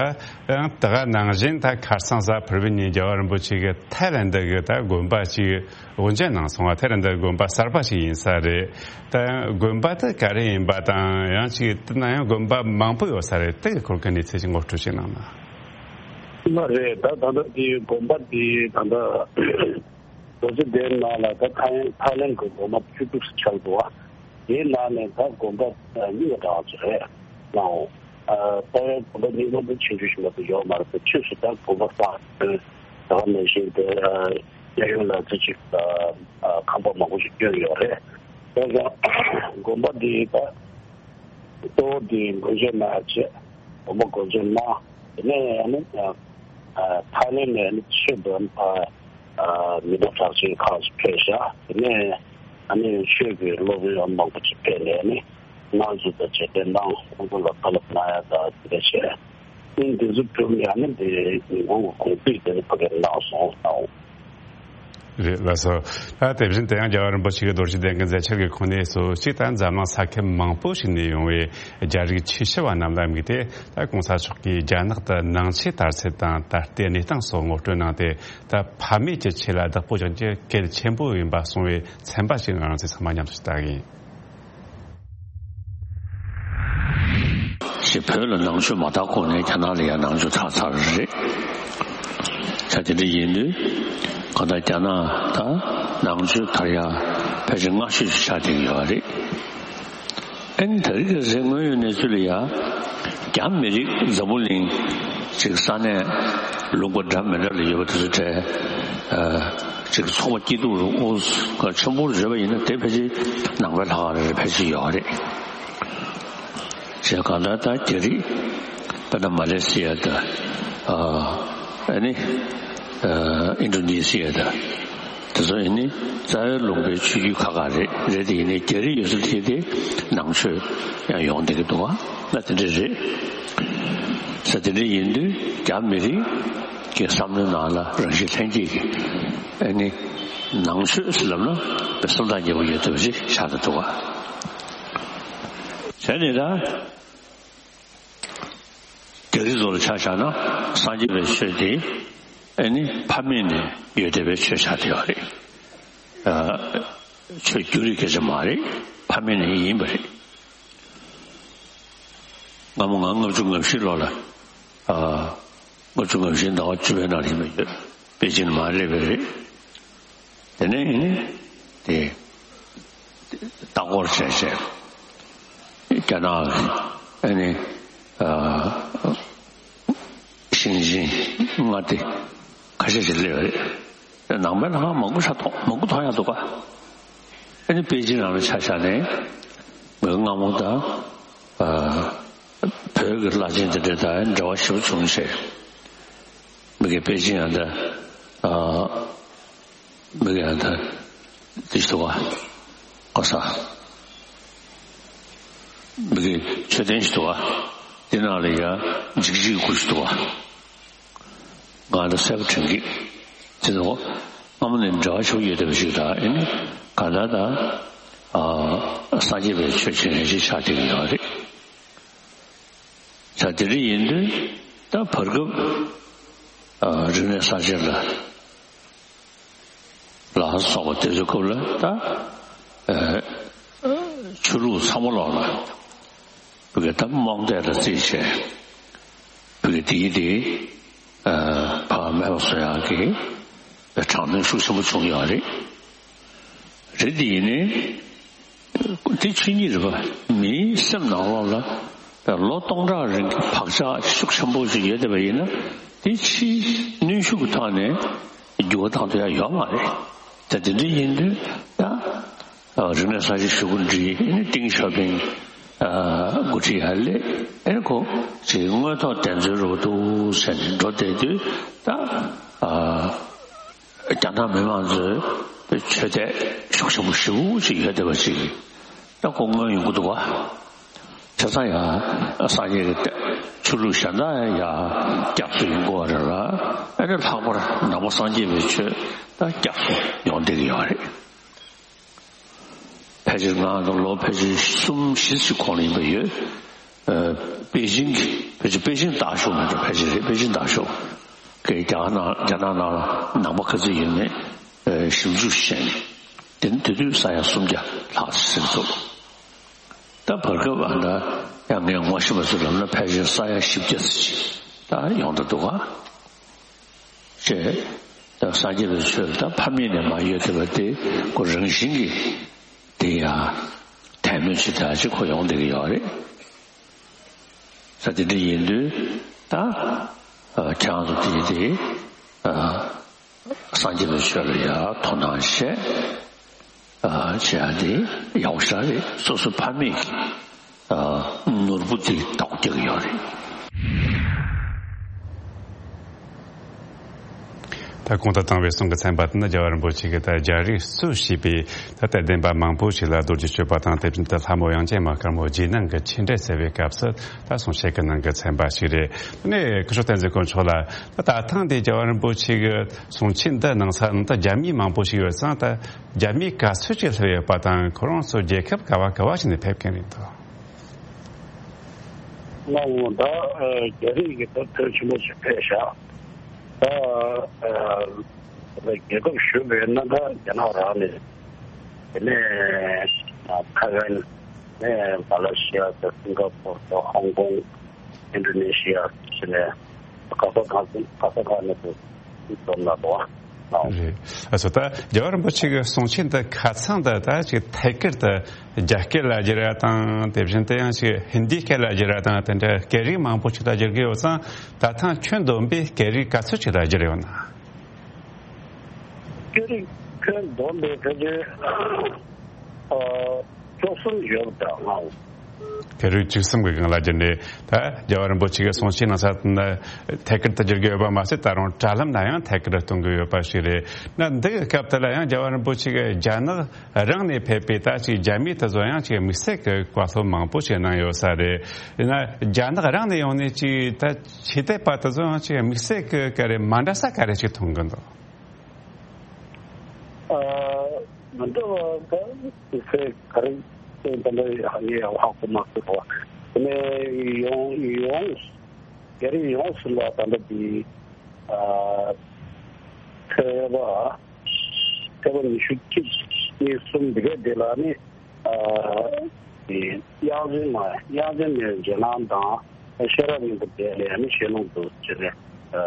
ད་ཡང་ད་ག་ནང་བཞིན་ད་ཁ་སང་གཟའ་ཕུར་བུ་ཉིན་རྒྱལ་བ་རིན་པོ་ཆེ་གིས་ཐའི་ལེན་ཌི་གི་ད་དགོན་པ་ཅིག་དབུ་འབྱེད་གནང་སོང་བ། ཐའི་ལེན་ཌི་དགོན་པ་གསར་པ་ཞིག་ཡིན་ས་རེད། ད་དགོན་པ་དེ་ག་རེ་ཡིན་པ་དང་། ཡང་ཅིག་དེ་ན་ཡང་དགོན་པ་མང་པོ་ཡོད་ས་རེད། དེ་གི་སྐོར་གྱི་གནས་ཚུལ་ཞིག་ངོ་སྤྲོད་ཅིག་གནང་ན། མ་རེད། ད་ད་ལྟ་དེ་དགོན་པ་དེ་ད་ལྟ་རྡོ་རྗེ་གདན་ནང་ལ་ད་ཐའི་ཐའི་ལེན་གྱི་དགོན་པ་བཅུ་དྲུག་ཙམ་ཆགས་འདུག་བ། དེའི་ནང་ནས་ད་དགོན་པ་གཉིས་པ་འདྲ་བ་ཅིག་རེད་ལགས། ཨ་ད་ཡང་དགོན་པ་གཉིས་པ་འདི་ཆུང་ཆུང་ཞིག་མ་གཏོགས་ཡོད་མ་རེད་པས། ཕྱིས་སུ་ད་དགོན་པ་གསར་ད་ག་ནང་བཞིན་དེ་གཡས་གཡོན་ལ་ཙི་ཅིག་ཁང་པ་མང་པོ་ཞིག་བསྐྱོན་ཡོད་རེད། ད་ཡང་དགོན་པ་འདི་ད་གཙོ་བོ་འདི་དགོན་ཆེན་ནང་བྱས། དགོན་པ་དགོན་ཆེན་ནང་དེ་ནས་ཨ་ནི་ཨ་ཐའི་ལེན་ནས་ཨ་ནི་ཆོས་དང་ཨ་ཨ་མི་འདྲ་གྲགས་ཅན་ཁག་ཅིག་ཕེབས་ཤག་དེ་ནས་ཨ་ནི་ཆོས་ཀྱི་སློབ་དཔོན་མང་པོ་ཅིག་ཕེབས་ནས་ཨ་ནི་སྔགས་འཛུགས་དང་རྗེས་དྲན་གནང་། ཁོང་ཚོ་ལ་བཀའ་སློབ་གནང་ཡ་དང་དེ་འདྲ་བྱས། ཨ་ནི་འདི་ཚོ་གྲུབ་ནས་ཨ་ནི་འདི་ཉིན་གུང་གི་གུང་ཚིགས་དེ་ནི་ཕ་གིར་གནང་སོང་ལགས། རེད། ལགས་སོ། ད་དེ་བཞིན་དུ་ཡང་རྒྱལ་བ་རིན་པོ་ཆེ་གི་རྡོ་རྗེ་གདན་གྱི་མཛད་འཆར་གྱི་ཁོངས་ནས་སོ་གཅིག་ད་འཛམ་གླིང་ས་ཁུལ་མང་པོ་ཞིག་ནས་ཡོང་བའི་རྒྱ་རིགས་ཆེ་ཤོས་པ་རྣམས་ལ་དམིགས་ཏེ། ད་གོང་ས་མཆོག་གིས་རྒྱ་ནག་ཏུ་ནང་ཆོས་དར་ཚད་དང་ད་ལྟའི་གནས་སྟངས་སོགས་ངོ་སྤྲོད་གནང་སྟེ། ད་ཕ་མེས་ཀྱི་ཆོས་ལ་བདག་པོ་རྒྱག་རྒྱུ་གལ་ཆེན་པོ་ཡིན་པ་གསུངས་པའི་ཚན་པ་ཞིག་ང་རང་ཚོས་ཚང་མ་མཉམ་དུ་ལྟ་གི་ཡིན། ཞེས་བོད་ལ་ནང་ཆོས་མ་དར་གོང་ནས་རྒྱ་ནག་ལ་ཡང་ནང་ཆོས་དར་ཚར་རེད། ད་དེ་འདྲ་ཡིན་དུས་གང་ལྟར་རྒྱ་ནག་ད་ནང་ཆོས་དར་ཡ་ཕལ་ཆེར་སྔ་ཤོས་ཤིག་ཆགས་བསྡད་ཀྱི་ཡོད་རེད། ཨ་ནི་ད་རེས་ཀྱི་རེས་སྔོན་ཡོད་གནས་ཚུལ་ལ་ཡ་རྒྱ་མི་རིགས་འཛམ་བུ་གླིང་ཅིག་ས་གནས་ལུང་པ་འདྲ་མི་འདྲ་ལ་ཡོད་པ་དེ་ཚོ་གྲས་ཨ་ཅིག་ཚོགས་པ་སྐྱིད་སྡུག་རུ་ཨོ་ག་ཆེན་པོ་རུ་བརྗོད་པ་ཡིན་ན་དེ་ཕལ་ཆེར་ནང་པའི་ལྷག་རེ་ཕལ་ཆེར་ཡོད་རེད། བྱས་གང་ལྟར་ད་རྒྱ་རིགས་དཔེར་ན་མ་ལེ་སི་ཡ་དང་ཨ་ནི་ཨ་ཨིན་ཌོ་ནེ་ཤི་ཡ་དང་དེ་ཚོ་ཡིན་ནི་རྩ་བའི་ལུང་པའི་ཆོས་བརྒྱུད་ཁག་ཁག་རེད། རེད་དེ་ཡིན་ནའི་རྒྱ་རིགས་ཡོད་ས་དེ་དེ་ནང་ཆོས་ཡང་ཡོང་བསྡད་ཀྱི་འདུག་བ། ད་དེ་འདྲ་རེད། ས་དེ་འདྲ་ཡིན་དུས་རྒྱ་མི་རིགས་ཀྱི་བསམ་བློའི་ནང་ལ་རང་བཞིན་ལྷན་སྐྱེས་ཀྱི་ཨ་ནི་ནང་ཆོས་ཟེར་ལབ་ན་དཔེ་སེམས་ཐག་ཉེ་པོ་ཡོད་ཐུབ་ཅིག་ཆགས་ཀྱི་འདུག་བ། བྱས་ནས་ད། རྒྱ་རིགས་ཚོ་ལ་ཆ་བཞག་ན་སངས་རྒྱས་པའི་ཆོས་དེ་ཨ་ནི་ཕ་མེས་ནས་ཡོད་བསྡད་པའི་ཆོས་ཆགས་བསྡད་ཡོད་རེད། ཨ་ཆོས་བརྒྱུད་རིམ་སྐད་ཆ་མ་རེད། ཕ་མེས་ནས་ཡིན་པ་རེད། སྔ་མོ་ང་ལྔ་བཅུ་ང་བཞི་ལོ་ལ་ཨ་ལྔ་བཅུ་ང་བཞི་ཟླ་བ་བཅུ་པའི་ནང་ལ་ཡིན་པ་ཡོད། པེ་ཅིན་མར་སླེབས་པ་རེད། དེ་ནས་ཨ་ནི་དེ་ལྟ་སྐོར་བྱས་བྱས་རྒྱ་ནག་ཨ་ནི་ཨ་ཞིང་ཆེན་མངའ་སྡེ་ཁ་ཤས་ཤིག་སླེབས་རེད། ནང་པའི་ལྷ་ཁང་མང་པོ་ཤ་མཐོང་མང་པོ་མཐོང་ཡག་འདུག་ག་ཨ་ནི་པེ་ཅིན་ནང་ལ་ཆ་བཞག་ནས་ང་སྔ་མོ་དང་ ཨ། བོད་ཀྱི་བླ་ཆེན་དེ་འདྲ་དང་འབྲེལ་བ་ཞེ་པོ་བྱུང་བྱས། མི་གི་པེ་ཅིན་ཡང་ད། ཨ། མི་གི་ཡང་ད། དེ་ཞིག་འདུག་ག་གོ་ས། མི་གི་མཆོད་རྟེན་ཞིག་འདུག་ག་དེ་ནང་ལ་ཡ་འཇིགས་བྱེད་ཀྱི་སྐུ་ཞིག་འདུག་ག་ང་ལ་གསལ་པོ་དྲན་གི། དེ་ཚོ་སྔ་མོ་ནས་འབྲེལ་བ་ཞུ་ཡོད་བསྡད་པ་ཞིག་དང་ཨེ་ནི་ག་ད་ད་ཨ་སངས་རྒྱས་པའི་ཆོས་ཆེན་རེ་ཞིག་ཆགས་བསྡད་ཀྱི་ཡོད་རེད། ད་དེ་འདྲ་ཡིན་དུས་ད་བར་སྐབས་ཨ་རིག་གནས་གསར་བརྗེ་ལ་ལ་སོགས་པ་དེ་ཚོའི་སྐབས་ལ་ད་ཨ་ཆོས་ལུགས་ཚང་མ་ལོག་ལ། བོད་ཀྱི་ད་རྨོངས་དད་ལ་རྩིས་བྱས། བོད་ཀྱི་དེའི་དེ་ཕ་མེས་པོ་སོ་ཡང་གི་དྲག་གནོན་ཤུགས་ཆེན་པོ་བྱུང་ཡོད་རེད། རེད་དེ་ཡིན་ནའི་དེ་ཆོས་ཉིད་རེད་པ། མིའི་སེམས་ནང་ལོགས་ལ་ལོ་སྟོང་ཕྲག་རིང་གི་བག་ཆགས་ཤུགས་ཆེན་པོ་ཞིག་ཡོད་བསྡད་པ་ཡིན་ན་དེ་ཕྱིའི་གནོན་ཤུགས་ཀྱི་ཐོག་ནས་འགྱུར་བ་བཏང་ཐུབ་ཡ་ཡོད་མ་རེད། ད་དེ་འདྲ་ཡིན་དུས་ད། རིག་གནས་གསར་བརྗེ་ཞུ་སྐུལ་འདི་ཏིང་ཞའོ་ཕིང་འགོ་ཁྲིད་ཡར་སླེབས། ཨེ་ཁོ་ཅིག་དངོས་ཐོག་གདེང་ཚོད་རུ་འདུག་ཟེར་ནས་འགྲོ་བསྡད་དུས་ད་རྒྱ་ནག་མི་མང་ཚོས་ཆོས་དད་ཤུགས་ཆེན་པོ་ཞེ་པོ་ཅིག་ཡོད་བསྡད་པ་ཅིག་ད་ཁོ་མངོན་ཡོང་གི་འདུག་ག་བྱས་ཙང་ཡང་སངས་རྒྱས་ཀྱི་ཆོས་ལུགས་གཞན་དག་ཡང་སྐྱབས་སུ་ཡོང་དགོས་པ་རེད་ལ། ཨ་ནི་ལྷག་པར་ནང་པ་སངས་རྒྱས་པའི་ཆོས་ད་སྐྱབས་སུ་ཡོང་བསྡད་ཀྱི་ཡོད་རེད། ཕལ་ཆེར་ང་ཚོ་ལོ་ཕལ་ཆེར་གསུམ་བཞི་ཞིག་གོང་ལ་ཡིན་པ་ཡོད། ཨ། པེ་ཅིང་གི་ཕལ་ཆེར་པེ་ཅིང་དག་ཤོག་མ་གཏོགས་ཕལ་ཆེར་རེད། པེ་ཅིང་དག་ཤོག་གི་རྒྱ་ནག་རྒྱ་ནག་ནང་ལ་ནང་པ་ག་ཚོད་ཡོད་མེད་ཨ་ཞིབ་འཇུག་བྱས་ནས། དེ་ནི་དེ་དུས་ས་ཡ་སུམ་བརྒྱ་ལྷག་ཟིན་ཚུགས། ད་བར་སྐབས་ཨ་ད་ཡང་ངས་ངོ་ཤེས་པ་ཚོ་ལབ་ན་ཕལ་ཆེར་ས་ཡ་བཞི་བརྒྱ་ཙམ་ཅིག་ད་ཡོང་ད་འདུག་ག་བྱས། ད་སངས་རྒྱས་པའི་ཆོས་ལ་ད་ཕ་མེས་ནས་མ་ཡོད་བསྡད་པ་དེ་ཁོ་རང་བཞིན་གྱིས་དེ་ཡང་དད་མོས་ཆེ་དྲགས་ཅིག་ཁོ་ཡོང་བསྡད་ཀྱི་ཡོད་རེད། ད་དེ་འདྲ་ཡིན་དུས་ད་ཨ་ཁྱེད་རང་ཚོ་དེ་དེ་ཨ་སངས་རྒྱས་པའི་ཆོས་ལ་ཡང་དོ་སྣང་བྱས། ཨ་བྱས་ཏེ་ཡག་པོ་ཞེ་དྲག་རེད། སོ་སོའི་ཕ་མེས་ཀྱི་ཨ་ནོར་བུ་དེ་བདག་པོ་རྒྱག་གི་ཡོད་རེད། ད་གོང་དུ་བཏང་བའི་གསུང་གི་ཚན་པ་དེ་ནི་རྒྱལ་བ་རིན་པོ་ཆེ་གིས་ད་རྒྱ་རིགས་གཙོས་བྱས་པའི་ད་དད་ལྡན་པ་མང་པོ་ཞིག་ལ་རྡོ་རྗེ་གཅོད་པ་དང་། དེ་བཞིན་དུ་ལྷ་མོ་དབྱངས་ཅན་མ་དཀར་མོ་རྗེས་གནང་གི་ཆོས་འབྲེལ་ཟེར་བའི་སྐབས་སུ་ད་གསུང་བཤད་ཀྱི་གནང་གི་ཚན་པ་ཞིག་རེད། དེ་ནས་སྐུ་ཞབས་བསྟན་འཛིན་དཀོན་མཆོག་ལ་ད་ད་ཐེངས་འདི་རྒྱལ་བ་རིན་པོ་ཆེ་གི་གསུང་ཆོས་འདི་གནང་ས་ནི་ད་རྒྱ་མི་མང་པོ་ཞིག་ཡོད་ཙང་། ད་རྒྱ་མི་ག་ཚོད་ཅིག་སླེབས་ཡོད་པ་དང་། ཁོ་རང་ཚོ་རྒྱལ་ཁབ་ག་བ་ག་བ་ཞིག་ནས་ཕེབས་མཁན་རེད་འདུག་ང་འོ་ད་རྒྱ་རིགས་ཀྱི་ད་དོན་ཆེན་པོ་ཞིག་ཕེབས་ཤག་ད་རྒྱལ་ཁབ་ཞུ་བའི་ན་ད་རྒྱ་ནག་རང་ནས། དེ་ནས་ཐའེ་ཝན། ནས་མ་ལེ་ཤི་ཡ་དང་སིང་ག་པོར་དང་ཧོང་ཀོང་། ཨིན་ཌོ་ནེ་ཤི་ཡ་ཟེར་ནས་ག་ས་ག་ས་ག་ས་ག་ནས་དུ་འཛོམས་ན་དོ་ཨ། རེད། ཨ་སོ་ད་རྒྱལ་བ་རིན་པོ་ཆེ་གི་གསུང་ཆོས་འདི་ཁ་ཚང་འདི་ད་ཅིག་ཐད་ཀར་དུ་རྒྱ་སྐད་ལ་བསྒྱུར་ཡ་དང་། དེ་བཞིན་དུ་ཡང་ཅིག་ཧིན་དིའི་སྐད་ལ་བསྒྱུར་ཡ་དང་། དེ་འདྲ་སྐད་རིགས་མང་པོ་ཞིག་ལ་བསྒྱུར་གི་ཡོད་ཙང་། ད་ཐེངས་ཁྱོན་བསྡོམས་པའི་སྐད་རིགས་ག་ཚོད་ཅིག་ལ་བསྒྱུར་ཡོད་ན། སྐད་རིགས་ཁྱོན་བསྡོམས་པའི་ཕལ་ཆེར་ཨ་བཅུ་གསུམ་ཡོད་པ་འདྲ་ང་། སྐད་རིགས་བཅུ་གསུམ་གྱི་སྒང་ལ་བསྒྱུར་ནས། ད་རྒྱལ་བ་རིན་པོ་ཆེ་གི་གསུང་ཆོས་གནང་ས་ཐད་ཀར་དུ་བསྒྱུར་གྱི་ཡོད་པ་མ་ཟད། ད་རུང་དྲ་ལམ་ན་ཡང་ཐད་ཀར་གཏོང་གི་ཡོད་པ་ཞིག་རེད། ན་འདི་གི་སྐབས་དེ་ལ་ཡང་རྒྱལ་བ་རིན་པོ་ཆེ་གི་རྒྱ་ནག་རང་ནས་ཕེབས་པའི་ད་ཅིག་རྒྱ་མི་དེ་ཚོ་ཡང་ཅིག་དམིགས་བསལ་གྱི་བཀའ་སློབ་མང་པོ་ཞིག་གནང་ཡོད་ས་རེད། ཡིན་ན་རྒྱ་ནག་རང་ནས་ཡོང་ནས་ཅིག་ད་ཆོས་དད་པ་དེ་ཚོ་ཡང་ཅིག་དམིགས་བསལ་གྱི་ག་རེ་མ་འདྲ་ས་ག་རེ་ཅིག་མཐོང་གི་འདུག་ཨ། མི་འདྲ་བ་ད་དམིགས་བསལ་ག་རེ་ད་ལྟ་ངས་ཧ་གོ་མ་སོང་བ། དེ་ནས་ཡོངས་ཡོངས་རྒྱ་རིགས་ཡོངས་སུ་ལ་ད་ལྟ་འདི་ཨ་ཚེས་པ། ཚེས་པ་ཉི་ཤུ་གཅིག་གཉིས་གསུམ་འདི་ག་འདི་ལ་ནི་ཨ་དབྱངས་ཅན་མ་དབྱངས་ཅན་མའི་རྗེས་གནང་དང་ཤེས་རབ་སྙིང་པོ་དེ་ལས་ནི་ཤེས་ལུང་དུ་བྱས་ནས་ཨ་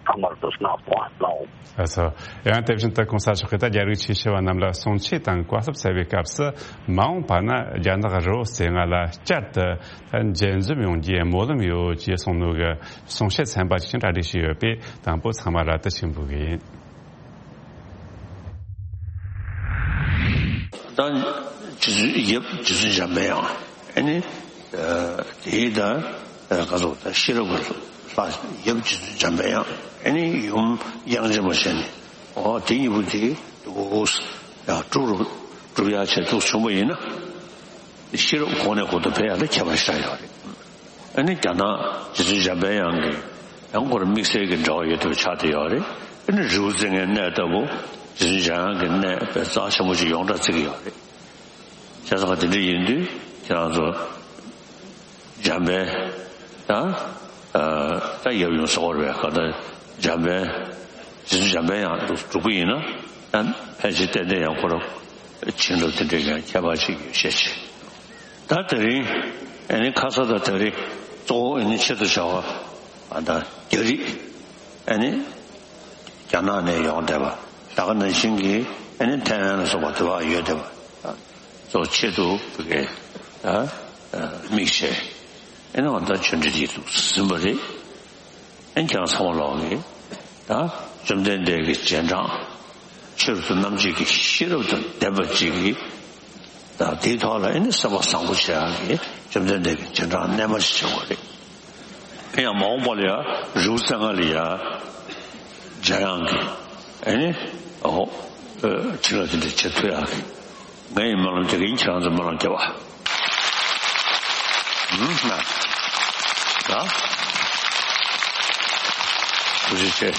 ཚང་མར་དུ་གནང་སོང་ལགས། ཨ་ཚོ། ཡང་དེ་བཞིན་དུ་གོང་ས་མཆོག་གིས་ད་རྒྱ་རིགས་ཆོས་ཞུ་བ་རྣམས་ལ་གསུང་ཆོས་དང་བཀའ་སློབ་སྩལ་བའི་སྐབས་སུ། མ་འོངས་པ་ན་རྒྱ་ནག་རི་བོ་རྩེ་ལྔ་ལ་བསྐྱར་དུ་མཇལ་འཛོམས་ཡོང་རྒྱུའི་སྨོན་ལམ་ཡོད་ཅེས་གསུངས་ནོ་གི་གསུང་བཤད་ཚན་པ་ཅིག་གྲ་སྒྲིག་བྱས་ཡོད་པས། དང་པོ་ཚང་མ་ལ་དུ་ཆེན་པོ་གི་ཡིན། ད་རྗེ་བཙུན་ཡབ་རྗེ་བཙུན་འཇམ་པའི་དབྱངས། ཨ་ནི་ དེའི་ད་ག་ཚོད་ད་ཤེས་རབ་ཀྱི་ལྷ་ཡབ་རྗེ་བཙུན་འཇམ་པའི་དབྱངས། ཨ་ནི་ཡུམ་དབྱངས་ཅན་མ་བྱས་ནས། འོ་དེ་གཉིས་པོ་དེ་འདུག་ཡང་སྒྲུབ་རུ་སྒྲུབ་ཡག་ཆེད་དུ་བྱུང་བ་ཡིན་ན། ཤེས་རབ་གོང་ནས་གོང་དུ་འཕེལ་ཡག་ལ་ཁྱད་པར་ཞེ་དྲག་ཡོད་རེད། ཨ་ནི་རྒྱ་ནག་རྗེ་བཙུན་འཇམ་པའི་དབྱངས་ཀྱི་ཡང་ཁོ་རང་དམིགས་བསལ་གྱི་འབྲེལ་བ་ཡོད་པ་ཆགས་བསྡད་ཡོད་རེད། ཨ་ནི་རི་བོ་རྩེ་ལྔའི་གནས་ལྟ་བུ་རྗེ་བཙུན་འཇམ་དབྱངས་ཀྱི་གནས་དཔེ་རྩ་ཆེན་པོ་ཅིག་ཡོངས་གྲགས་བརྩི་གི་ཡོད་རེད། བྱས་ཙང་དེ་འདྲ་ཡིན་དུས་ཁྱེད་རང་ཚོ་འཇམ་དཔལ་ད་ད་ཡབ་ཡུམ་སོགས་རེད་པས། ག་ད་འཇམ་དཔལ་རྗེ་བཙུན་འཇམ་དཔལ་དབྱངས་སྒྲུབ་ཀྱི་ཡིན་ན་ད་ཕལ་ཆེར་ཏན་ཏན་ཡང་ཁོ་རང་བྱིན་རླབས་དེ་འདྲའི་ཡང་ཁྱད་པར་ཅིག་ཡོད་ཤས་ཆེ། ད་དེ་རིང་ཨ་ནི་ཁ་ས་ད་དེ་རིང་གཙོ་བོ་ཨ་ནི་ཆེད་དུ་བྱ་བ་ཨ་ད་རྒྱ་རིགས་ཨ་ནི་རྒྱ་ནག་ནས་ཡོང་བསྡད་པ། ད་ག་ནང་བཞིན་གྱི་ཨ་ནི་ཐའེ་ཝན་ལ་སོགས་པ་དེ་བ་ཡོད་བསྡད་པ། གཙོ་ཆེད་དུ་བོད་སྐད་ཨ་དམིགས་བྱས་ཨ་ནི་འོ་ད་ཆོས་འབྲེལ་གྱི་ཐུགས་སུ་ཟིན་པ་རེད། ཨ་ནི་ཁྱེད་རང་ཚང་མ་ལོག་གི་ད་བཅོམ་ལྡན་འདས་ཀྱི་རྗེས་འབྲང་། ཆོས་སུ་རྣམ་འབྱེད་ཀྱི་ཤེས་རབ་དང་ལྡན་པ་ཅིག་གིས་ད་དེའི་ཐོག་ལ་ཨ་ནི་སེམས་པ་བཟང་པོ་བྱེད་ཡག་གི་བཅོམ་ལྡན་འདས་ཀྱི་རྗེས་འབྲང་རྣལ་མ་ཞིག་བྱེད་དགོས་རེད། ཨ་ཡང་མ་འོངས་པ་ལ་ཡང་རི་བོ་རྩེ་ལྔ་ལ་ཡང་འཇམ་དབྱངས་ཀྱི་ཨ་ནི་འོ་བྱིན་རླབས་དེ་འདྲ་བྱེད་ཐུབ་ཡག་གི་ངའི་སྨོན་ལམ་དེ་གིན་ཁྱེད་རང་ཚོ་སྨོན་ལམ་རྒྱབ་པ། ཧུམ་ན། ད། ཐུགས་རྗེ་ཆེ།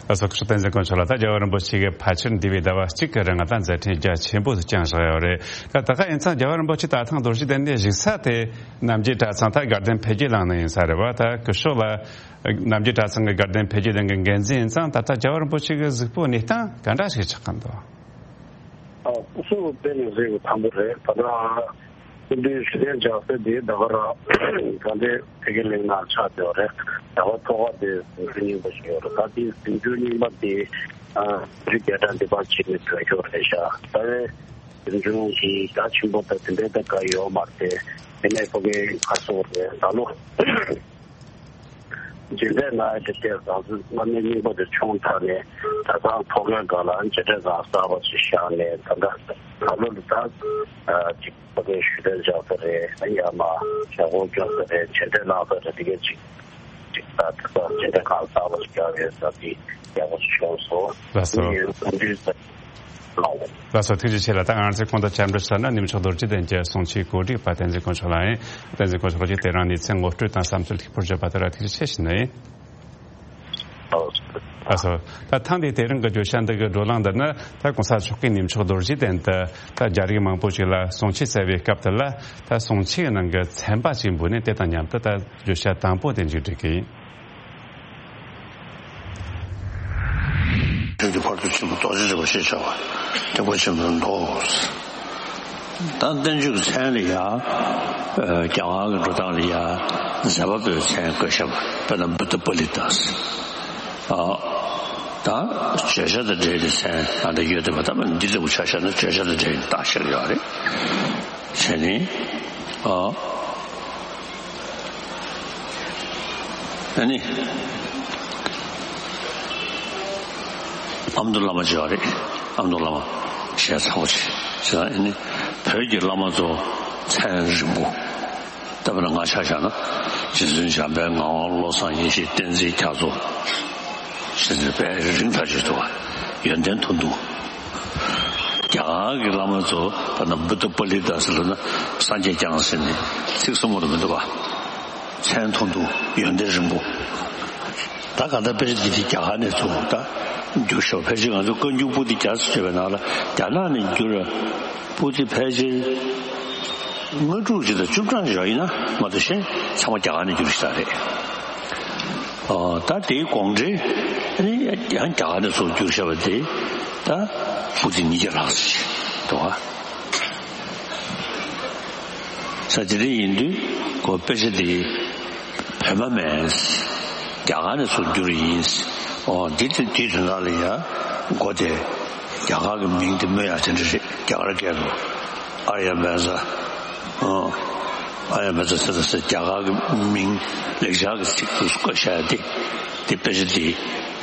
ལགས་སོ། སྐུ་ཞབས་བསྟན་འཛིན་དཀོན་མཆོག་ལགས། ད་རྒྱལ་བ་རིན་པོ་ཆེ་གིས་ཕལ་ཆེར་འདས་པའི་ཟླ་བ་གཅིག་གི་རིང་ལ་ད་མཛད་འཕྲིན་རྒྱ་ཆེན་པོ་ཞིག་བསྐྱངས་བཞག་ཡོད་རེད། ད་ད་ག་ཡིན་ཙང་རྒྱལ་བ་རིན་པོ་ཆེ་ད་ཐེངས་རྡོ་རྗེ་གདན་ནས་བཞུགས་ས་དེ་རྣམ་རྒྱལ་གྲྭ་ཚང་ད་དགའ་ལྡན་འཕེལ་རྒྱས་གླིང་ནས་ཡིན་ས་རེད་བ། ད་སྐུ་ཞབས་ལགས་རྣམ་རྒྱལ་གྲྭ་ཚང་གི་དགའ་ལྡན་འཕེལ་རྒྱས་གླིང་གི་འགན་འཛིན་ཡིན་ཙང་། ད་ལྟ་རྒྱལ་བ་རིན་པོ་ཆེ་གི་གཟིགས་སྤོབས་གནས་སྟངས་ག་འདྲ་ཞིག་ཆགས་ཀྱི་འདུག་ཨ། སྐུ་གཟུགས་དཔེ་ནས་གཟིགས་པ་དང་པོ་རེད། ད་ལྟ་སྐུ་མདུན་ཞུ་གཏན་འཇགས་ས་དེ་ད་ག་རང་དགའ་ལྡན་འཕེལ་རྒྱས་གླིང་ནང་ཆགས་བསྡད་ཡོད་རེད། ད་བར་ཐོག་ཁ་དེ་གཟིམ་ཆུང་རྙིང་པ་ཞིག་ཡོད་རེད། ད་དེ་གཟིམ་ཆུང་རྙིང་པ་དེ་ཨ་རི་རྒྱལ་དྲ་འདི་པར་བྱས་ནས་ཐོན་ཤོག་རེད་ཤག་ད་བའི་གཟིམ་ཆུང་གི་ད་ཆེན་པོ་ད་དེ་འདྲའི་ད་ག་ཡོད་མ་རེད། དེ་ནས་ཕ་གིའི་ཁ་སོ་རེད། ད་ལོ་མཇལ་འཕྲད་གནང་ཡ་དེ་ལྟས་ཟང་ཟིང་སྔ་མའི་རྙིང་པ་དེ་ཆུང་དྲགས་ནས་གྲྭ་ཚང་ཐོག་ཁའི་སྒང་ལ་མཇལ་འཕྲད་ཁང་གསར་པ་ཞིག་བཞག་ནས། ད་ལྟ་ད་ལོ་ལ་ད་ཅིག་ཕ་གིའི་ཞུ་གཏན་འཇགས་ས་རེད། ཡར་མར་ཞབས་བརྟན་སྐྱོང་ས་རེད། མཇལ་འཕྲད་གནང་ས་རེད། དེ་གས་ཅིག་ཅིག་ད་ད་ལྟ་མཇལ་འཕྲད་ཁང་གསར་པ་ཞིག་བཞག་ཡོད་ས་དེ་ཡག་པོ་ཞིག་བྱུང་སོང་། ལགས་སོ། ངས་འཚམས་འདྲི་ལགས་སོ། ཐུགས་རྗེ་ཆེ་ལགས། ད་ང་ཚོས་གོང་དུ་བཅར་འདྲི་ཞུས་ན་གནས་མཆོག་རྡོ་རྗེ་གདན་གྱི་གསུང་ཆོས་གོ་སྒྲིག་པ་བསྟན་འཛིན་དཀོན་མཆོག་ལགས་ཡིན། བསྟན་འཛིན་དཀོན་མཆོག་ལགས་ཀྱིས་དེ་རིང་གནས་ཚུལ་ངོ་སྤྲོད་དང་བསམ་ཚུལ་ལེགས་པོར་བརྗོད་པ་དེ་ལ་ཐུགས་རྗེ་ཆེ་ཞུ་ནི་ཡིན། ལགས་སོ། ད་ཐེངས་འདིའི་དེ་རིང་གི་བརྗོད་བྱ་འདི་གི་བགྲོ་གླེང་འདི་ནི་ད་གོང་ས་མཆོག་གིས་གནས་མཆོག་རྡོ་རྗེ་གདན་དུ་ད་རྒྱ་རིགས་མང་པོ་ཞིག་ལ་གསུང་ཆོས་སྩལ་བའི་སྐབས་དེ་ལ། ད་གསུང་ཆོས་ནང་གི་ཚན་པ་ཞིག་འབུལ་ནས་དེ་དང་མཉམ་དུ་ད་བརྗོད་བྱ་དང་པོ་དེ་མཇུག་སྒྲིལ་གི་ཡིན། ཁྱོད་ཀྱི་ཕ་རོལ་ཏུ་ཕྱིན་པ་རྡོ་རྗེ་འདྲ་བ་ཞེས་བྱ་བ་ཐེག་པ་ཆེན་པོའི་མདོ། ད་བསྟན་བཅོས་ཀྱི་མཚན་ལ་ཡ། རྒྱ་གར་གྱི་འགྲོ་སྟངས་ལ་ཡ། མཛད་པ་པོའི་མཚན་བཀོད་བཞག་པ། དཔེར་ན་བུདྡྷ་པཱ་ལི་ཏཱ། ཨ། ད་བརྗོད་བྱ་དང་འབྲེལ་ཏེ་མཚན་ཨ་འདྲ་ཡོད་དེ་བ། ད་མ་འདི་ལྟ་བུ་ཆ་བཞག་ན་བརྗོད་བྱ་དང་འབྲེལ་ནས་བཏགས་བཞག་ཡོད་རེད། བྱས་ནས། ཨ། ཨ་ནི། ཨ་མདོ་བླ་མ་བྱས་པ་རེད། ཨ་མདོ་བླ་མ་ཞེས་ཚ་བོ་བྱས། བྱས་ཙང་ཨ་ནི་བོད་ཀྱི་བླ་མ་ཚོ་མཚན་རིང་པོ། ད་དཔེར་ན་ང་ཆ་བཞག་ན་རྗེ་བཙུན་འཇམ་དཔལ་ངག་དབང་བློ་བཟང་ཡེ་ཤེས་བསྟན་འཛིན་རྒྱ་མཚོ་ཞེས་ནས་དཔེ་རིང་ཐག་ཆོད་འདུག་བ། ཡོན་ཏན་མཐོན་པོ། རྒྱ་གར་གྱི་བླ་མ་ཚོ་དཔེར་ན་བུདྡྷ་པཱ་ལི་ཏཱ་ཟེར་ལབ་ན་སངས་རྒྱས་བསྐྱངས་ཟེར་ནས་ཚིག་གསུམ་པོ་རུ་མི་འདུག་བ། མཚན་མཐོན་པོ། ཡོན་ཏན་རིང་པོ། ད་ག་ད་དཔེ་ཆ་འདི་དེ་རྒྱ་གར་ནས་ཚུར་ད་བསྒྱུར་ཤོག་ཕལ་ཆེར་ང་ཚོ་བཀའ་འགྱུར་པོ་ཏི་བརྒྱ་ཙམ་བརྗོད་པའི་ནང་ལ་རྒྱ་ནག་ནས་བསྒྱུར་བ་པོ་ཏི་ཕལ་ཆེར་ལྔ་དྲུག་ཅིག་དང་བཅུ་གྲངས་ཡོད་ཡིན་ན་མ་གཏོགས་གཞན་ཚང་མ་རྒྱ་གར་ནས་བསྒྱུར་ཞིག་ད་རེད། ཨོ། ད་དེའི་དགོངས་འགྲེལ་ཨ་ནི་ཡང་རྒྱ་གར་ནས་ཚུར་བསྒྱུར་བཞག་པ་དེ་ད་པོ་ཏི་ཉིས་བརྒྱ་ལྷག་ཙམ་ཞིག་འདུག་ཨ། ས་དེ་འདྲ་ཡིན་དུས་ཁོ་དཔེ་ཆ་དེ་བོད་མ་མིན། རྒྱ་གར་ནས་ཚུར་བསྒྱུར་ཡིན། ཨོ། འདི་དེ་དུས་དོན་དག་ལ་ཡ་མགོ་དེ་རྒྱ་གར་གྱི་མིང་དེ་སྨོས་ཡ་དེ་འདྲ་རེད། རྒྱ་གར་སྐད་དུ་ཨཱརྱ་བྷ་ཛ། ཨོ། ཨཱརྱ་བྷ་ཛ་ཟེར་ད་ཟེར་རྒྱ་གར་གྱི་མིང་ལེགས་སྦྱར་གྱི་ཚིག་ཏུ་བཀོད་བཞག་ཡ་དེ་དེ་དཔེ་ཆ་དེ་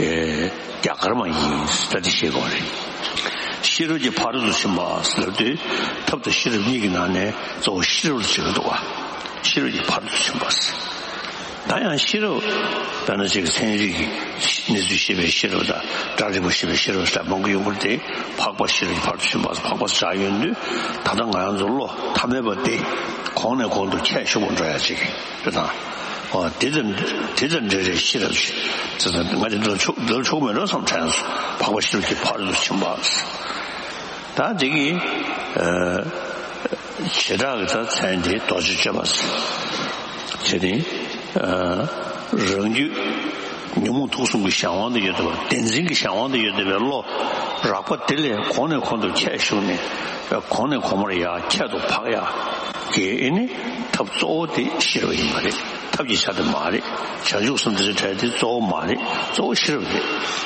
ཨེ། རྒྱ་གར་མ་ཡིན་ད་དེ་ཤེས་དགོས་རེད། ཤེས་རབ་ཀྱི་ཕ་རོལ་ཏུ་ཕྱིན་པ་ཟེར་དུས་ཐབས་དང་ཤེས་རབ་གཉིས་ཀྱི་ནང་ནས་གཙོ་བོ་ཤེས་རབ་ལ་བྱེད་ཀྱི་འདུག་བ། ཤེས་རབ་ཀྱི་ཕ་རོལ་ཏུ་ཕྱིན་པ་ཟེར། ད་ཡང་ཤེས་རབ་དཔེར་ན་ཅིག་ཚན་རིག་གི་གནས་ཚུལ་ཤེས་པའི་ཤེས་རབ་དང་སྒྲ་རིག་པ་ཤེས་པའི་ཤེས་རབ་ཟེར་མང་པོ་ཡོང་གི་རེད་དེ། འཕགས་པ་ཤེས་རབ་ཀྱི་ཕ་རོལ་ཏུ་ཕྱིན་པ་ཟེར་འཕགས་པ་ཟེར་བཞག་ཡོང་དུས། ད་ལྟ་ང་རང་ཚོ་བློ་ཐ་མལ་པ་དེ་གོང་ནས་གོང་དུ་ཁྱད་ཞུགས་པ་འགྲོ་ཡ་ཅིག་རེད་དང་། འོ་དེ་ཙམ་དེ་ཙམ་འདྲ་རེད། ཤེས་རབ་ཅིག་ང་དེ་འདྲ་ཆོག་འདྲ་ཆོག་མེད་འགྲོ་བསམ་དྲན་སོང་། འཕགས་པ་ཤེས་རབ་ཀྱི་ཕ་རོལ་ཏུ་ཕྱིན་པ་ཟེར། ད་དེ་གི་ཨ་བྱེ་བྲག་གི་ད་མཚན་དེ་རྡོ་རྗེ་སྤྱོད་པ་ཟེར། བྱས་ཏེ་ཨ་རང་རྒྱུད་ཉོན་མོངས་དུག་གསུམ་གྱི་གཞན་དབང་དུ་ཡོད་བསྡད་པ། བདེན་འཛིན་གྱི་གཞན་དབང་དུ་ཡོད་བསྡད་པའི་བློ་རགས་པ་དེ་ལས་གོང་ནས་གོང་དུ་ཁྱད་ཞུགས་ནས་གོང་ནས་གོང་མར་ཡར་ཁྱད་དུ་འཕགས་ཡ་གི་ཨེ་ནི་ཐབས་གཙོ་བོ་དེ་ཤེས་རབ་ཡིན་པ་རེད། ཐབས་ཀྱི་ཆ་དེ་མ་རེད། བྱང་ཆུབ་སེམས་དེ་ཚོའི་གྲས་དེ་གཙོ་བོ་མ་རེད། གཙོ་བོ་ཤེས་རབ་རེད།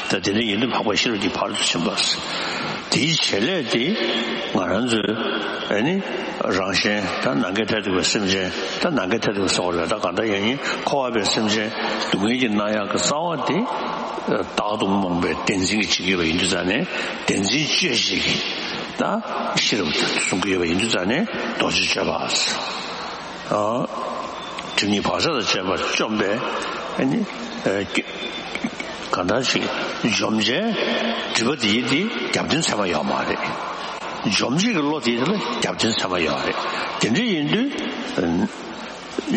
ད་དེ་འདྲ་ཡིན་དུས་འཕགས་པ་ཤེས་རབ་ཀྱི་ཕ་རོལ་ཏུ་ཕྱིན་པ་ཟེར། དེའི་བྱེད་ལས་དེ་ང་རང་ཚོའི་ཨེ་ནི་རང་གཞན་ད་ནམ་མཁའི་མཐས་གཏུགས་པའི་སེམས་ཅན། ད་ནམ་མཁའི་མཐས་གཏུགས་པ་ཟེར་བ་རེད། ད་གང་ལྟར་ཡང་ཡིན་འཁོར་བ་པའི་སེམས་ཅན་སྡུག་བསྔལ་གྱིས་མནར་ཡག་གི་རྩ་བ་དེ་བདག་ཏུ་རྨོངས་པའི་བདེན་འཛིན་གྱིས་བྱེད་ཀྱི་ཡོད་པ་ཡིན་དུས་ཙང་ནས། བདེན་འཛིན་གཅོད་བྱེད་ཀྱི་ད་ཤེས་རབ་དེ་གསུང་གི་ཡོད་པ་ཡིན་དུས་ཙང་ནས་རྡོ་རྗེ་སྤྱོད་པ་ཟེར། ཨ། སྒྲིབ་གཉིས་བག་ཆགས་དང་བཅས་པ་བཅོམ་པས་ཨ་ནི་ཨ་གང་ལྟར་ཞིག་འཇོམས་བྱེད་སྒྲིབ་པ་དེ་ཡི་དེ་རྒྱབ་རྟེན་ཚད་མ་ཡོད་མ་རེད། འཇོམས་བྱེད་ཀྱི་བློ་དེ་ཡི་དེ་ལ་རྒྱབ་རྟེན་ཚད་མ་ཡོད་རེད། དེ་འདྲ་ཡིན་དུས་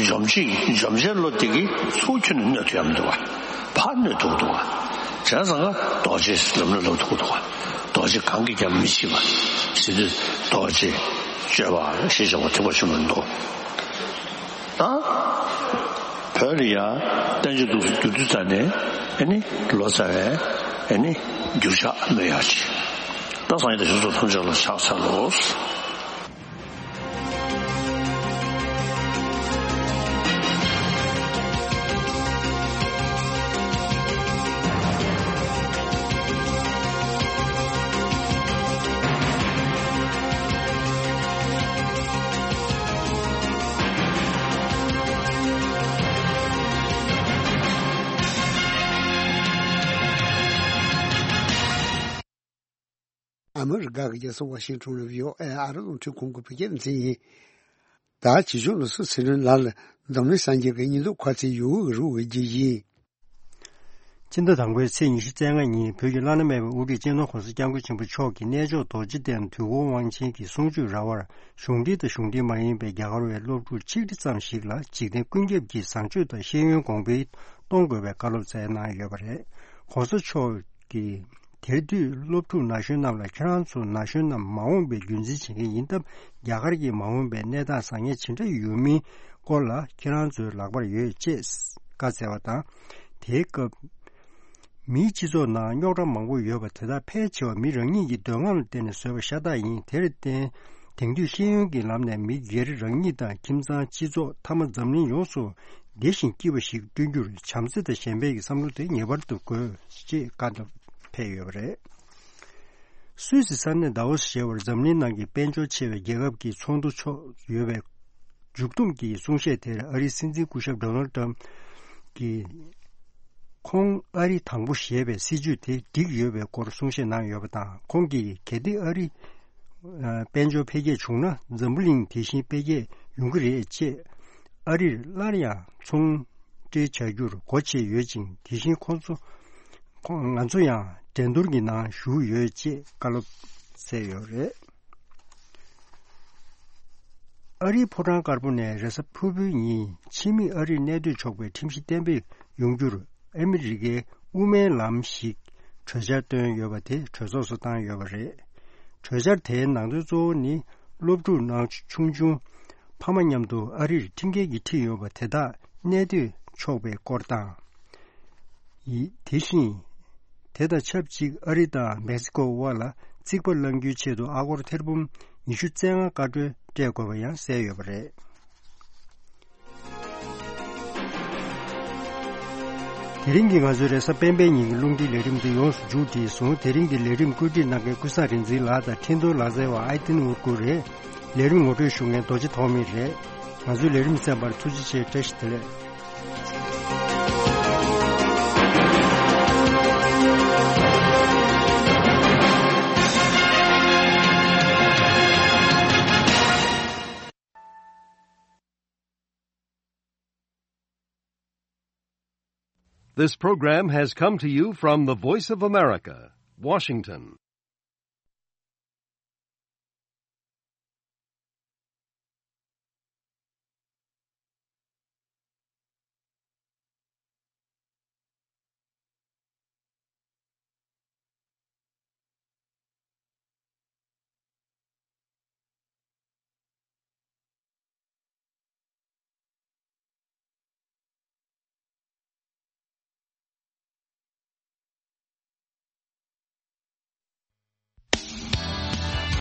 འཇོམས་བྱེད་འཇོམས་བྱེད་བློ་དེ་གིས་ཚུར་ཁྱོན་ནས་གནོད་ཐུབ་ཡ་མི་འདུག་བ། ཕར་གནོད་ཐུབ་འདུག་བ། བྱས་ཙང་ཀ་རྡོ་རྗེ་ལམ་ལ་ལོག་ཐུབ་འདུག་བ། རྡོ་རྗེ་གང་གིས་ཀྱང་མི་ཕྱིད་པ་ཟེར་དུས་རྡོ་རྗེ་སྤྱོད་པ་ཞེས་བྱ་བ་ཐེག་པ་ཆེན་པོ་འདུག་ད་བོད་ལ་ཡ་བསྟན་བཅོས་འདུག་སེ་བསྒྱུར་དུས་ཙ་ནས་ཨེ་ནི་ལོ་ཙཱ་བས་ཨེ་ནི་བསྒྱུར་ཕྱག་སྨོས་ཡག་ཅིག་ད་སངས་རྒྱས་དང་བྱང་ཆུབ་ཐམས་ཅད་ལ་ཕྱག་འཚལ་ལོ། ཨ་མི་རི་ཀ་གི་རྒྱལ་ས་ཝ་ཤིང་ཊོན་ལ་བྷི་ཨོ་ཨེ་ཨ་རི་རླུང་འཕྲིན་ཁང་གི་བོད་སྐད་སྡེ་ཚན་ཡིན། ད་བྱིས་སྐྱོང་ལ་སུ་ཚེ་རིང་ལགས་ལ་འཛམ་གླིང་སངས་རྒྱས་ཀྱི་བསྙེན་སྒྲུབ་ཁ་ཚིག་ཡུ་གུ་གི་རུ་འོས་རྒྱུ་ཡིན། སྤྱི་ཟླ་དང་པོའི་ཚེས་ཉི་ཤུ་རྩ་ལྔ་ཉིན་བོད་ཀྱི་བླ་ན་མེད་པའི་དབུ་ཁྲིད་སྤྱི་ནོར་༸གོང་ས་༸སྐྱབས་མགོན་ཆེན་པོ་མཆོག་གིས་གནས་མཆོག་རྡོ་རྗེ་གདན་དུས་འཁོར་དབང་ཆེན་གྱི་གསུང་ཆོས་ར་བར་གཞུང་འབྲེལ་དང་གཞུང་འབྲེལ་མ་ཡིན་པའི་རྒྱ་གར་བའི་སློབ་ཕྲུག་ཆིག་ཁྲི་ཙམ་ཞིག་ལ་འཇིག་རྟེན་ཀུན་ཁྱབ་ཀྱི་བཟང་སྤྱོད་དང་ཤེས་ཡོན་གོང་འཕེལ་གཏོང་དགོས་པའི་བཀའ་སློབ་སྩལ་གནང་ཡོད་པ་རེད། ༸གོང་ས་མཆོག་གིས་དེར་འདུས་སློབ་ཕྲུག་ན་གཞོན་རྣམས་ལ་ཁྱེད་རང་ཚོ་ན་གཞོན་རྣམས་མ་འོངས་པའི་རྒྱུད་འཛིན་བྱེད་མཁན་ཡིན་སྟབས། རྒྱ་གར་གྱི་མ་འོངས་པའི་གནས་སྟངས་བཟང་ངན་ཇི་འདྲ་ཡོད་མིན་སྐོར་ལ་ཁྱེད་རང་ཚོའི་ལག་པར་ཡོད་ཅེས་བཀའ་སྩལ་བ་དང་། དེའི་སྐབས། མིའི་སྤྱི་ཚོགས་ནང་རྙོག་དྲ་མང་པོ་ཡོད་པ་དེ་དག་ཕལ་ཆེ་བ་མི་རང་ཉིད་ཀྱི་འདོད་རྔམ་ལ་བརྟེན་ནས་བཟོས་པ་ཤ་སྟག་ཡིན། དེར་བརྟེན། དེང་དུས་ཤེས་ཡོན་གྱི་ལམ་ནས་མི་སྒེར་རང་ཉིད་དང་ཁྱིམ་ཚང་། སྤྱི་ཚོགས། མཐའ་མ་འཛམ་གླིང་ཡོངས་སུ་བདེ་ཞིང་སྐྱིད་པ་ཞིག་བསྐྲུན་རྒྱུར་བྱམས་བརྩེ་དང་གཞན་ཕན་གྱི་བསམ་བློ་དེ་ངེས་པར་དུ་དགོས། ཅེས་བཀའ་སློབ་ཕེབས་ཡོད་པ་རེད། སུད་སི་ས་གནས་དཱ་ཝོ་སི་ཞེས་པར་འཛམ་གླིང་ནང་གི་དཔལ་འབྱོར་ཆེ་བའི་རྒྱལ་ཁབ་ཀྱི་ཚོགས་འདུ་ཚོགས་ཡོད་པའི་མཇུག་བསྡོམས་ཀྱི་གསུང་བཤད་དེར་ཨ་རིའི་སྲིད་འཛིན་སྐུ་ཞབས་ཌོ་ནལ་ཏྲམ་གྱིས། ཁོང་ཨ་རི་དང་པོ་ཞེས་པའི་སྲིད་ཇུས་དེ་འགྲིག་ཡོད་པའི་སྐོར་གསུང་བཤད་གནང་ཡོད་པ་དང་། ཁོང་གིས་གལ་ཏེ་ཨ་རི་དཔལ་འབྱོར་འཕེལ་རྒྱས་བྱུང་ན་འཛམ་བུ་གླིང་དེ་བཞིན་འཕེལ་རྒྱས་ཡོང་གི་རེད་ཅེས། ཨ་རིར་སླར་ཡང་ཚོང་འབྲེལ་བྱ་རྒྱུར་སྒོ་ཕྱེ་ཡོད་ཅིང་། དེ་བཞིན་ཁོང་ཚོ་ཁོང་ང་ཚོ་ཡང་འགྲན་བསྡུར་གྱི་ནང་ཞུགས་ཡོད་ཅེས་བཀའ་སློབ་སྩལ་ཡོད་རེད། ཨ་རིའི་ཕོ་བྲང་དཀར་པོ་ནས་རེས་གཟའ་ཕུར་བུའི་ཉིན་ཕྱི་མིག་ཨ་རིར་གནས་སྡོད་ཆོག་པའི་ཁྲིམས་གཞི་གཏན་འབེབས་ཡོང་རྒྱུར་ཨ་མི་རི་ཀའི་དབུ་མའི་ལམ་ཞིག་གྲོས་འཆར་བཏོན་ཡོད་པ་དེ་གྲོས་ཚོགས་སུ་བཏང་ཡོད་པ་རེད། གྲོས་འཆར་དེའི་ནང་དོན་གཙོ་བོ་ནི་སློབ་ཕྲུག་ནང་ཆུང་ཆུང་ཕ་མ་མཉམ་དུ་ཨ་རིར་ཁྲིམས་འགལ་གྱིས་ཁྲིད་ཡོད་པ་དེ་དག་གནས་སྡོད་ཆོག་པའི་སྐོར་དང་། ཡིན། དེ་བཞིན། དེ་དང་ཆབས་ཅིག་ཨ་རི་དང་མེག་སི་ཀོ་དབར་ལ་རྩིག་པ་བསླང་རྒྱུའི་ཆེད་དུ་ཨ་སྒོར་ཐེར་འབུམ་ཉི་ཤུ་རྩ་ལྔ་བཀའ་འཁྲོལ་སྤྲད་དགོས་པ་ཡང་གསལ་ཡོད་པ་རེད། དེ་རིང་གི་ང་ཚོའི་རེས་གཟའ་སྤེན་པའི་ཉིན་གྱི་རླུང་འཕྲིན་ལས་རིམ་འདི་ཡོངས་སུ་མཇུག་བསྒྲིལ་སོང་། དེ་རིང་གི་ལས་རིམ་བཀོད་སྒྲིག་གནང་མཁན་ཀུན་བཟང་རིག་འཛིན་ལགས་དང་འཕྲིན་གཏོང་ལག་རྩལ་བ་ཨའི་ཏིན་ཨུར་ཀུ་རེད། ལས་རིམ་ངོ་སྤྲོད་ཞུ་མཁན་རྡོ་རྗེ་ཐོགས་མེད་རེད། ང་ཚོའི་ལས་རིམ་གསན་པར་ཐུགས་རྗེ་ཆེ། བཀྲ་ཤིས་བདེ་ལེགས། This program has come to you from the Voice of America, Washington.